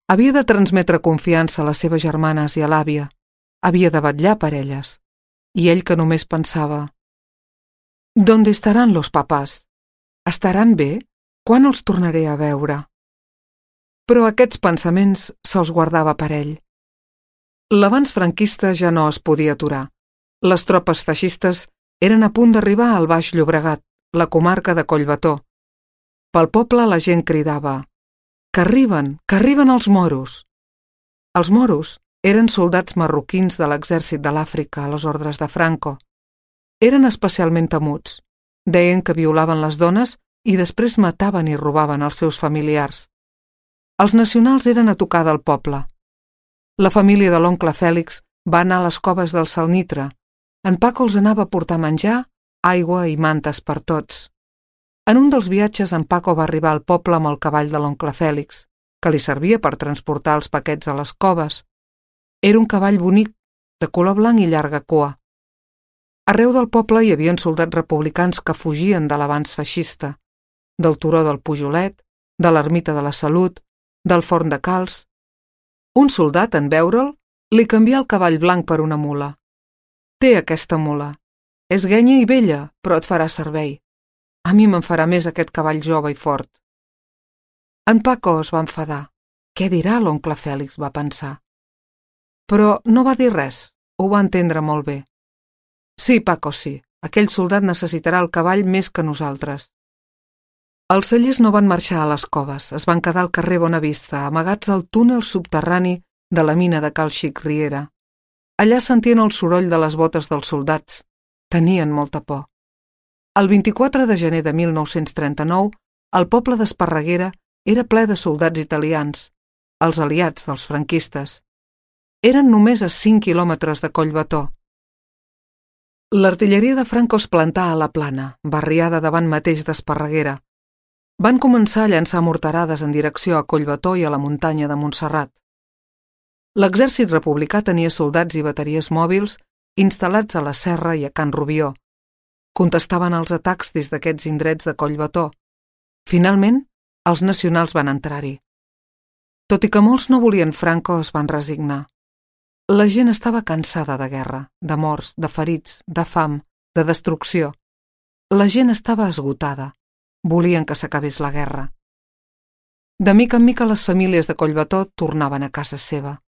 Havia de transmetre confiança a les seves germanes i a l'àvia. Havia de vetllar per elles. I ell que només pensava: «¿Dónde estarán los papás? Estaran bé? Quan els tornaré a veure?» Però aquests pensaments se'ls guardava per ell. L'avanç franquista ja no es podia aturar. Les tropes feixistes eren a punt d'arribar al Baix Llobregat, la comarca de Collbató. Pel poble la gent cridava: que arriben els moros! Els moros eren soldats marroquins de l'exèrcit de l'Àfrica a les ordres de Franco. Eren especialment temuts. Deien que violaven les dones i després mataven i robaven els seus familiars. Els nacionals eren a tocar del poble. La família de l'oncle Fèlix va anar a les coves del Salnitre. En Paco els anava a portar menjar, aigua i mantes per tots. En un dels viatges, en Paco va arribar al poble amb el cavall de l'oncle Fèlix, que li servia per transportar els paquets a les coves. Era un cavall bonic, de color blanc i llarga cua. Arreu del poble hi havia soldats republicans que fugien de l'avanç feixista, del turó del Pujolet, de l'ermita de la Salut, del forn de Calç. Un soldat, en veure'l, li canvià el cavall blanc per una mula. «Té aquesta mula. És guenya i vella, però et farà servei. A mi me'n farà més aquest cavall jove i fort». En Paco es va enfadar. «Què dirà l'oncle Fèlix?», va pensar. Però no va dir res, ho va entendre molt bé. «Sí, Paco, sí, aquell soldat necessitarà el cavall més que nosaltres». Els cellers no van marxar a les coves, es van quedar al carrer Bonavista, amagats al túnel subterrani de la mina de Cal Xic Riera. Allà sentien el soroll de les botes dels soldats. Tenien molta por. El 24 de gener de 1939, el poble d'Esparreguera era ple de soldats italians, els aliats dels franquistes. Eren només a 5 quilòmetres de Collbató. L'artilleria de Franco es plantà a la plana, barriada davant mateix d'Esparreguera. Van començar a llançar morterades en direcció a Collbató i a la muntanya de Montserrat. L'exèrcit republicà tenia soldats i bateries mòbils instal·lats a la Serra i a Can Rubió. Contestaven als atacs des d'aquests indrets de Collbató. Finalment, els nacionals van entrar-hi. Tot i que molts no volien Franco, es van resignar. La gent estava cansada de guerra, de morts, de ferits, de fam, de destrucció. La gent estava esgotada. Volien que s'acabés la guerra. De mica en mica les famílies de Collbató tornaven a casa seva.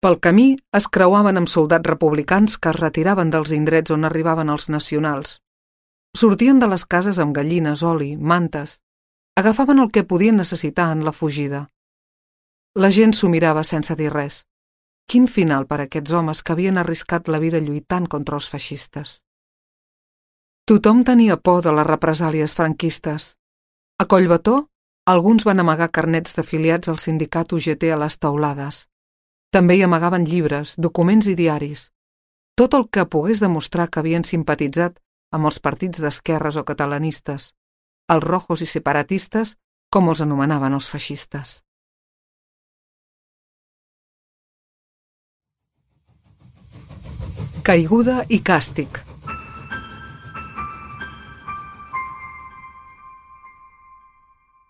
Pel camí es creuaven amb soldats republicans que es retiraven dels indrets on arribaven els nacionals. Sortien de les cases amb gallines, oli, mantes. Agafaven el que podien necessitar en la fugida. La gent s'ho mirava sense dir res. Quin final per a aquests homes que havien arriscat la vida lluitant contra els feixistes. Tothom tenia por de les represàlies franquistes. A Collbató, alguns van amagar carnets d'afiliats al sindicat UGT a les teulades. També hi amagaven llibres, documents i diaris. Tot el que pogués demostrar que havien simpatitzat amb els partits d'esquerres o catalanistes, els rojos i separatistes, com els anomenaven els feixistes. Caiguda i càstig.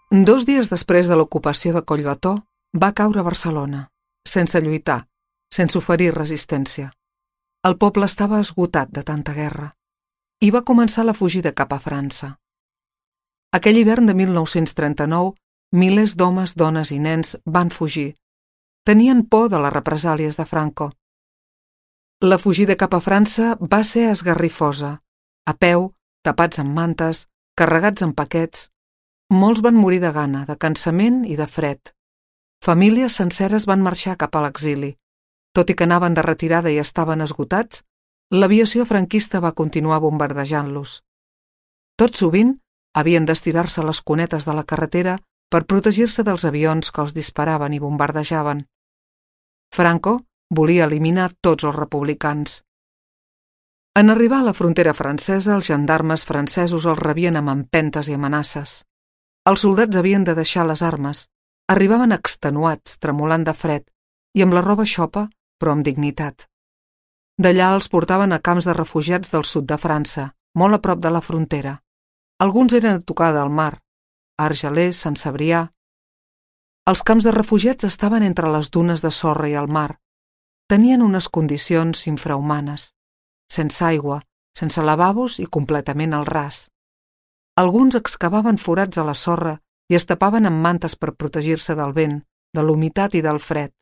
Dos dies després de l'ocupació de Collbató, va caure Barcelona, sense lluitar, sense oferir resistència. El poble estava esgotat de tanta guerra i va començar la fugida cap a França. Aquell hivern de 1939, milers d'homes, dones i nens van fugir. Tenien por de les represàlies de Franco. La fugida cap a França va ser esgarrifosa, a peu, tapats amb mantes, carregats amb paquets. Molts van morir de gana, de cansament i de fred. Famílies senceres van marxar cap a l'exili. Tot i que anaven de retirada i estaven esgotats, l'aviació franquista va continuar bombardejant-los. Tot sovint havien d'estirar-se les cunetes de la carretera per protegir-se dels avions que els disparaven i bombardejaven. Franco volia eliminar tots els republicans. En arribar a la frontera francesa, els gendarmes francesos els rebien amb empentes i amenaces. Els soldats havien de deixar les armes. Arribaven extenuats, tremolant de fred, i amb la roba xopa, però amb dignitat. D'allà els portaven a camps de refugiats del sud de França, molt a prop de la frontera. Alguns eren a tocar del mar, a Argelers, Sant Cebrià. Els camps de refugiats estaven entre les dunes de sorra i el mar. Tenien unes condicions infrahumanes, sense aigua, sense lavabos i completament al ras. Alguns excavaven forats a la sorra i es tapaven amb mantes per protegir-se del vent, de l'humitat i del fred.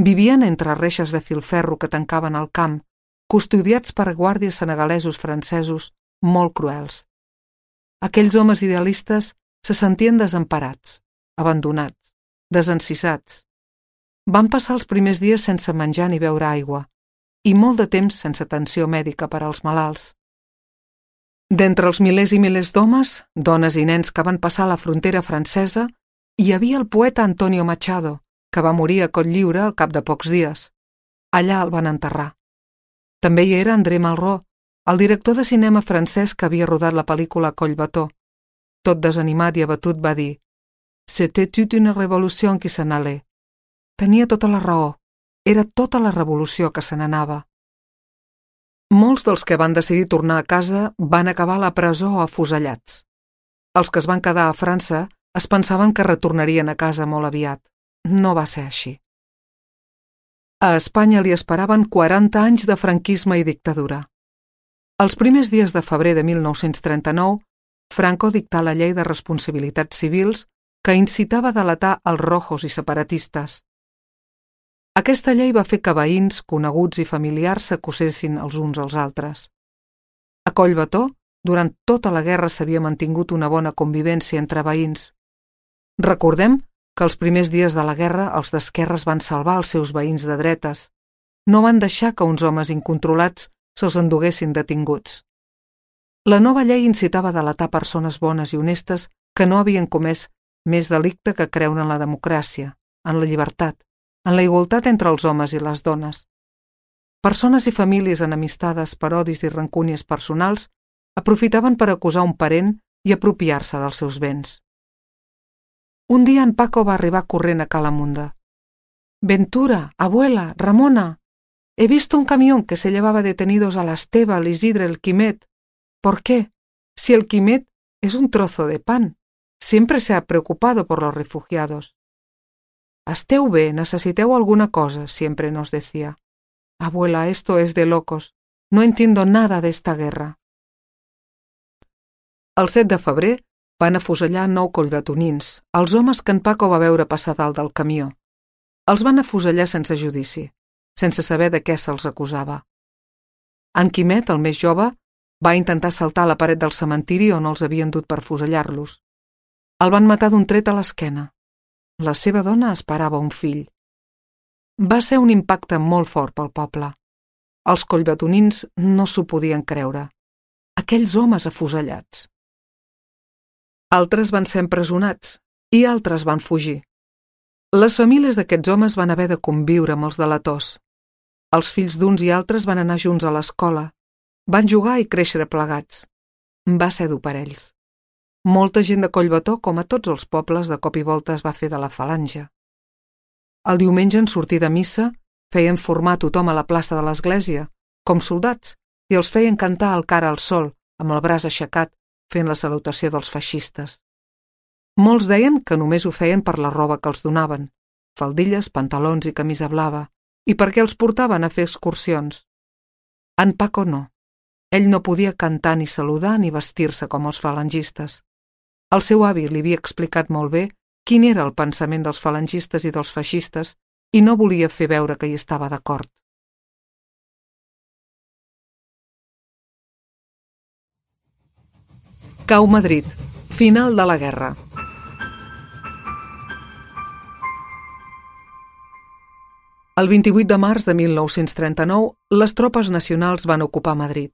Vivien entre reixes de filferro que tancaven el camp, custodiats per guàrdies senegalesos francesos molt cruels. Aquells homes idealistes se sentien desemparats, abandonats, desencisats. Van passar els primers dies sense menjar ni beure aigua i molt de temps sense atenció mèdica per als malalts. D'entre els milers i milers d'homes, dones i nens que van passar la frontera francesa, Hi havia el poeta Antonio Machado, que va morir a Cotlliure al cap de pocs dies. Allà el van enterrar. També hi era André Malraux, el director de cinema francès que havia rodat la pel·lícula Collbató. Tot desanimat i abatut va dir: «C'était toute une révolution qui s'en allait». Tenia tota la raó. Era tota la revolució que se n'anava. Molts dels que van decidir tornar a casa van acabar a la presó o afusellats. Els que es van quedar a França es pensaven que retornarien a casa molt aviat. No va ser així. A Espanya li esperaven 40 anys de franquisme i dictadura. Els primers dies de febrer de 1939, Franco dictà la llei de responsabilitats civils que incitava a delatar els rojos i separatistes. Aquesta llei va fer que veïns, coneguts i familiars s'acusessin els uns als altres. A Collbató, durant tota la guerra s'havia mantingut una bona convivència entre veïns. Recordem que els primers dies de la guerra els d'esquerres van salvar els seus veïns de dretes. No van deixar que uns homes incontrolats se'ls enduguessin detinguts. La nova llei incitava a delatar persones bones i honestes que no havien comès més delicte que creure en la democràcia, en la llibertat, en la igualtat entre els homes i les dones. Persones i famílies enemistades per odis i rancúnies personals aprofitaven per acusar un parent i apropiar-se dels seus béns. Un dia en Paco va arribar corrent a Calamunda. «Ventura, abuela, Ramona, he visto un camión que se llevaba detenidos a la Esteva, al Isidre, el Quimet. ¿Por qué? Si el Quimet es un trozo de pan. Siempre se ha preocupado por los refugiados. Esteu bé, necesiteu alguna cosa», siempre nos decía. «Abuela, esto es de locos. No entiendo nada de esta guerra». El 7 de febrer van afusellar 9 collbatonins, els homes que en Paco va veure passar dalt del camió. Els van afusellar sense judici, sense saber de què se'ls acusava. En Quimet, el més jove, va intentar saltar a la paret del cementiri on els havien dut per fusellar-los. El van matar d'un tret a l'esquena. La seva dona esperava un fill. Va ser un impacte molt fort pel poble. Els collbatonins no s'ho podien creure. Aquells homes afusellats. Altres van ser empresonats i altres van fugir. Les famílies d'aquests homes van haver de conviure amb els delators. Els fills d'uns i altres van anar junts a l'escola. Van jugar i créixer plegats. Va ser dur per ells. Molta gent de Collbató, com a tots els pobles, de cop i volta es va fer de la falange. El diumenge, en sortir de missa, feien formar tothom a la plaça de l'església, com soldats, i els feien cantar el cara al sol, amb el braç aixecat, fent la salutació dels feixistes. Molts deien que només ho feien per la roba que els donaven, faldilles, pantalons i camisa blava, i perquè els portaven a fer excursions. En Paco no. Ell no podia cantar ni saludar ni vestir-se com els falangistes. El seu avi li havia explicat molt bé quin era el pensament dels falangistes i dels feixistes i no volia fer veure que hi estava d'acord. Cau Madrid. Final de la guerra. El 28 de març de 1939, les tropes nacionals van ocupar Madrid.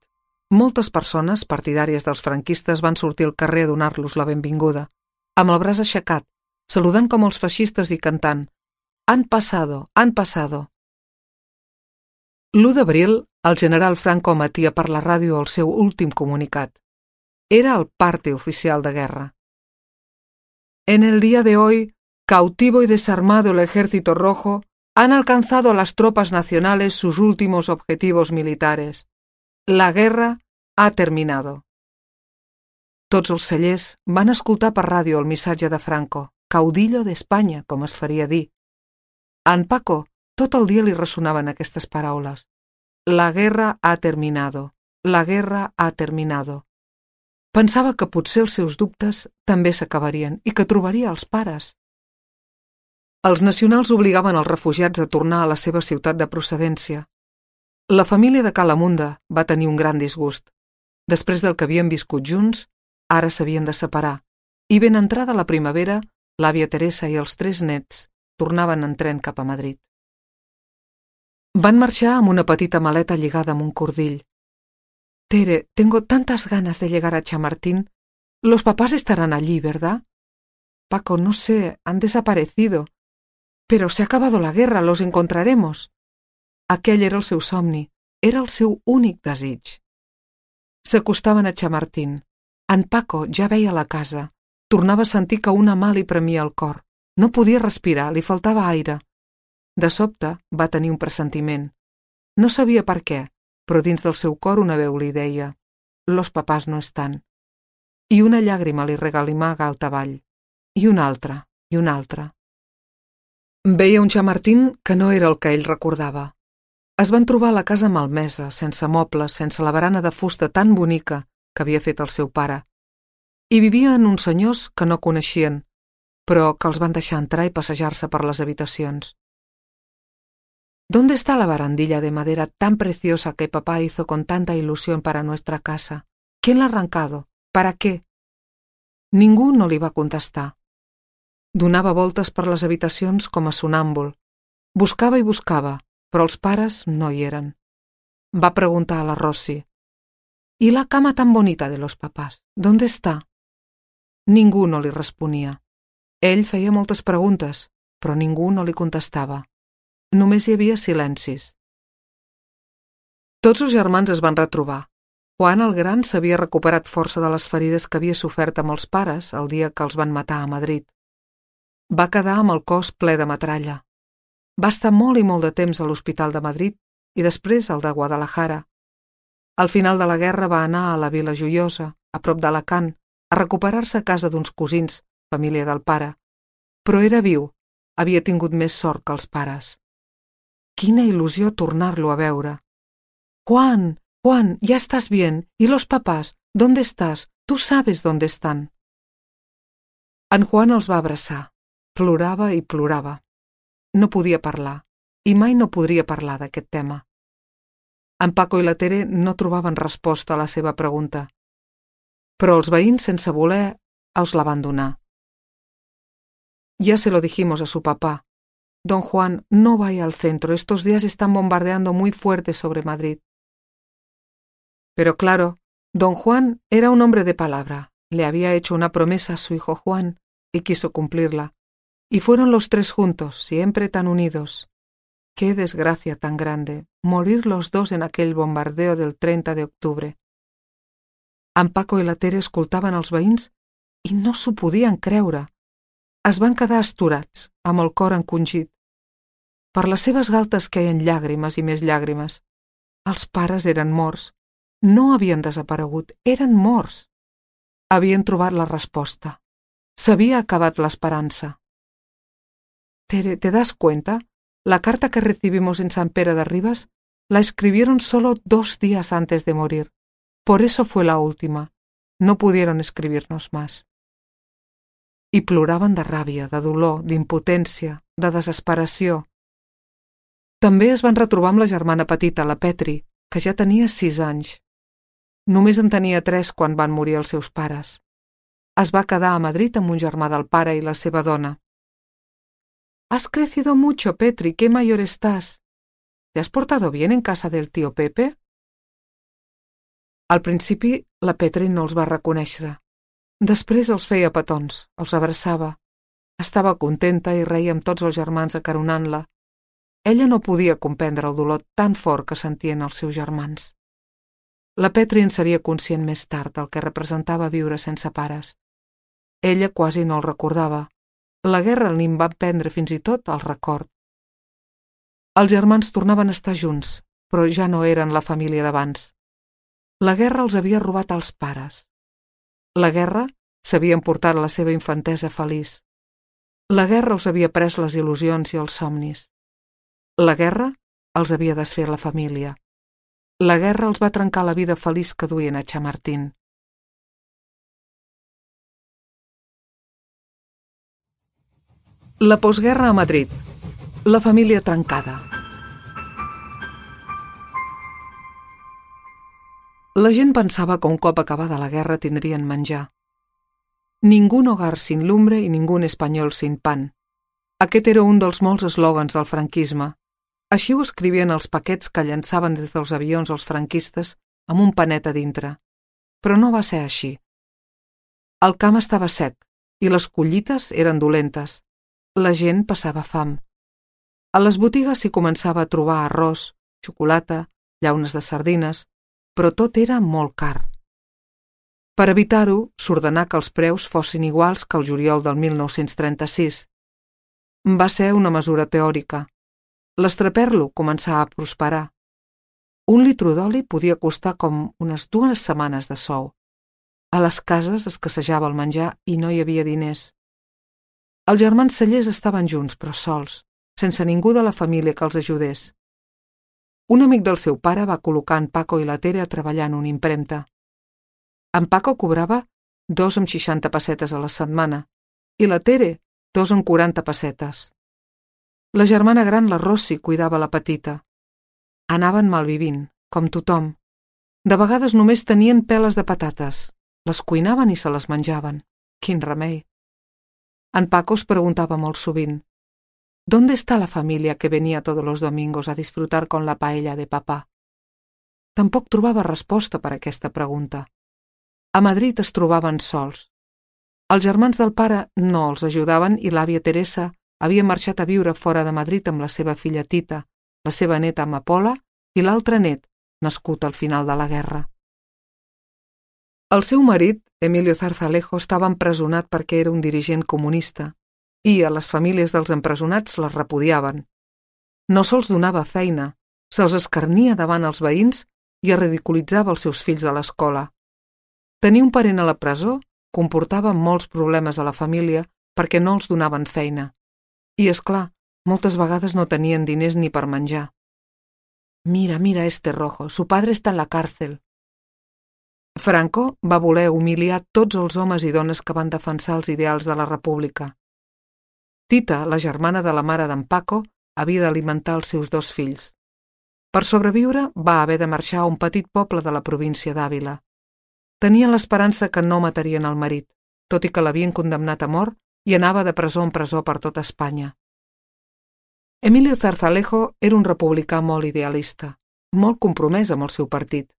Moltes persones, partidàries dels franquistes, van sortir al carrer a donar-los la benvinguda, amb el braç aixecat, saludant com els feixistes i cantant «Han pasado, han pasado». L'1 d'abril, el general Franco emetia per la ràdio el seu últim comunicat. Era el parte oficial de guerra. En el día de hoy, cautivo y desarmado el Ejército Rojo, han alcanzado las tropas nacionales sus últimos objetivos militares. La guerra ha terminado. Tots els cellers van escoltar per ràdio el missatge de Franco, caudillo d'Espanya, com es faria dir. A en Paco tot el dia li ressonaven aquestes paraules. La guerra ha terminado. La guerra ha terminado. Pensava que potser els seus dubtes també s'acabarien i que trobaria els pares. Els nacionals obligaven els refugiats a tornar a la seva ciutat de procedència. La família de Calamunda va tenir un gran disgust. Després del que havien viscut junts, ara s'havien de separar, i ben entrada la primavera, l'àvia Teresa i els 3 nets tornaven en tren cap a Madrid. Van marxar amb una petita maleta lligada amb un cordill. Tere, tengo tantas ganas de llegar a Chamartín. Los papás estarán allí, ¿verdad? Paco, no sé, han desaparecido. Pero se ha acabado la guerra, los encontraremos. Aquell era el seu somni, era el seu únic desig. S'acostaven a Chamartín. En Paco ja veia la casa. Tornava a sentir que una mà li premia el cor. No podia respirar, li faltava aire. De sobte va tenir un pressentiment. No sabia per què, però dins del seu cor una veu li deia: «Los papás no estan». I una llàgrima li regalimà galtavall. I una altra, i una altra. Veia un Chamartín que no era el que ell recordava. Es van trobar a la casa malmesa, sense mobles, sense la barana de fusta tan bonica que havia fet el seu pare. Hi vivien uns senyors que no coneixien, però que els van deixar entrar i passejar-se per les habitacions. ¿Dónde está la barandilla de madera tan preciosa que papá hizo con tanta ilusión para nuestra casa? ¿Quién la ha arrancado? ¿Para qué? Ningú no li va contestar. Donava voltes per les habitacions com a sonàmbul. Buscava i buscava, però els pares no hi eren. Va preguntar a la Rossi: «¿Y la cama tan bonita de los papás? ¿Dónde está?» Ningú no li responia. Ell feia moltes preguntes, però ningú no li contestava. Només hi havia silencis. Tots els germans es van retrobar. Juan el Gran s'havia recuperat força de les ferides que havia sofert amb els pares el dia que els van matar a Madrid. Va quedar amb el cos ple de metralla. Va estar molt i molt de temps a l'Hospital de Madrid i després al de Guadalajara. Al final de la guerra va anar a la Vila Joiosa, a prop d'Alacant, a recuperar-se a casa d'uns cosins, família del pare. Però era viu, havia tingut més sort que els pares. Quina il·lusió tornar-lo a veure. «Juan, Juan, ya estás bien. ¿Y los papás? ¿Dónde estás? Tú sabes dónde están». En Juan els va abraçar. Plorava i plorava. No podia parlar, i mai no podria parlar d'aquest tema. En Paco i la Tere no trobaven resposta a la seva pregunta. Però els veïns, sense voler, els la van donar. «Ya se lo dijimos a su papá. Don Juan, no vaya al centro, estos días están bombardeando muy fuerte sobre Madrid». Pero claro, don Juan era un hombre de palabra, le había hecho una promesa a su hijo Juan y quiso cumplirla. Y fueron los tres juntos, siempre tan unidos. Qué desgracia tan grande, morir los dos en aquell bombardeo del 30 de octubre. En Paco i la Tere escoltaven els veïns i no s'ho podien creure. Es van quedar astorats, amb el cor encongit. Per les seves galtes queien llàgrimes i més llàgrimes. Els pares eren morts. No havien desaparegut, eren morts. Havien trobat la resposta. S'havia acabat l'esperança. Tere, ¿te das cuenta? La carta que recibimos en San Pere de Ribas la escribieron solo 2 días antes de morir. Por eso fue la última. No pudieron escribirnos más. I ploraven de ràbia, de dolor, d'impotència, de desesperació. També es van retrobar amb la germana petita, la Petri, que ja tenia 6 anys. Només en tenia 3 quan van morir els seus pares. Es va quedar a Madrid amb un germà del pare i la seva dona. «Has crecido mucho, Petri, qué mayor estás. ¿Te has portado bien en casa del tío Pepe?» Al principi, la Petri no els va reconèixer. Després els feia petons, els abraçava. Estava contenta i reia amb tots els germans acaronant-la. Ella no podia comprendre el dolor tan fort que sentien els seus germans. La Petri en seria conscient més tard del que representava viure sense pares. Ella quasi no el recordava. La guerra li en va prendre fins i tot el record. Els germans tornaven a estar junts, però ja no eren la família d'abans. La guerra els havia robat als pares. La guerra s'havia emportat la seva infantesa feliç. La guerra els havia pres les il·lusions i els somnis. La guerra els havia desfet la família. La guerra els va trencar la vida feliç que duien a Chamartín. La postguerra a Madrid. La família trencada. La gent pensava que un cop acabada la guerra tindrien menjar. Ningún hogar sin lumbre i ningún espanyol sin pan. Aquest era un dels molts eslògans del franquisme. Així ho escrivien els paquets que llançaven des dels avions els franquistes amb un panet a dintre. Però no va ser així. El camp estava sec i les collites eren dolentes. La gent passava fam. A les botigues s'hi començava a trobar arròs, xocolata, llaunes de sardines, però tot era molt car. Per evitar-ho, s'ordenà que els preus fossin iguals que el juliol del 1936. Va ser una mesura teòrica. L'estraperlo començà a prosperar. Un litro d'oli podia costar com unes 2 setmanes de sou. A les cases escassejava el menjar i no hi havia diners. Els germans Cellers estaven junts, però sols, sense ningú de la família que els ajudés. Un amic del seu pare va col·locar en Paco i la Tere a treballar en una impremta. En Paco cobrava 2,60 pessetes a la setmana i la Tere 2,40 pessetes. La germana gran, la Rossi, cuidava la petita. Anaven malvivint, com tothom. De vegades només tenien peles de patates. Les cuinaven i se les menjaven. Quin remei. En Paco es preguntaba molt sovint: ¿Dónde está la familia que venía todos los domingos a disfrutar con la paella de papá? Tampoc trobava resposta per a aquesta pregunta. A Madrid es trobaven sols. Els germans del pare no els ajudaven i l'àvia Teresa havia marxat a viure fora de Madrid amb la seva filla Tita, la seva neta Amapola i l'altre net, nascut al final de la guerra. El seu marit, Emilio Zarzalejo, estava empresonat perquè era un dirigent comunista i a les famílies dels empresonats les repudiaven. No se'ls donava feina, se'ls escarnia davant els veïns i es ridiculitzava els seus fills a l'escola. Tenir un parent a la presó comportava molts problemes a la família perquè no els donaven feina. I, és clar, moltes vegades no tenien diners ni per menjar. Mira este rojo, su padre está en la cárcel. Franco va voler humiliar tots els homes i dones que van defensar els ideals de la república. Tita, la germana de la mare d'en Paco, havia d'alimentar els seus 2 fills. Per sobreviure, va haver de marxar a un petit poble de la província d'Àvila. Tenien l'esperança que no matarien el marit, tot i que l'havien condemnat a mort i anava de presó en presó per tota Espanya. Emilio Zarzalejo era un republicà molt idealista, molt compromès amb el seu partit.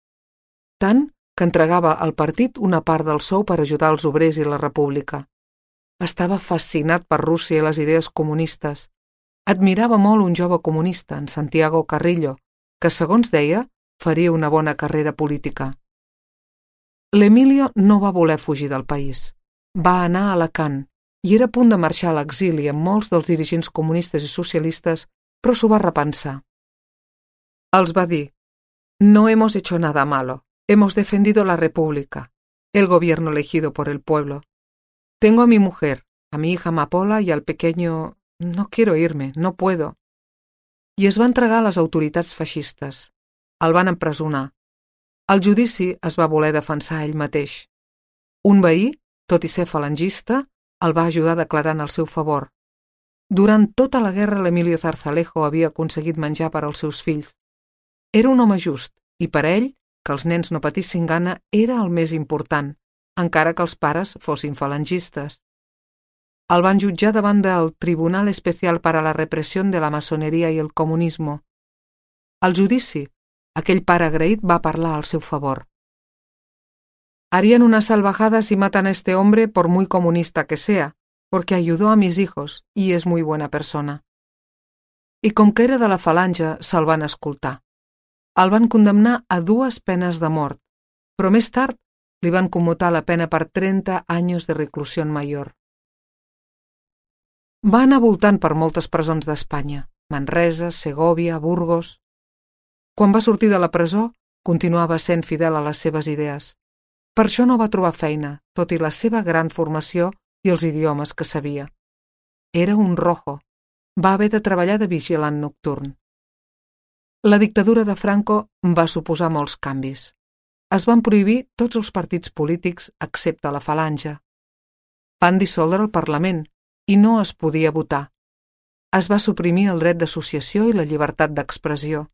Tant que entregava al partit una part del sou per ajudar els obrers i la república. Estava fascinat per Rússia i les idees comunistes. Admirava molt un jove comunista, en Santiago Carrillo, que, segons deia, faria una bona carrera política. L'Emilio no va voler fugir del país. Va anar a Alacant i era a punt de marxar a l'exili amb molts dels dirigents comunistes i socialistes, però s'ho va repensar. Els va dir: «No hemos hecho nada malo. Hemos defendido la República, el gobierno elegido por el pueblo. Tengo a mi mujer, a mi hija Amapola y al pequeño... No quiero irme, no puedo». I es va entregar a les autoritats feixistes. El van empresonar. Al judici es va voler defensar ell mateix. Un veí, tot i ser falangista, el va ajudar declarant el seu favor. Durant tota la guerra l'Emilio Zarzalejo havia aconseguit menjar per als seus fills. Era un home just i per a ell que els nens no patissin gana era el més important, encara que els pares fossin falangistes. El van jutjar davant del Tribunal Especial para la Represión de la Masonería y el Comunismo. Al judici, aquell pare agraït va parlar al seu favor. «Harían una salvajada si matan a este hombre por muy comunista que sea, porque ayudó a mis hijos y es muy buena persona». I com que era de la falange, se'l van escoltar. El van condemnar a 2 penes de mort, però més tard li van commutar la pena per 30 anys de reclusió mayor. Va anar voltant per moltes presons d'Espanya, Manresa, Segòvia, Burgos. Quan va sortir de la presó, continuava sent fidel a les seves idees. Per això no va trobar feina, tot i la seva gran formació i els idiomes que sabia. Era un rojo. Va haver de treballar de vigilant nocturn. La dictadura de Franco va suposar molts canvis. Es van prohibir tots els partits polítics excepte la falange. Van dissoldre el Parlament i no es podia votar. Es va suprimir el dret d'associació i la llibertat d'expressió.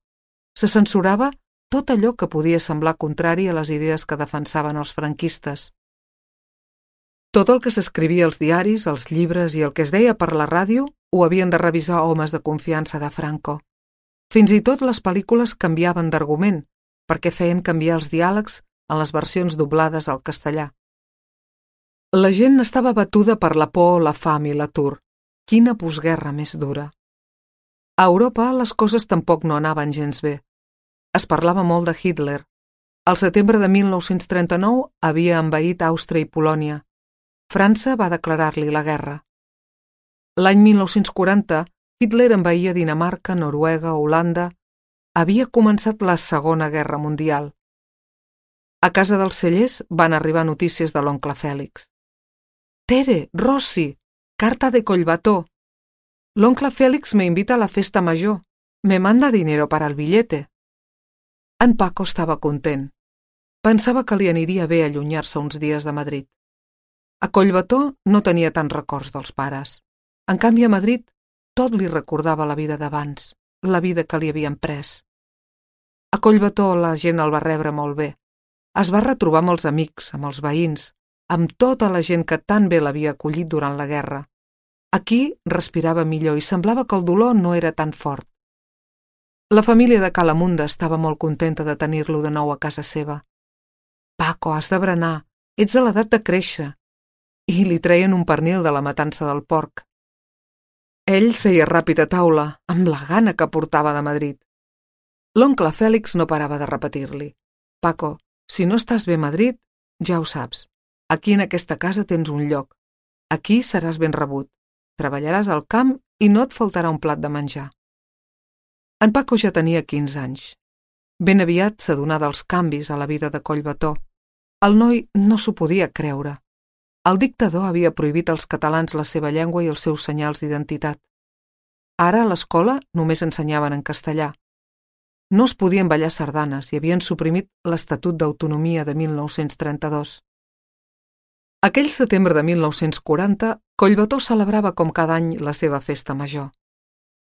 Se censurava tot allò que podia semblar contrari a les idees que defensaven els franquistes. Tot el que s'escrivia als diaris, als llibres i el que es deia per la ràdio ho havien de revisar homes de confiança de Franco. Fins i tot les pel·lícules canviaven d'argument, perquè feien canviar els diàlegs en les versions doblades al castellà. La gent estava batuda per la por, la fam i l'atur. Quina postguerra més dura. A Europa les coses tampoc no anaven gens bé. Es parlava molt de Hitler. Al setembre de 1939 havia envaït Àustria i Polònia. França va declarar-li la guerra. L'any 1940, Hitler envaïa Dinamarca, Noruega, Holanda. Havia començat la Segona Guerra Mundial. A casa dels cellers van arribar notícies de l'oncle Fèlix. «Tere, Rossi, carta de Collbató. L'oncle Félix me invita a la festa major. Me manda dinero para el billete». En Paco estava content. Pensava que li aniria bé allunyar-se uns dies de Madrid. A Collbató no tenia tants records dels pares. En canvi, a Madrid, tot li recordava la vida d'abans, la vida que li havien pres. A Collbató la gent el va rebre molt bé. Es va retrobar amb els amics, amb els veïns, amb tota la gent que tan bé l'havia acollit durant la guerra. Aquí respirava millor i semblava que el dolor no era tan fort. La família de Calamunda estava molt contenta de tenir-lo de nou a casa seva. «Paco, has de berenar, ets a l'edat de créixer». I li treien un pernil de la matança del porc. Ell seia ràpid a taula, amb la gana que portava de Madrid. L'oncle Fèlix no parava de repetir-li: «Paco, si no estàs bé a Madrid, ja ho saps. Aquí en aquesta casa tens un lloc. Aquí seràs ben rebut. Treballaràs al camp i no et faltarà un plat de menjar». En Paco ja tenia 15 anys. Ben aviat s'adonà dels canvis a la vida de Collbató. El noi no s'ho podia creure. El dictador havia prohibit als catalans la seva llengua i els seus senyals d'identitat. Ara a l'escola només ensenyaven en castellà. No es podien ballar sardanes i havien suprimit l'Estatut d'Autonomia de 1932. Aquell setembre de 1940, Collbató celebrava com cada any la seva festa major.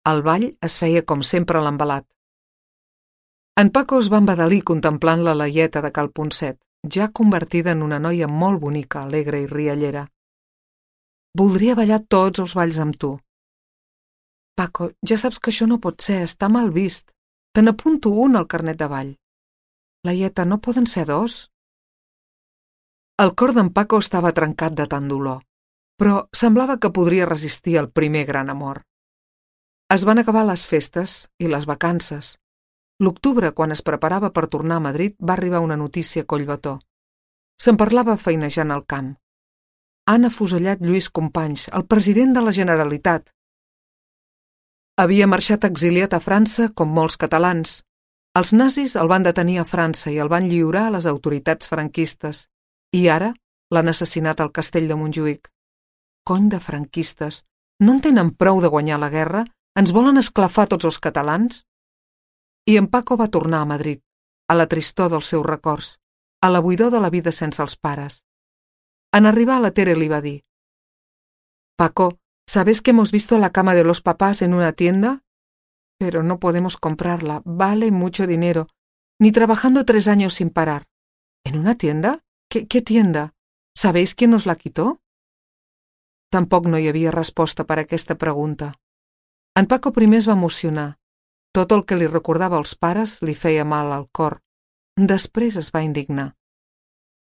El ball es feia com sempre a l'embalat. En Paco es va embadalir contemplant la Laieta de Cal Ponset, ja convertida en una noia molt bonica, alegre i riallera. «Voldria ballar tots els balls amb tu». «Paco, ja saps que això no pot ser, està mal vist. Te n'apunto un al carnet de ball». «Laieta, no poden ser dos?» El cor d'en Paco estava trencat de tant dolor, però semblava que podria resistir el primer gran amor. Es van acabar les festes i les vacances. L'octubre, quan es preparava per tornar a Madrid, va arribar una notícia a Collbató. Se'n parlava feinejant al camp. Han afusellat Lluís Companys, el president de la Generalitat. Havia marxat exiliat a França com molts catalans. Els nazis el van detenir a França i el van lliurar a les autoritats franquistes. I ara l'han assassinat al castell de Montjuïc. Cony de franquistes! No en tenen prou de guanyar la guerra? Ens volen esclafar tots els catalans? I en Paco va tornar a Madrid, a la tristor dels seus records, a la buidor de la vida sense els pares. En arribar, la Tere li va dir: «Paco, ¿sabes que hemos visto la cama de los papás en una tienda? Pero no podemos comprarla, vale mucho dinero, ni trabajando 3 años sin parar». «¿En una tienda? ¿Qué tienda? ¿Sabéis quién nos la quitó?» Tampoc no hi havia resposta per a aquesta pregunta. En Paco primer es va emocionar. Tot el que li recordava als pares li feia mal al cor. Després es va indignar.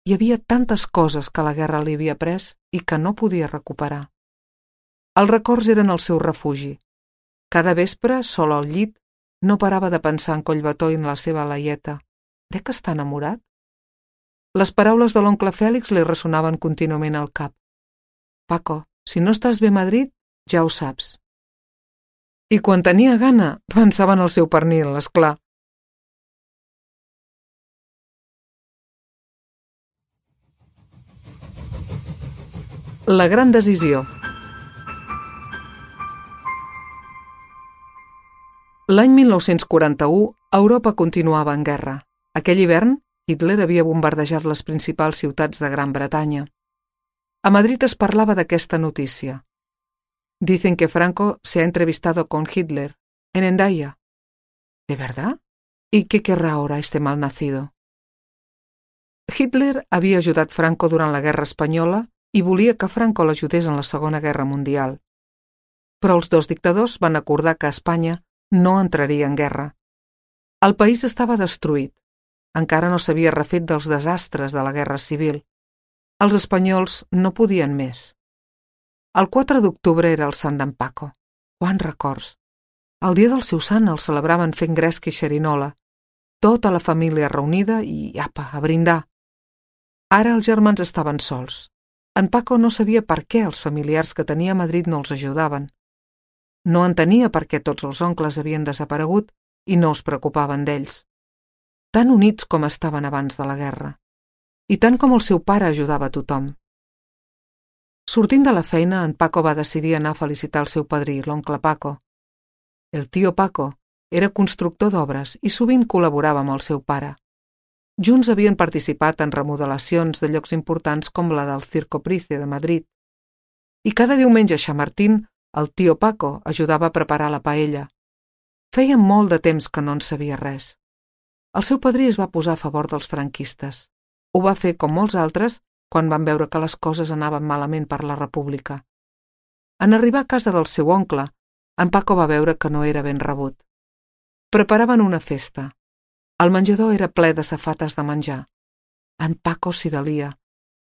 Hi havia tantes coses que la guerra li havia pres i que no podia recuperar. Els records eren el seu refugi. Cada vespre, sol al llit, no parava de pensar en Collbató i en la seva Laieta. De què està enamorat? Les paraules de l'oncle Fèlix li ressonaven contínuament al cap. «Paco, si no estàs bé a Madrid, ja ho saps». I quan tenia gana, pensava en el seu pernil, esclar. La gran decisió. L'any 1941, Europa continuava en guerra. Aquell hivern, Hitler havia bombardejat les principals ciutats de Gran Bretanya. A Madrid es parlava d'aquesta notícia. Dicen que Franco se ha entrevistado con Hitler en Hendaya. ¿De verdad? ¿Y qué querrá ahora este malnacido? Hitler havia ajudat Franco durant la Guerra Espanyola i volia que Franco l'ajudés en la Segona Guerra Mundial. Però els dos dictadors van acordar que Espanya no entraria en guerra. El país estava destruït. Encara no s'havia refet dels desastres de la Guerra Civil. Els espanyols no podien més. El 4 d'octubre era el sant d'en Paco. Quants records! El dia del seu sant el celebraven fent gresca i xerinola. Tota la família reunida i, apa, a brindar. Ara els germans estaven sols. En Paco no sabia per què els familiars que tenia a Madrid no els ajudaven. No entenia per què tots els oncles havien desaparegut i no es preocupaven d'ells. Tan units com estaven abans de la guerra. I tant com el seu pare ajudava a tothom. Sortint de la feina, en Paco va decidir anar a felicitar el seu padrí, l'oncle Paco. El tio Paco era constructor d'obres i sovint col·laborava amb el seu pare. Junts havien participat en remodelacions de llocs importants com la del Circo Price de Madrid. I cada diumenge a Chamartín, el tio Paco ajudava a preparar la paella. Feia molt de temps que no en sabia res. El seu padrí es va posar a favor dels franquistes. Ho va fer, com molts altres, quan van veure que les coses anaven malament per la República. En arribar a casa del seu oncle, en Paco va veure que no era ben rebut. Preparaven una festa. El menjador era ple de safates de menjar. En Paco s'hi delia.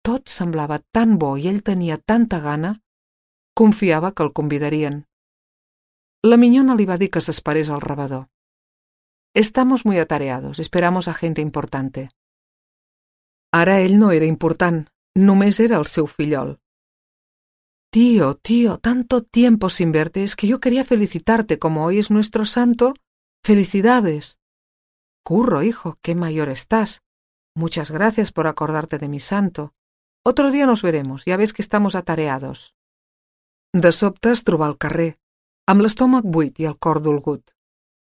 Tot semblava tan bo i ell tenia tanta gana. Confiava que el convidarien. La minyona li va dir que s'esperés al rebedor. «Estamos muy atareados, esperamos a gente importante». Ara ell no era important, només era el seu fillol. «Tío, tanto tiempo sin verte, es que yo quería felicitarte, como hoy es nuestro santo. ¡Felicidades!». «Curro, hijo, qué mayor estás. Muchas gracias por acordarte de mi santo. Otro día nos veremos, ya ves que estamos atareados». De sobte es trobà al carrer, amb l'estómac buit i el cor dolgut.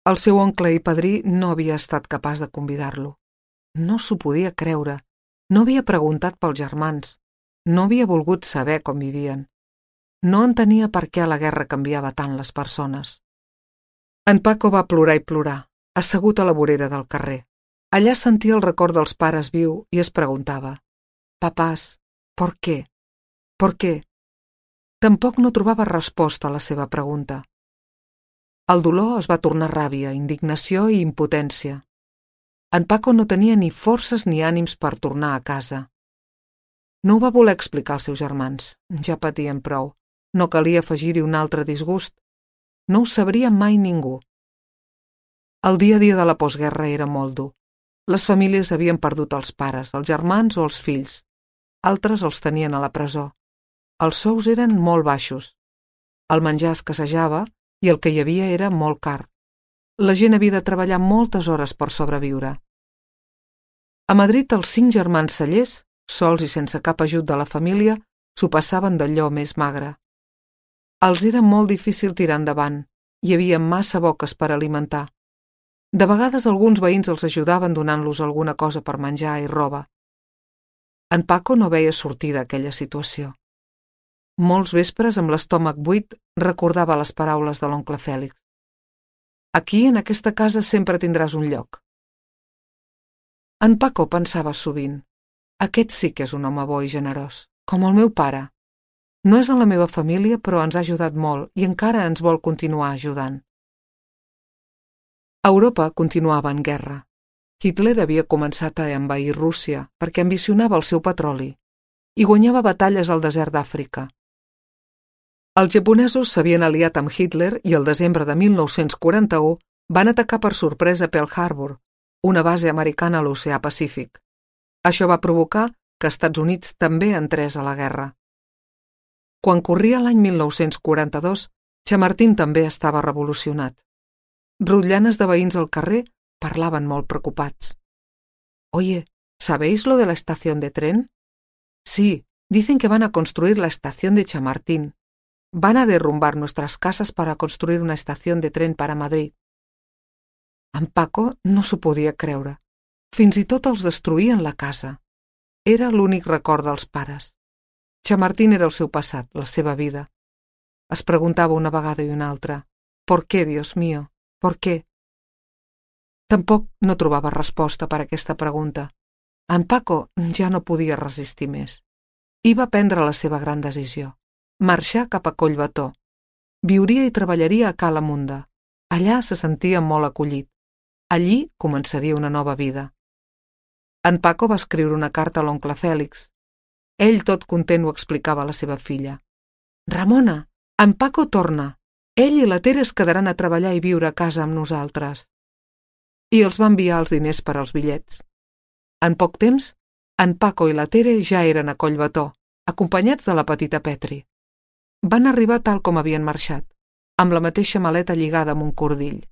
El seu oncle i padrí no havia estat capaç de convidar-lo. No s'ho podia creure. No havia preguntat pels germans. No havia volgut saber com vivien. No entenia per què la guerra canviava tant les persones. En Paco va plorar i plorar, assegut a la vorera del carrer. Allà sentia el record dels pares viu i es preguntava: «Papàs, ¿por qué? ¿Por qué?». Tampoc no trobava resposta a la seva pregunta. El dolor es va tornar ràbia, indignació i impotència. En Paco no tenia ni forces ni ànims per tornar a casa. No ho va voler explicar als seus germans. Ja patien prou. No calia afegir-hi un altre disgust. No ho sabria mai ningú. El dia a dia de la postguerra era molt dur. Les famílies havien perdut els pares, els germans o els fills. Altres els tenien a la presó. Els sous eren molt baixos. El menjar escassejava i el que hi havia era molt car. La gent havia de treballar moltes hores per sobreviure. A Madrid, els 5 germans cellers, sols i sense cap ajut de la família, s'ho passaven d'allò més magre. Els era molt difícil tirar endavant. Hi havia massa boques per alimentar. De vegades alguns veïns els ajudaven donant-los alguna cosa per menjar i roba. En Paco no veia sortida aquella situació. Molts vespres, amb l'estómac buit, recordava les paraules de l'oncle Fèlix. «Aquí, en aquesta casa, sempre tindràs un lloc». En Paco pensava sovint: «Aquest sí que és un home bo i generós, com el meu pare. No és de la meva família, però ens ha ajudat molt i encara ens vol continuar ajudant». Europa continuava en guerra. Hitler havia començat a envair Rússia perquè ambicionava el seu petroli i guanyava batalles al desert d'Àfrica. Els japonesos s'havien aliat amb Hitler i el desembre de 1941 van atacar per sorpresa Pearl Harbor, una base americana a l'oceà Pacífic. Això va provocar que Estats Units també entrés a la guerra. Quan corria l'any 1942, Chamartín també estava revolucionat. Rotllanes de veïns al carrer parlaven molt preocupats. «Oye, ¿sabéis lo de la estación de tren? Sí, dicen que van a construir la estación de Chamartín. Van a derrumbar nuestras casas para construir una estación de tren para Madrid». En Paco no s'ho podia creure. Fins i tot els destruïen la casa. Era l'únic record dels pares. Chamartín era el seu passat, la seva vida. Es preguntava una vegada i una altra: «¿Por qué, Dios mío? ¿Por qué?». Tampoc no trobava resposta per a aquesta pregunta. En Paco ja no podia resistir més. I va prendre la seva gran decisió: marxar cap a Collbató. Viuria i treballaria a Cala Munda. Allà se sentia molt acollit. Allí començaria una nova vida. En Paco va escriure una carta a l'oncle Fèlix. Ell, tot content, ho explicava a la seva filla. «Ramona, en Paco torna. Ell i la Tere es quedaran a treballar i viure a casa amb nosaltres». I els va enviar els diners per als bitllets. En poc temps, en Paco i la Tere ja eren a Collbató, acompanyats de la petita Petri. Van arribar tal com havien marxat, amb la mateixa maleta lligada amb un cordill.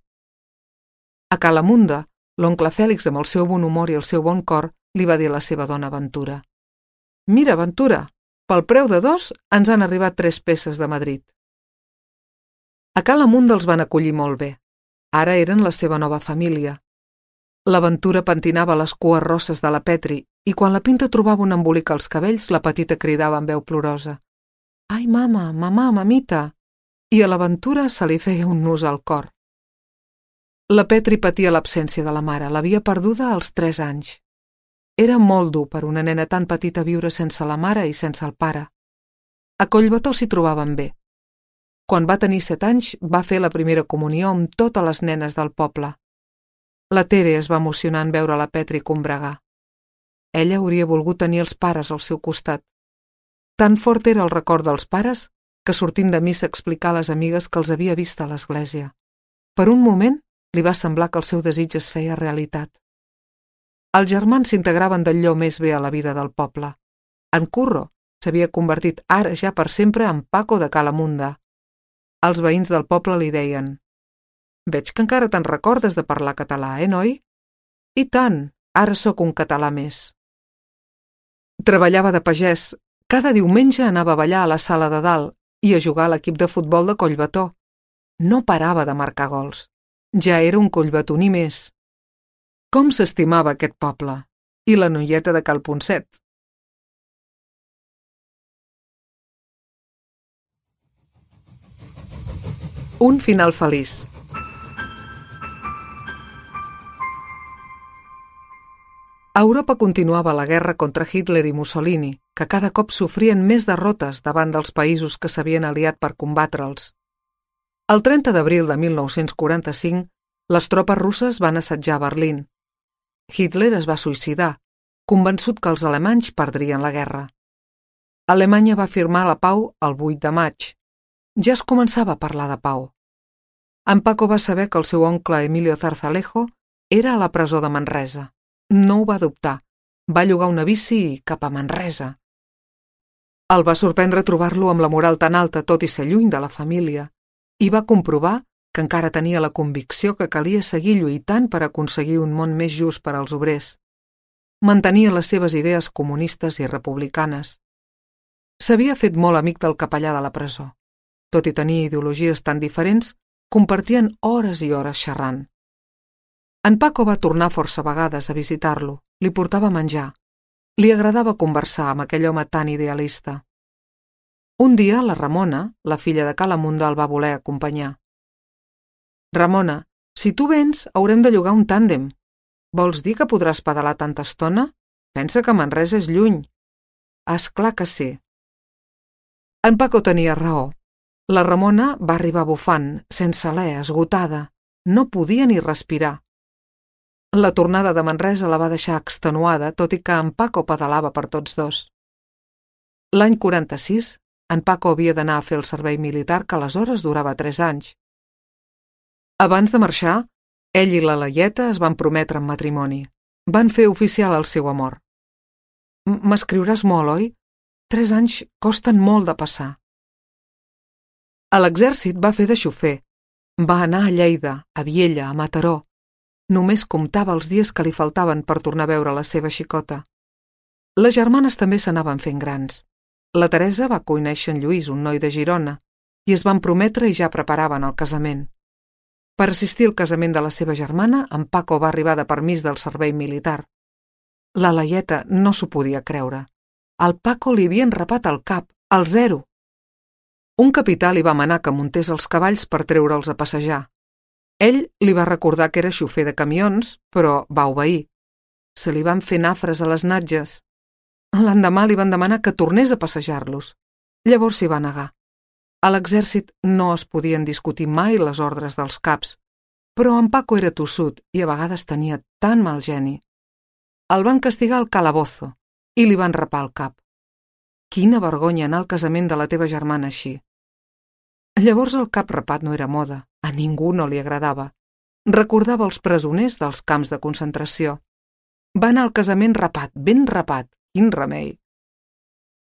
A Cala Munda, l'oncle Fèlix, amb el seu bon humor i el seu bon cor, li va dir a la seva dona Ventura: «Mira, Ventura, pel preu de 2 ens han arribat 3 peces de Madrid». A Cala Munda els van acollir molt bé. Ara eren la seva nova família. La Ventura pentinava les cues rosses de la Petri i quan la Pinta trobava un embolic als cabells, la petita cridava amb veu plorosa: «Ai, mama, mamà, mamita!» I a la Ventura se li feia un nus al cor. La Petri patia l'absència de la mare, l'havia perduda als 3 anys. Era molt dur per una nena tan petita viure sense la mare i sense el pare. A Collbató s'hi trobaven bé. Quan va tenir 7 anys, va fer la primera comunió amb totes les nenes del poble. La Tere es va emocionar en veure la Petri combregar. Ella hauria volgut tenir els pares al seu costat. Tan fort era el record dels pares que sortint de missa explicar a les amigues que els havia vist a l'església. Per un moment li va semblar que el seu desig es feia realitat. Els germans s'integraven d'allò més bé a la vida del poble. En Curro s'havia convertit ara ja per sempre en Paco de Cala Munda. Els veïns del poble li deien: «Veig que encara te'n recordes de parlar català, noi?» «I tant, ara sóc un català més». Treballava de pagès. Cada diumenge anava a ballar a la sala de dalt i a jugar a l'equip de futbol de Collbató. No parava de marcar gols. Ja era un collbatoní més. Com s'estimava aquest poble! I la noieta de Cal Ponset. Un final feliç. A Europa continuava la guerra contra Hitler i Mussolini, que cada cop sofrien més derrotes davant dels països que s'havien aliat per combatre'ls. El 30 d'abril de 1945, les tropes russes van assetjar Berlín. Hitler es va suïcidar, convençut que els alemanys perdrien la guerra. Alemanya va firmar la pau el 8 de maig. Ja es començava a parlar de pau. En Paco va saber que el seu oncle Emilio Zarzalejo era a la presó de Manresa. No ho va dubtar. Va llogar una bici i cap a Manresa. El va sorprendre trobar-lo amb la moral tan alta, tot i ser lluny de la família, i va comprovar que encara tenia la convicció que calia seguir lluitant per aconseguir un món més just per als obrers. Mantenia les seves idees comunistes i republicanes. S'havia fet molt amic del capellà de la presó. Tot i tenir ideologies tan diferents, compartien hores i hores xerrant. En Paco va tornar força vegades a visitar-lo, li portava menjar. Li agradava conversar amb aquell home tan idealista. Un dia la Ramona, la filla de Cala Munda, el va voler acompanyar. «Ramona, si tu vens, haurem de llogar un tàndem. Vols dir que podràs pedalar tanta estona? Pensa que Manresa és lluny». «És clar que sí». En Paco tenia raó. La Ramona va arribar bufant, sense alè, esgotada. No podia ni respirar. La tornada de Manresa la va deixar extenuada, tot i que en Paco pedalava per tots dos. L'any 46, en Paco havia d'anar a fer el servei militar, que aleshores durava 3 anys. Abans de marxar, ell i la Laieta es van prometre en matrimoni. Van fer oficial el seu amor. «M'escriuràs molt, oi? 3 anys costen molt de passar». A l'exèrcit va fer de xofer. Va anar a Lleida, a Viella, a Mataró. Només comptava els dies que li faltaven per tornar a veure la seva xicota. Les germanes també s'anaven fent grans. La Teresa va conèixer en Lluís, un noi de Girona, i es van prometre i ja preparaven el casament. Per assistir al casament de la seva germana, en Paco va arribar de permís del servei militar. La Laieta no s'ho podia creure. Al Paco li havien rapat el cap, al 0. Un capità li va manar que muntés els cavalls per treure'ls a passejar. Ell li va recordar que era xofer de camions, però va obeir. Se li van fer nafres a les natges. L'endemà li van demanar que tornés a passejar-los. Llavors s'hi va negar. A l'exèrcit no es podien discutir mai les ordres dels caps, però en Paco era tossut i a vegades tenia tan mal geni. El van castigar al calabozo i li van rapar el cap. Quina vergonya anar al casament de la teva germana així. Llavors el cap rapat no era moda, a ningú no li agradava. Recordava els presoners dels camps de concentració. Va anar al casament rapat, ben rapat, quin remei.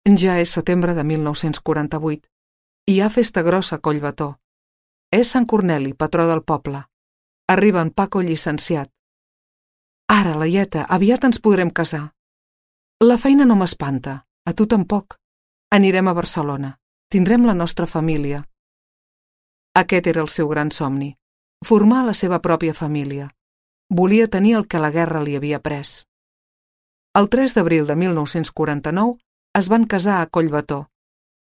Ja és setembre de 1948. Hi ha festa grossa a Collbató. És Sant Corneli, patró del poble. Arriba en Paco llicenciat. Ara, Laieta, aviat ens podrem casar. La feina no m'espanta, a tu tampoc. Anirem a Barcelona. Tindrem la nostra família. Aquest era el seu gran somni, formar la seva pròpia família. Volia tenir el que la guerra li havia pres. El 3 d'abril de 1949 es van casar a Collbató.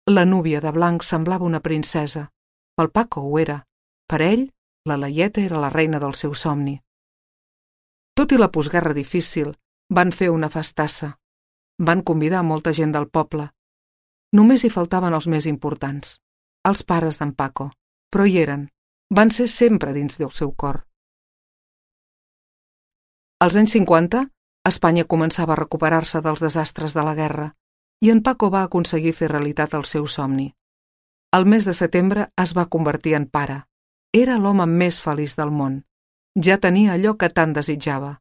La núvia de blanc semblava una princesa. Pel Paco ho era. Per ell, la Laieta era la reina del seu somni. Tot i la postguerra difícil, van fer una festassa. Van convidar molta gent del poble. Només hi faltaven els més importants, els pares d'en Paco, però hi eren. Van ser sempre dins del seu cor. Als anys 50, Espanya començava a recuperar-se dels desastres de la guerra i en Paco va aconseguir fer realitat el seu somni. El mes de setembre es va convertir en pare. Era l'home més feliç del món. Ja tenia allò que tant desitjava.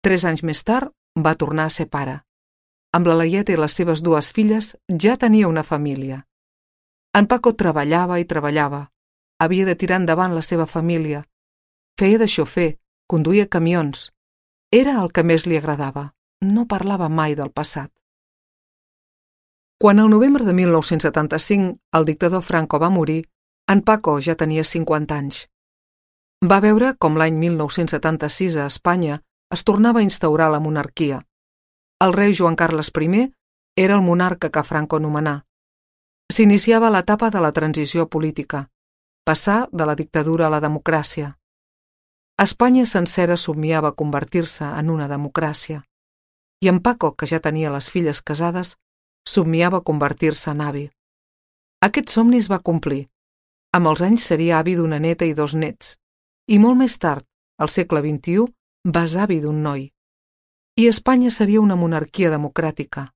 3 anys més tard va tornar a ser pare. Amb la Laieta i les seves 2 filles ja tenia una família. En Paco treballava i treballava. Havia de tirar endavant la seva família. Feia de xofer, conduïa camions. Era el que més li agradava. No parlava mai del passat. Quan el novembre de 1975 el dictador Franco va morir, en Paco ja tenia 50 anys. Va veure com l'any 1976 a Espanya es tornava a instaurar la monarquia. El rei Joan Carles I era el monarca que Franco nomenà. S'iniciava l'etapa de la transició política, passar de la dictadura a la democràcia. Espanya sencera somniava convertir-se en una democràcia. I en Paco, que ja tenia les filles casades, somniava convertir-se en avi. Aquest somni es va complir. Amb els anys seria avi d'una neta i 2 nets. I molt més tard, al segle XXI, besavi d'un noi. I Espanya seria una monarquia democràtica.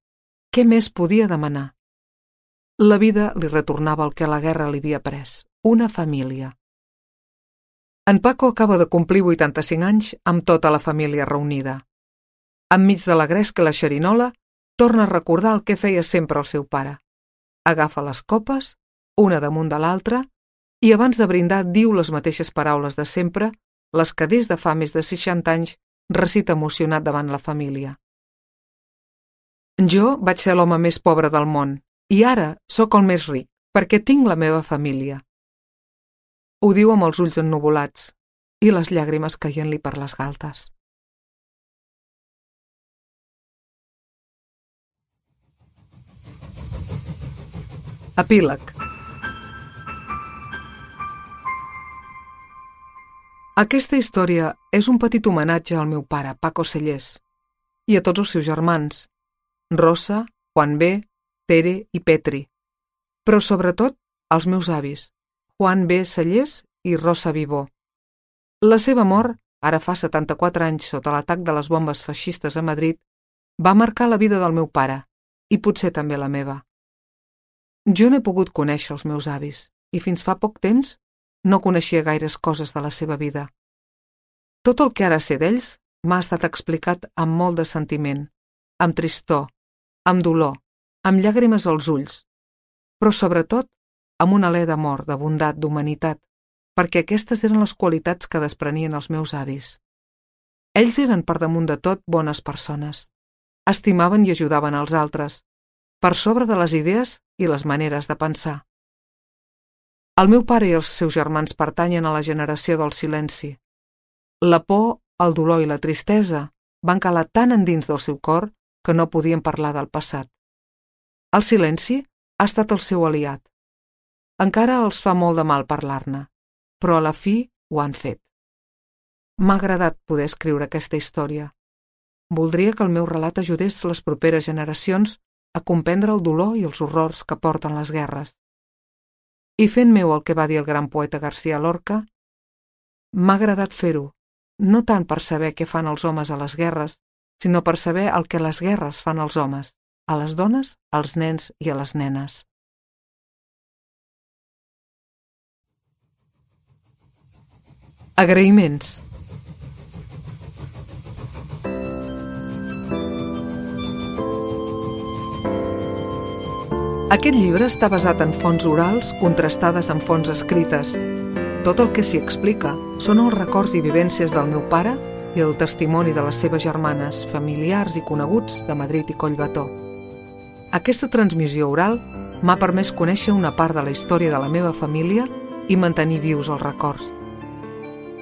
Què més podia demanar? La vida li retornava el que la guerra li havia pres, una família. En Paco acaba de complir 85 anys amb tota la família reunida. Enmig de la gresca i la xerinola, torna a recordar el que feia sempre el seu pare. Agafa les copes, una damunt de l'altra, i abans de brindar diu les mateixes paraules de sempre, les que des de fa més de 60 anys recita emocionat davant la família. Jo vaig ser l'home més pobre del món i ara sóc el més ric perquè tinc la meva família. Ho diu amb els ulls ennuvolats i les llàgrimes caient-li per les galtes. Epíleg. Aquesta història és un petit homenatge al meu pare, Paco Cellers, i a tots els seus germans, Rosa, Juan B., Tere i Petri, però sobretot als meus avis, Juan B. Cellers i Rosa Vivó. La seva mort, ara fa 74 anys sota l'atac de les bombes feixistes a Madrid, va marcar la vida del meu pare, i potser també la meva. Jo no he pogut conèixer els meus avis, i fins fa poc temps no coneixia gaires coses de la seva vida. Tot el que ara sé d'ells m'ha estat explicat amb molt de sentiment, amb tristor, amb dolor, amb llàgrimes als ulls, però sobretot amb un alè d'amor, de bondat, d'humanitat, perquè aquestes eren les qualitats que desprenien els meus avis. Ells eren per damunt de tot bones persones. Estimaven i ajudaven als altres, per sobre de les idees i les maneres de pensar. El meu pare i els seus germans pertanyen a la generació del silenci. La por, el dolor i la tristesa van calar tan endins del seu cor que no podien parlar del passat. El silenci ha estat el seu aliat. Encara els fa molt de mal parlar-ne, però a la fi ho han fet. M'ha agradat poder escriure aquesta història. Voldria que el meu relat ajudés les properes generacions a comprendre el dolor i els horrors que porten les guerres. I fent meu el que va dir el gran poeta García Lorca, m'ha agradat fer-ho, no tant per saber què fan els homes a les guerres, sinó per saber el que les guerres fan als homes, a les dones, als nens i a les nenes. Agraïments. Aquest llibre està basat en fonts orals contrastades amb fonts escrites. Tot el que s'hi explica són els records i vivències del meu pare i el testimoni de les seves germanes, familiars i coneguts de Madrid i Collbató. Aquesta transmissió oral m'ha permès conèixer una part de la història de la meva família i mantenir vius els records.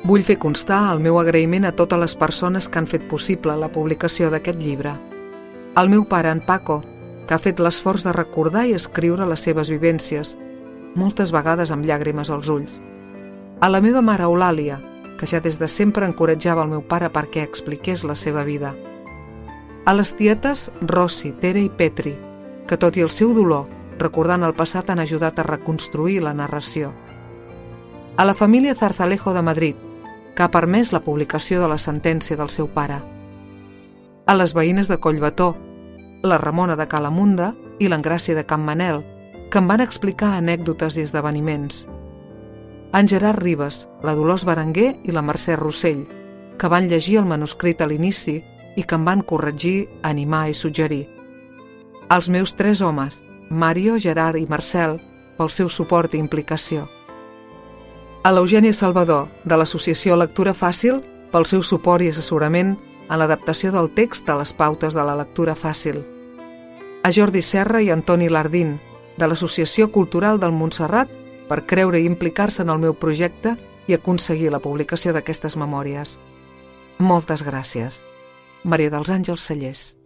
Vull fer constar el meu agraïment a totes les persones que han fet possible la publicació d'aquest llibre. Al meu pare, en Paco, que ha fet l'esforç de recordar i escriure les seves vivències, moltes vegades amb llàgrimes als ulls. A la meva mare Eulàlia, que ja des de sempre encoratjava el meu pare perquè expliqués la seva vida. A les tietes Rossi, Tere i Petri, que tot i el seu dolor, recordant el passat, han ajudat a reconstruir la narració. A la família Zarzalejo de Madrid, que ha permès la publicació de la sentència del seu pare. A les veïnes de Collbató, la Ramona de Calamunda i l'Engràcia de Can Manel, que em van explicar anècdotes i esdeveniments. En Gerard Ribes, la Dolors Berenguer i la Mercè Rossell, que van llegir el manuscrit a l'inici i que em van corregir, animar i suggerir. Els meus 3 homes, Mario, Gerard i Marcel, pel seu suport i implicació. A l'Eugènia Salvador, de l'Associació Lectura Fàcil, pel seu suport i assessorament en l'adaptació del text a les pautes de la lectura fàcil. A Jordi Serra i Antoni Lardín, de l'Associació Cultural del Montserrat, per creure i implicar-se en el meu projecte i aconseguir la publicació d'aquestes memòries. Moltes gràcies. Maria dels Àngels Cellers.